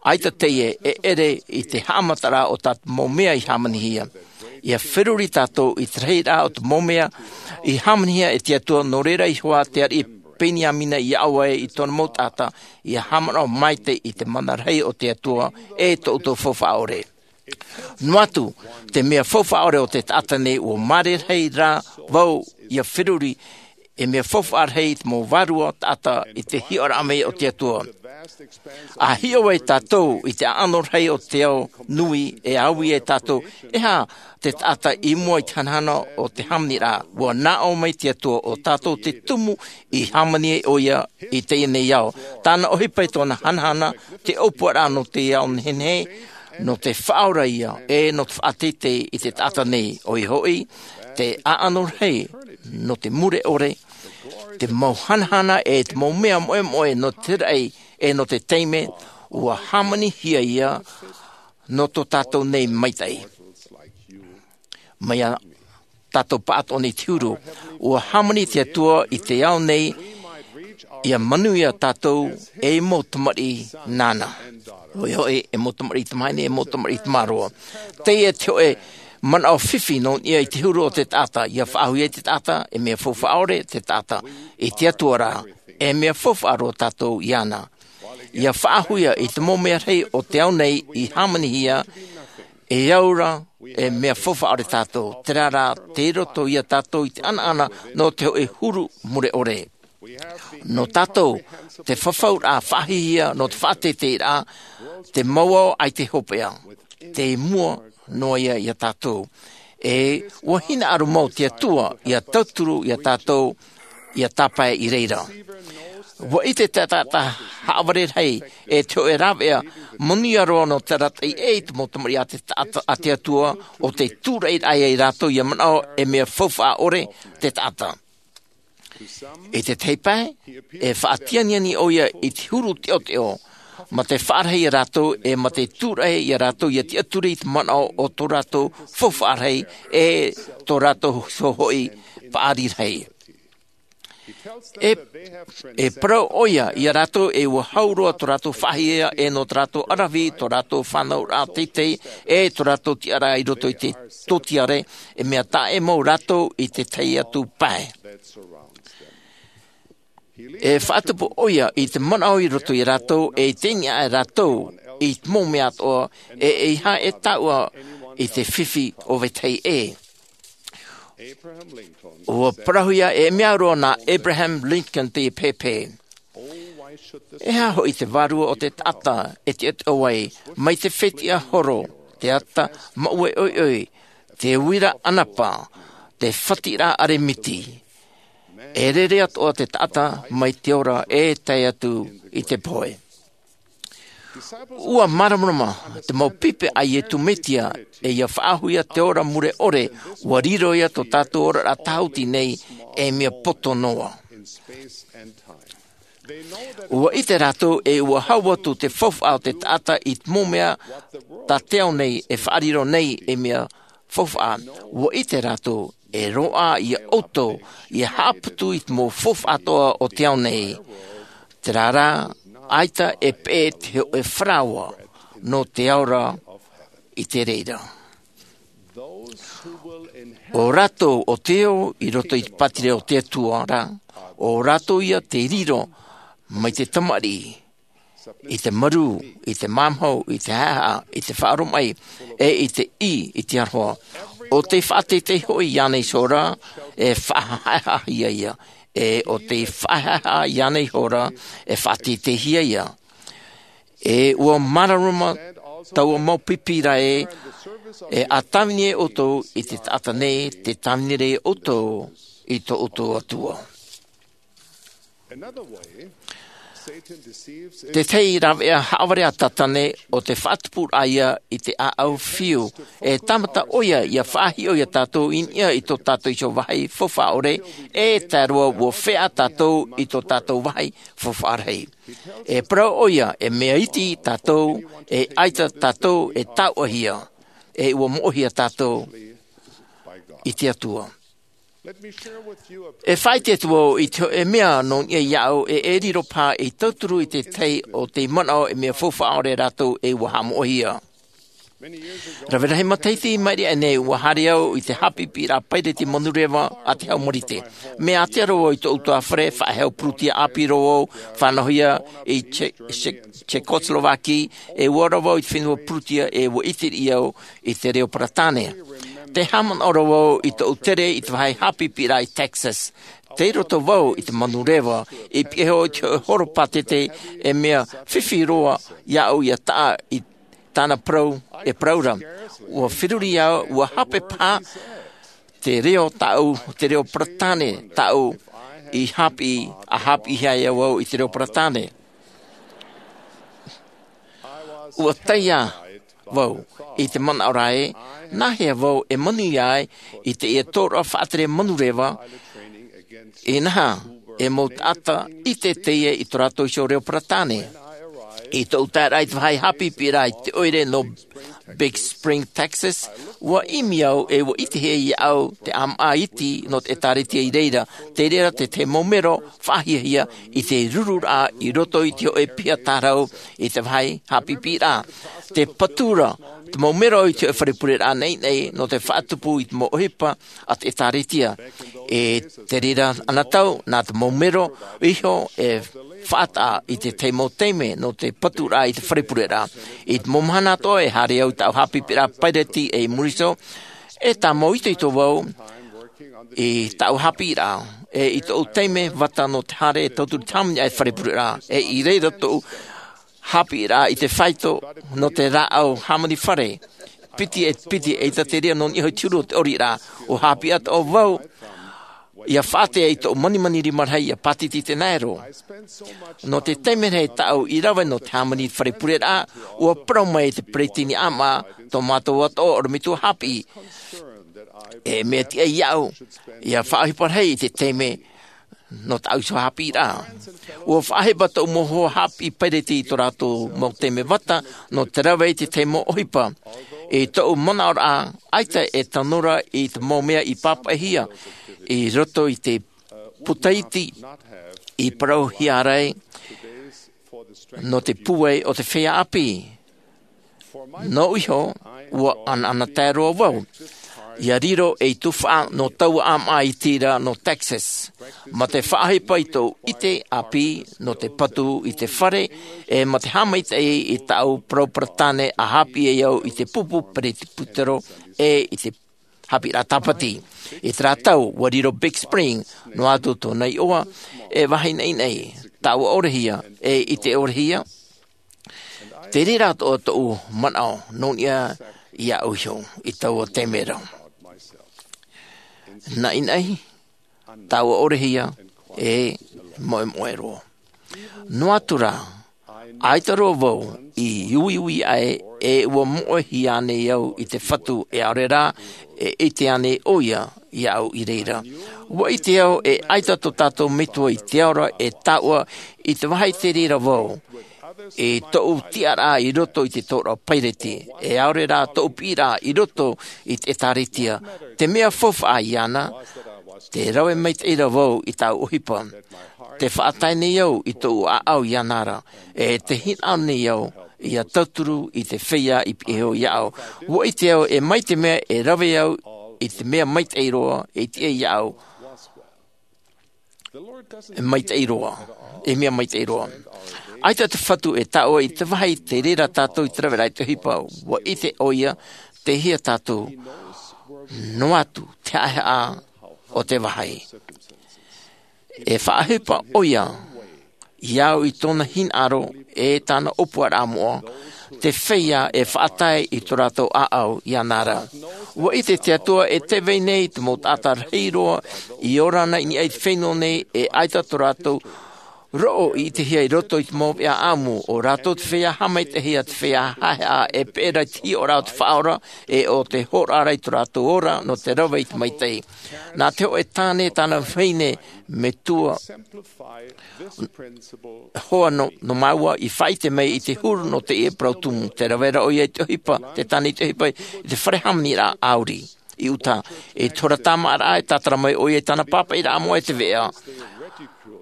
ʻaita teie e ʻere i te haʻamataraʻa o tā te mau mea i hāmanihia. Ia feruri tātou i te rahiraʻa o te mau mea i hāmanihia e te Atua, nō reira i hoʻi te ariʻi Peniamina i aʻo ai i tōna mau taʻata, ia haʻamanaʻo maitaʻi i te mana rahi o te Atua, e tō ʻoutou faufaʻa ʻore. Noa atu, te mea faufaʻa ʻore o te taʻata nei ʻua māere rahi rā vau ia feruri, e mea faufaʻa rahi te mau vārua taʻata i te hiʻoraʻa mai o te Atua. A hiʻo ai tātou i te ʻaʻano rahi o te ao nui, e au ia e tātou, e aha te taʻata i mua i te hanahana o te hāmaniraʻa? Ua nā ʻō mai te Atua, ʻo tātou te tumu i hāmani ai ʻo ia i teie nei ao. Tāna ʻohipa i tōna hanahana, te ʻōpuaraʻa nō te ao nehenehe, nō te faʻaora ia, e nō te faʻateitei i te taʻata nei. ʻOia hoʻi, te ʻaʻano rahi nō te mure ʻore, te mau hanahana e te mau mea moʻemoʻe nō te raʻi e nō te taime, ua hāmanihia ia nō tō tātou nei maitaʻi. Mai ia tātou pāʻatoʻa nei te huru, ua hāmani te Atua i te ao nei, ia manuia tātou ei mau tamariʻi nāna. ʻOia hoʻi, e mau tamariʻi tamahine, e mau tamariʻi tamaroa. Teie te hōʻē manaʻo fifi nō niʻa i te huru o te taʻata, ia faʻahuia te taʻata, e mea faufaʻa ʻore te taʻata i te Atua ra, e mea faufaʻa roa tātou iāna. Ia faʻahuia i te mau mea rahi o te ao nei i hāmanihia, e au ra, e mea faufaʻa ʻore tātou, terā rā, tei roto ia tātou i te ʻanaʻana nō te hōʻē huru mure ʻore. Nō tātou, te fafauraʻa faʻahihia nō te faʻateiteiraʻa, te mau ao ʻaita e hopeʻa, tei mua noa ia ia tātou. E ua hinaʻaro mau te Atua, ia tauturu ia tātou, ia tāpae i reira. Ua ʻite te taʻata haʻavare rahi, e te hōʻē rāveʻa manuia roa nō te arataʻi ʻē i te mau tamariʻi a te taʻata, a te Atua, ʻo tei tūraʻiraʻa ia rātou ia manaʻo e mea faufaʻa ʻore te taʻata. I te tahi pae, e faʻatianiani ʻo ia i te huru teʻoteʻo, mā te faʻarahi ia rātou, e mā te tūraʻi ia rātou ia tiʻaturi i te manaʻo o tō rātou faufaʻa rahi, e tō rātou iho hoʻi paʻari rahi. E, e parau ʻo ia ia rātou e ua hau roa tō rātou faʻahiahia e nō tō rātou ʻaravihi, tō rātou fānauraʻa teitei, e tō rātou tiʻaraʻa i roto i te tōtiare, e mea taʻa ʻē mau rātou i te tahi atu pae. E faʻatupu ʻo ia i te manaʻo i roto ia rātou, e i teie nei rātou i te mau mea atoʻa, e, e ʻeiaha e taʻua i te fifi o vetahi ʻē. Ua parauhia e mea roa nā Abraham Lincoln teie pēpē. E aha hoʻi te vārua o te taʻata e tiʻatiʻa ai, mai te fetiʻa horo, te ata maʻue ʻoiʻoi, te uira ʻanapa, te fatiraʻa ʻaremiti. E rere atoʻa te taʻata mai te ora e tae atu i te pohe. Ua māramarama te mau pipi a Iesu Mesia, e ia faʻahuia te ora mure ʻore, ua riro ia tō tātou oraraʻa tāhuti nei, e mea poto noa. Ua ʻite rātou e ua hau atu te faufaʻa o te taʻata i te mau mea tā te ao nei e faʻariro nei e mea faufaʻa. Ua ʻite rātou e roaʻa ia ʻoutou ia haʻaputu i te mau faufaʻa atoʻa o te ao nei. Terā rā, ʻaita e peʻe te hōʻē faraoa nō te ao ra i te reira. ʻO rātou ʻo tei ō i roto i te pātireia o te Atua ra, ʻo rātou ia tei riro mai te tamariʻi, i te marū, i te māmāhau, i te haʻehaʻa, i te faʻaromaʻi, e i te ʻī i te aroha. ʻO tei faʻateitei hoʻi iāna iho ra, e faʻahaʻehaʻahia ia, e ʻo tei faʻahaʻehaʻa iāna iho ra, e faʻateiteihia ia. E ua māramarama taua mau pipi ra ē, e a tāvini ai ʻoutou i te taʻata nei, tē tāvini ra ʻoutou i tō ʻoutou Atua. Te tahi rāveʻa haʻavare a Satane, ʻo te faʻatupuraʻa ia i te ʻāʻau fiu, e tāmata ʻo ia ia faʻahiʻo ia tātou i niʻa i tō tātou iho vāhi faufaʻa ʻore, e tae roa ua feʻa tātou i tō tātou vāhi faufaʻa rahi. E parau ʻo ia, e mea iti tātou, e ʻaita tātou e taʻuahia, e ua moʻehia tātou i te Atua. E faʻaʻite atu vau i te hōʻē mea nō niʻa iāʻu, e e riro paha ei tauturu i te tahi o tei manaʻo e mea faufaʻa ʻore rātou e ua haʻamoʻehia. Rave rahi matahiti i maʻiri aʻe nei, ua haere au i te haʻapiʻiraʻa paireti manureva a te hau Marite. Mea ātea roa vau i tōʻu ʻutuāfare, faʻahou pūrutia ʻāpī roa vau, fānauhia i Che-, Che-, Czechoslovakia, e ʻua ora vau i te fenua pūrutia, e ʻua ʻite riʻi au i te reo Peretāne. Tē haʻamanaʻo roa vau i tōʻu tere i te vāhi haʻapiʻiraʻa i Texas. Tei roto vau i te manureva, i piha i te hoʻe horo pātete, e mea fifi roa iāʻu ia taʻa i tāna parau e parau ra. Ua feruri au, ua hape paha te reo tāʻu, te reo Peretāne tāʻu i hāpiʻi, a hāpiʻihia e au i te reo Peretāne. Ua tae ā vau i te manaʻo ra ē, nāhea vau e manuia ai i teie tōroʻa faʻatere manureva, inaha, e mau taʻata ʻite teie i tō rātou iho reo Peretāne. I tōʻu taeraʻa i te vāhi haʻapiʻiraʻa i te ʻoire nō Big Spring, Texas, ua ʻimi au e ua ʻitehia iāʻu te ʻāmaʻa iti nō te ʻĒtārētia i reira, tei reira te tahi mau mero faʻahiahia i te rururaʻa i roto i te hōʻē piha tārahu i te vāhi haʻapiʻiraʻa. Te patu ra te mau mero i te hōʻē fare pureraʻa naʻinaʻi nō te faʻatupu i te mau ʻohipa a te ʻĒtārētia. E te reira anotau, nā te mau mero iho e faʻataʻa i te tahi mau taime nō te paturaʻa i te fare pureraʻa. I te mau mahana atoʻa e haere au i tāʻu haʻapiʻiraʻa paireti i muri iho, e tāmau itoito vau i tāʻu haʻapiʻiraʻa, e i tōʻu taime vata nō te haere e tauturu i te hāmani i te fare pureraʻa, e i reira tōʻu haʻapiʻiraʻa i te faito nō te rāʻau hāmani fare. Piti e piti, ʻeita te reira nō niʻa iho i te huru o te ʻoriraʻa, ʻua haʻapiʻi atoʻa vau ia faʻatea i tōʻu manimani rima rahi ia pātiti i te nāero. Nō te taime rahi tāʻu i rave nō te hāmani i te fare pureraʻa, ʻua parau mai te peresideni ʻāmaʻa, tō mātou atoʻa ʻorometua haʻapiʻi, e mea tiʻa iāʻu ia faʻaʻohipa rahi i te taime nō tāʻu iho haʻapiʻiraʻa. ʻUa faʻaʻohipa tōʻu mau hoa haʻapiʻi paireti i tō rātou mau taime vata nō te rave i te tahi mau ʻohipa. I tōʻu manaʻoraʻa, ʻaita e tano ra i te mau mea i pāpaʻihia i roto i te puta iti i parauhia ra nō te pūai o te feiā ʻāpī. Nōʻu iho, ʻua ʻanaʻanatae roa vau ia riro ei tuhaʻa nō taua ʻāmaʻa iti ra nō Texas, mā te faʻaʻohipa i tōʻu ʻite ʻāpī nō te patu i te fare, e mā te haʻamaitaʻi i tāʻu parau Peretāne a haʻapiʻi ai au i te pupu peretiputero e i te haʻapiʻiraʻa tāpati. I terā tau, ʻua riro Big Spring, noa atu tōna iʻoa, e vāhi naʻinaʻi, taʻua-ʻore-hia, e ʻite-ʻore-hia. Te reira atoʻa tōʻu manaʻo nō niʻa iāʻu iho i taua taime ra. Naʻinaʻi, taʻua-ʻore-hia, e moʻemoʻe roa. Noa atu rā, ʻaita roa vau i uiui aʻe, e ʻua moʻehia ānei au i te Fatu, e ʻaore rā e ʻite ānei ʻoia iāʻu i reira. ʻUa ʻite au e ʻaita tō tātou Metua i te ao ra, e taʻua i te vāhi te reira vau i tōʻu tiʻaraʻa i roto i te tōroʻa paireti, e ʻaore rā tōʻu piʻiraʻa i roto i te ʻĒtārētia. Te mea faufaʻa iāna, te rave maitaʻi ra vau i tāʻu ʻohipa. Te faʻatae nei au i tōʻu ʻāʻau iāna ra, e te hinaʻaro nei au ia tauturu i te feiā i pihaʻi iho iāʻu. ʻUa ʻite au e mai te mea e rave au i te mea maitaʻi roa e tiʻa iāʻu. E maitaʻi roa, e mea maitaʻi roa. ʻAita te Fatu e taʻua i te vāhi te reira tātou i te raveraʻa i te ʻohipa, ʻua ʻite ʻoia, tei hea tātou, noa atu te haʻehaʻa o te vāhi. E faʻaʻohipa ʻoia iāʻu i tōna hinaʻaro e tāna ʻōpuaraʻa moʻa, te feiā e faʻatae i tō rātou ʻāʻau iāna ra. ʻUa ʻite te Atua e tē vai nei te mau taʻata rahi roa i ora nei i niʻa i te fenua nei, e ʻaita tō rātou roʻo i ʻitehia i roto i te mau veʻa ʻāʻamu. ʻO rātou te feiā haʻamaitaʻihia, te feiā haʻehaʻa e peʻe ra i te hiʻoraʻa o te Faʻaora, e ʻo te hōroʻa ra i tō rātou ora nō te rave i te maitaʻi. Nā te hōʻē tāne tāna vahine, metua hoa nō, nō māua i faʻaʻite mai i te huru nō teie parau tumu. Tē rave ra ʻoia i te ʻohipa, tē tāne i te ʻohipa i te fare hāmaniraʻa ʻāuri i Utah. I te hora tāmāʻaraʻa e tātara mai ʻoia i tāna pāpaʻiraʻa moʻa e te veʻa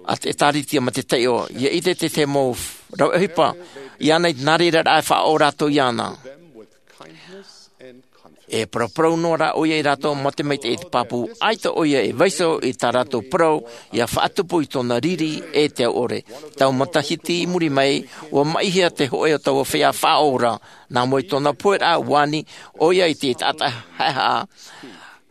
a te ʻĒtārētia mā te taiʻo. ʻIa ʻite te tahi mau rave ʻohipa iāna i te nā reira rā e faʻaʻō rātou iāna. E paraparau noa rā ʻoia ia rātou mā te maitaʻi e te pāpū, ʻaita ʻoia e vaiiho i tā rātou parau, ʻia faʻatupu i tōna riri e te au ʻore. Tau matahiti i muri mai, ʻua maʻihia te hōʻē o taua feiā faʻaora, nā mua i tōna poheraʻa, ʻua ani ʻoia i te taʻata haʻehaʻa,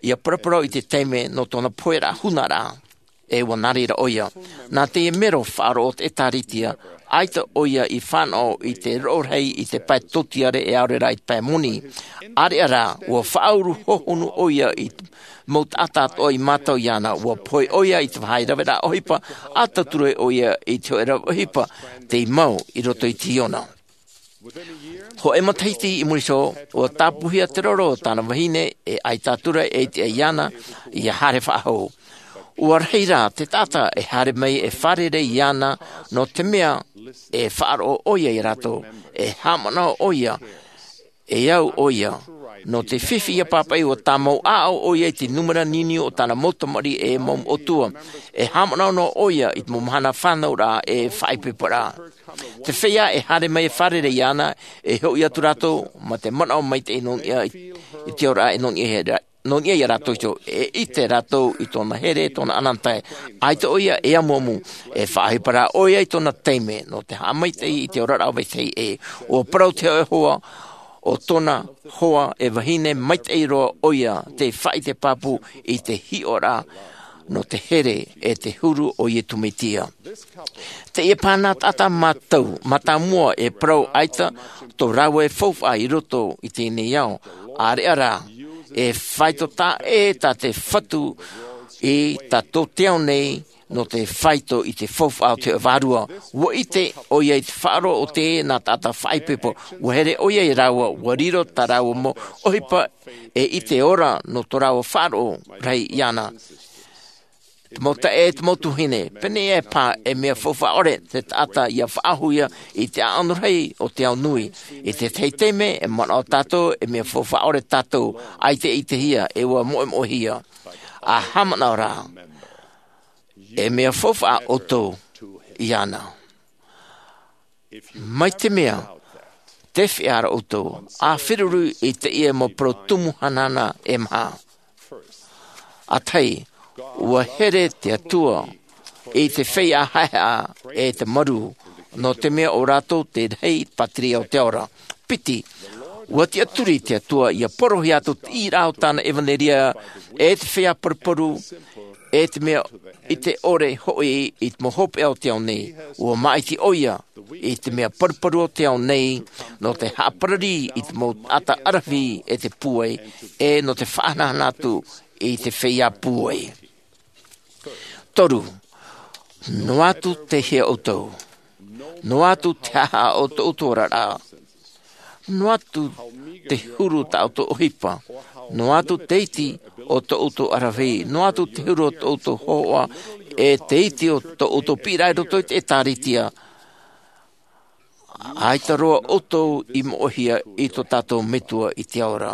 ʻia paraparau i te taime nō tōna poheraʻa hunaraʻa. E ua nā reira ʻoia. Nā te mero faʻaroʻo o te ʻēkālesia, ʻaita ʻoia i fānaʻo i te roʻo rahi i te pae tōtiare e ʻaore rā i te pae moni. ʻĀreʻa rā, ua faʻauru hohonu ʻoia i te mau taʻata atoʻa i mātau iāna, ua pohe ʻoia i te vāhi raveraʻa ʻohipa, ʻa tauturu ʻoia i te hōʻē rave ʻohipa, tei mau i roto i te hiona. Hōʻē matahiti i muri iho, ua tāpūhia te roro o tāna vahine, e ʻaita atu ra e ʻite iāna, ʻia haere faʻahou. Ua rahi rā te taʻata e haere mai e fārerei iāna, nō te mea e faʻaroʻo ʻoia iā rātou, e haʻamanaʻo ʻoia, e au ʻoia, nō te fifi ʻia pāpaʻi ua tāmau ʻāʻau ʻoia i te nūmera niuniu o tāna mau tamariʻi e mau ʻōtua, e haʻamanaʻo noa ʻoia i te mau mahana fānauraʻa e faʻaipoiporaʻa. Te feiā e haere mai e fārerei iāna, e hoʻi atu rātou, mā te manaʻo maitaʻi nō niʻa i, i te oraraʻa e nō niʻa iā rā-, nō niʻa iā rātou iho, e ʻite rātou i tōna here, tōna ananahi. ʻAita ʻoia e amuamu, e faʻaʻohipa rā ʻoia i tōna taime, nō te haʻamaitaʻi i te oraraʻa vetahi ʻē. ʻUa parau te hōʻē hoa, ʻo tōna hoa e vahine, maitaʻi roa ʻoia, tei faʻaʻite pāpū i te hiʻoraʻa, nō te here e te huru o Iesu Mesia. Teie paha nā taʻata mātau, mātāmua e parau ʻaita tō rāua e faufaʻa i roto i teie nei ao, ʻāreʻa rā, e faito taʻa ʻē tā te Fatu i tā tō te ao nei, nō te faito i te faufaʻa o te vārua. Ua ʻite ʻoia i te faʻaroʻo o teie nā taʻata faʻaipoipo, ua here ʻoia iā rāua, ua riro tā rāua mau ʻohipa, e i te ora nō tō rāua faʻaroʻo rahi iāna. Te mau taeaʻe, te mau tuahine, pēneiaʻe paha e mea faufaʻa ʻore te taʻata ʻia faʻahoʻihia i te ʻaʻano rahi o te ao nui. I te tahi taime, e manaʻo tātou, e mea faufaʻa ʻore tātou, ʻaita e ʻitehia, e ʻua moʻemoʻehia. ʻA haʻamanaʻo rā, e mea faufaʻa ʻoutou iāna. Mai te mea, te feiā ra ʻoutou, ʻa feruri i teie mau parau tumu hanahana e maha. ʻA tahi, ua here te Atua i te feiā haʻehaʻa e te marū, nō te mea ʻo rātou te rahi pātireia o te ao ra. Piti, ua tiʻaturi te Atua ʻia porohia atu te ʻīraʻa o tāna ʻevanelia e te feiā paruparu, e te mea ʻite ʻore hoʻi i te mau hopeʻa o te ao nei. Ua māʻiti ʻoia i te mea paruparu o te ao nei, nō te haʻaparari i te mau taʻata ʻaravihi e te pūai, e nō te faʻahanahana atu i te feiā pūai. Toru, noa atu te hea ʻoutou, noa atu te haʻahaʻa o tō ʻoutou oraraʻa, noa atu te huru tā ʻoutou ʻohipa, noa atu te iti o tō ʻoutou ʻaravihi, noa atu te huru o tō ʻoutou hōhoʻa, e te iti o tō ʻoutou piʻiraʻa i roto i te ʻēkālesia. ʻAita roa ʻoutou i moʻehia i tō tātou Metua i te ao ra.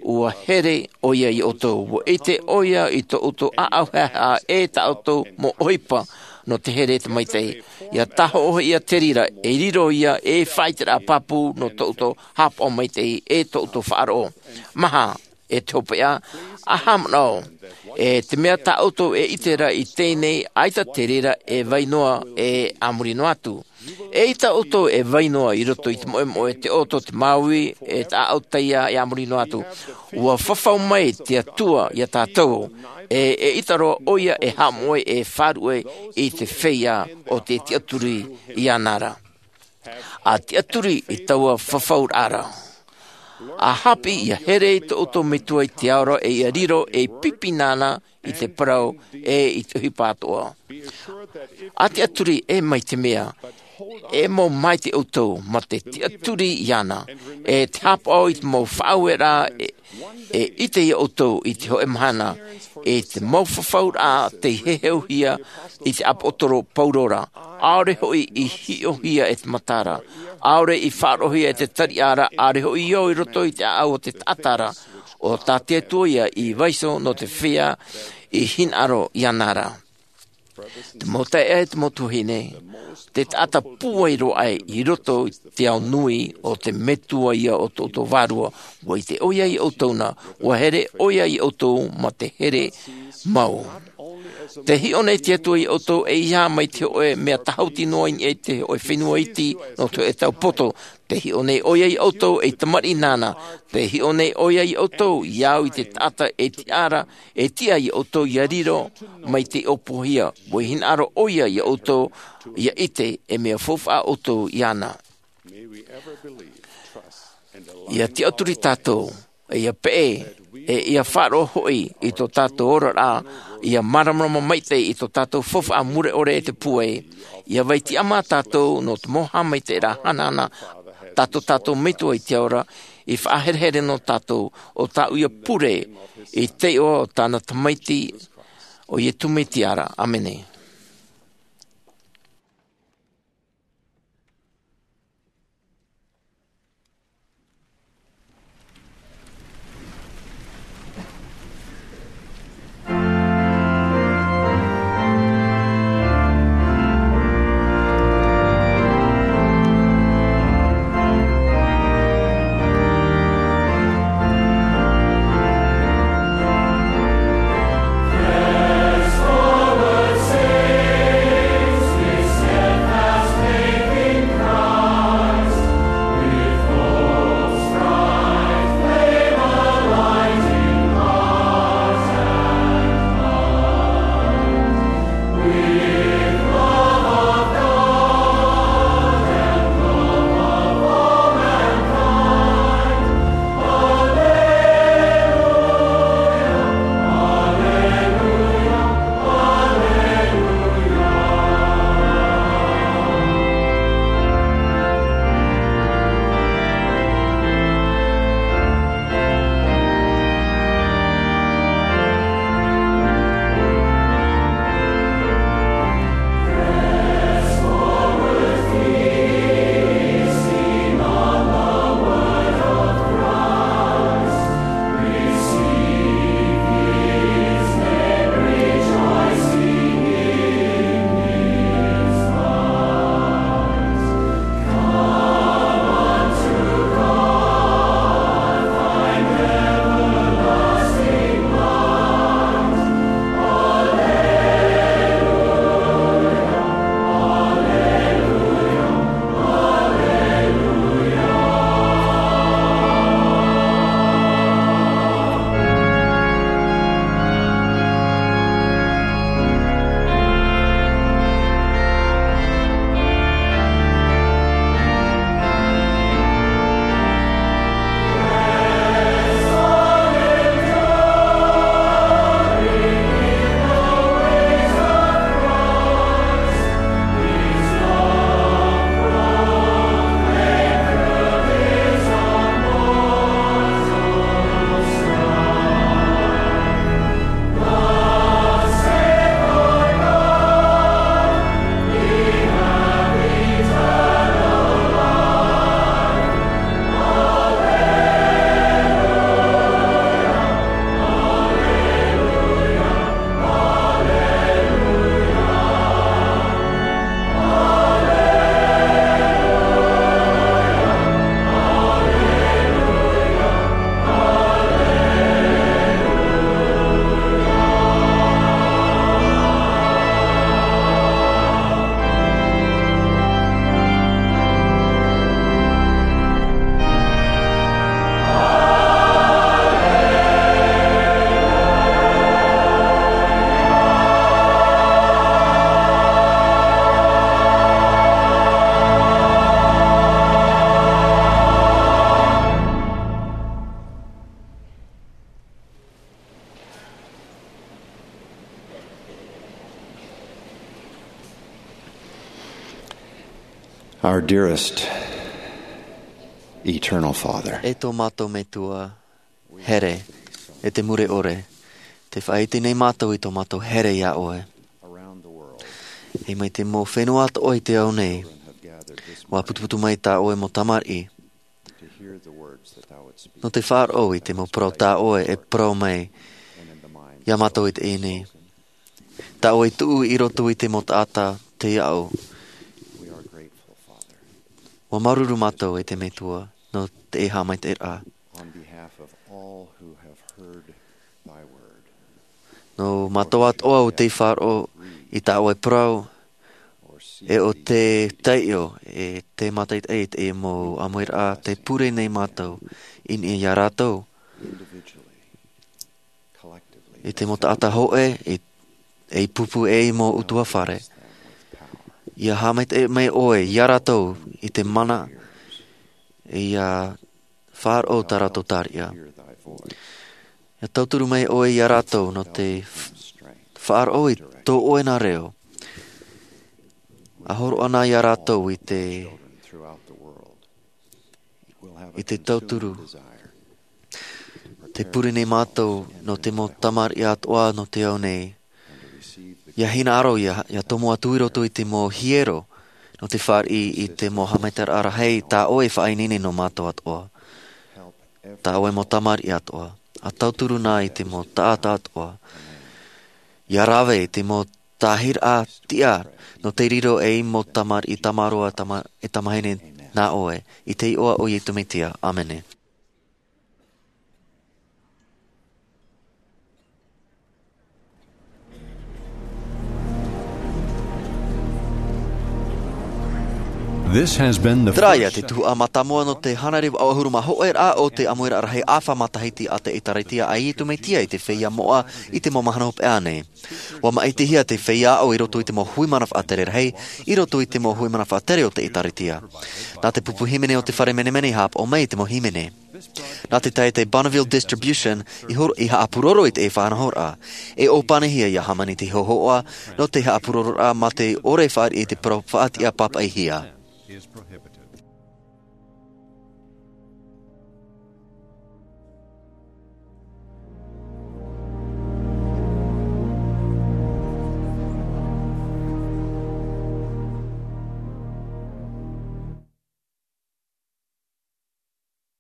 Ua here ʻoia iā ʻoutou, ua ʻite ʻoia i tō ʻoutou ʻāʻau haʻehaʻa e tā ʻoutou mau ʻohipa, nō te here e te maitaʻi. ʻIa tāhoʻo hoʻi ia te reira, e riro ia ei faʻaʻiteraʻa pāpū nō tō ʻoutou haʻapaʻo maitaʻi e tō ʻoutou faʻaroʻo. Maha, e te hopeʻa, ʻa haʻamanaʻo, e te mea tā ʻoutou e ʻite ra i teie nei, ʻaita te reira e vai noa e a muri noa atu. ʻEita ʻoutou e vai noa i roto i te moʻemoʻe, te ʻoto, te māuiui, e te ʻāʻau taiā e a muri noa atu. Ua fafau mai te Atua iā tātou, e, eʻita roa ʻoia e haʻamoʻe e faʻaruʻe i te feiā o tē tiʻaturi iāna ra. ʻA tiʻaturi i taua fafauraʻa ra. ʻA haʻapiʻi ʻia here i tō ʻoutou Metua i te ao ra e ʻia riro ei pipi nāna i te parau e i te ʻohipa atoʻa. ʻA tiʻaturi e mai te mea, e mau maitaʻi ʻoutou mā te tiʻaturi iāna, e te haʻapaʻo i te mau faʻaueraʻa e, e ʻite iā ʻoutou i te hōʻē mahana, i te mau fafauraʻa tei heheuhia i te ʻāpōsetolo Paulo ra, ʻaore hoʻi i hiʻohia e te matara, ʻaore i faʻaroʻohia e te tariʻa ra, ʻaore hoʻi i ō i roto i te ʻāʻau o te taʻata ra, ʻo tā te Atua ïa i vaiiho nō te feiā i hinaʻaro iāna ra. Te mau taeaʻe, te mau tuahine, te taʻata pūai roa aʻe i roto i te ao nui, ʻo te Metua ïa o tō ʻoutou vārua, ua ʻite ʻoia iā ʻoutou na, ua here ʻoia iā ʻoutou mā te here mau. Te hiʻo nei te Atua ia ʻoutou ʻeiaha mai te hōʻē mea tāhuti noa i niʻa i te hōʻē fenua iti nō te hōʻē tau poto. Te hiʻo nei ʻoia ia ʻoutou ei tamariʻi nāna. Te hiʻo nei ʻoia ia ʻoutou ia au i te taʻata e tiʻa ra, e tiʻa ia ʻoutou ia riro mai te ʻōpuahia. ʻUa hinaʻaro ʻoia ia ʻoutou ia ʻite e mea faufaʻa ʻoutou iāna. Ia tiʻaturi tātou, ia peʻe, e ia faʻaroʻo hoʻi i tō tātou oraraʻa, ia māramarama maitaʻi i tō tātou faufaʻa mure ʻore e te pūai. Ia vai tiʻamā tātou nō te mau haʻamaitaʻiraʻa hanahana tā tō tātou Metua i te ao ra i faʻaherehere nō tātou, ʻo tāʻu ia pure i te iʻoa o tāna Tamaiti, ʻo Iesu Mesia ra. ʻĀmene. Our dearest eternal Father. E tō mātou Metua here, e te mure ʻore, tē faʻaʻite nei mātou i tō mātou here iā ʻoe. E mai te mau fenua atoʻa i te ao nei, ʻua putuputu mai tā ʻoe mau tamariʻi, nō te faʻaroʻo i te mau parau tā ʻoe e parau mai iā mātou i teie nei. Tā ʻoe i tuʻu i roto i te mau taʻata, te aʻo. ʻUa māuruuru mātou, e te Metua, nō teie haʻamaitaʻiraʻa. On behalf of all who have heard thy word. Nō mātou atoʻa ʻo tei faʻaroʻo i tā ʻoe parau, e ʻo te taiʻo, e te mātaʻitaʻi i te mau ʻāmuiraʻa, tē pure nei mātou i niʻa iā rātou. I te mau taʻata hōʻē, i, ei pupu ei mau ʻutuāfare. ʻIa haʻamaitaʻi mai ʻoe iā rātou i te mana, ʻia faʻaroʻo tā rātou tariʻa. ʻIa tauturu mai ʻoe iā rātou nō te f-, faʻaroʻo i tō ʻoe nā reo. ʻA hōroʻa na iā rātou i te, i te tauturu. Tē pure nei mātou nō te mau tamariʻi atoʻa nō te ao nei. ʻIa hinaʻaro, ʻia, ʻia tomo atu i roto i te mau hiero, nō te fāriʻi i te mau haʻamaitaʻiraʻa rahi, tā ʻoe e faʻaineine nō mātou atoʻa. Tā ʻoe mau tamariʻi atoʻa. ʻA tauturu na i te mau taʻata atoʻa. ʻIa rave i te mau tāhiraʻa tiʻa, nō te riro ei mau tamariʻi tamaroa tama-, e tamahine nā ʻoe, i te iʻoa o Iesu Mesia. ʻĀmene. This has been the Terā ia first te tuhaʻa mātāmua nō te hānere vaʻu ʻahuru mā hōʻē rā o te ʻāmuiraʻa rahi ʻāfa matahiti a te ʻĒtārētia a Iesu Mesia i te feiā moʻa i te mau mahana hopeʻa nei. ʻUa māʻitihia te feiā aʻo i roto i te mau hui mana faʻatere rahi, i roto i te mau hui mana faʻatere o te ʻĒtārētia. Nā te pupu hīmene o te fare menemene i haʻapaʻo mai i te mau hīmene. Nā te taeaʻe Bonneville Distribution i hor-, i haʻapūroro i te faʻanahoraʻa. E ʻōpanihia ʻia hāmani te hōhoʻa, nō te haʻapūrororaʻa mā te ʻore fāriʻi i te parau faʻatiʻa pāpaʻihia.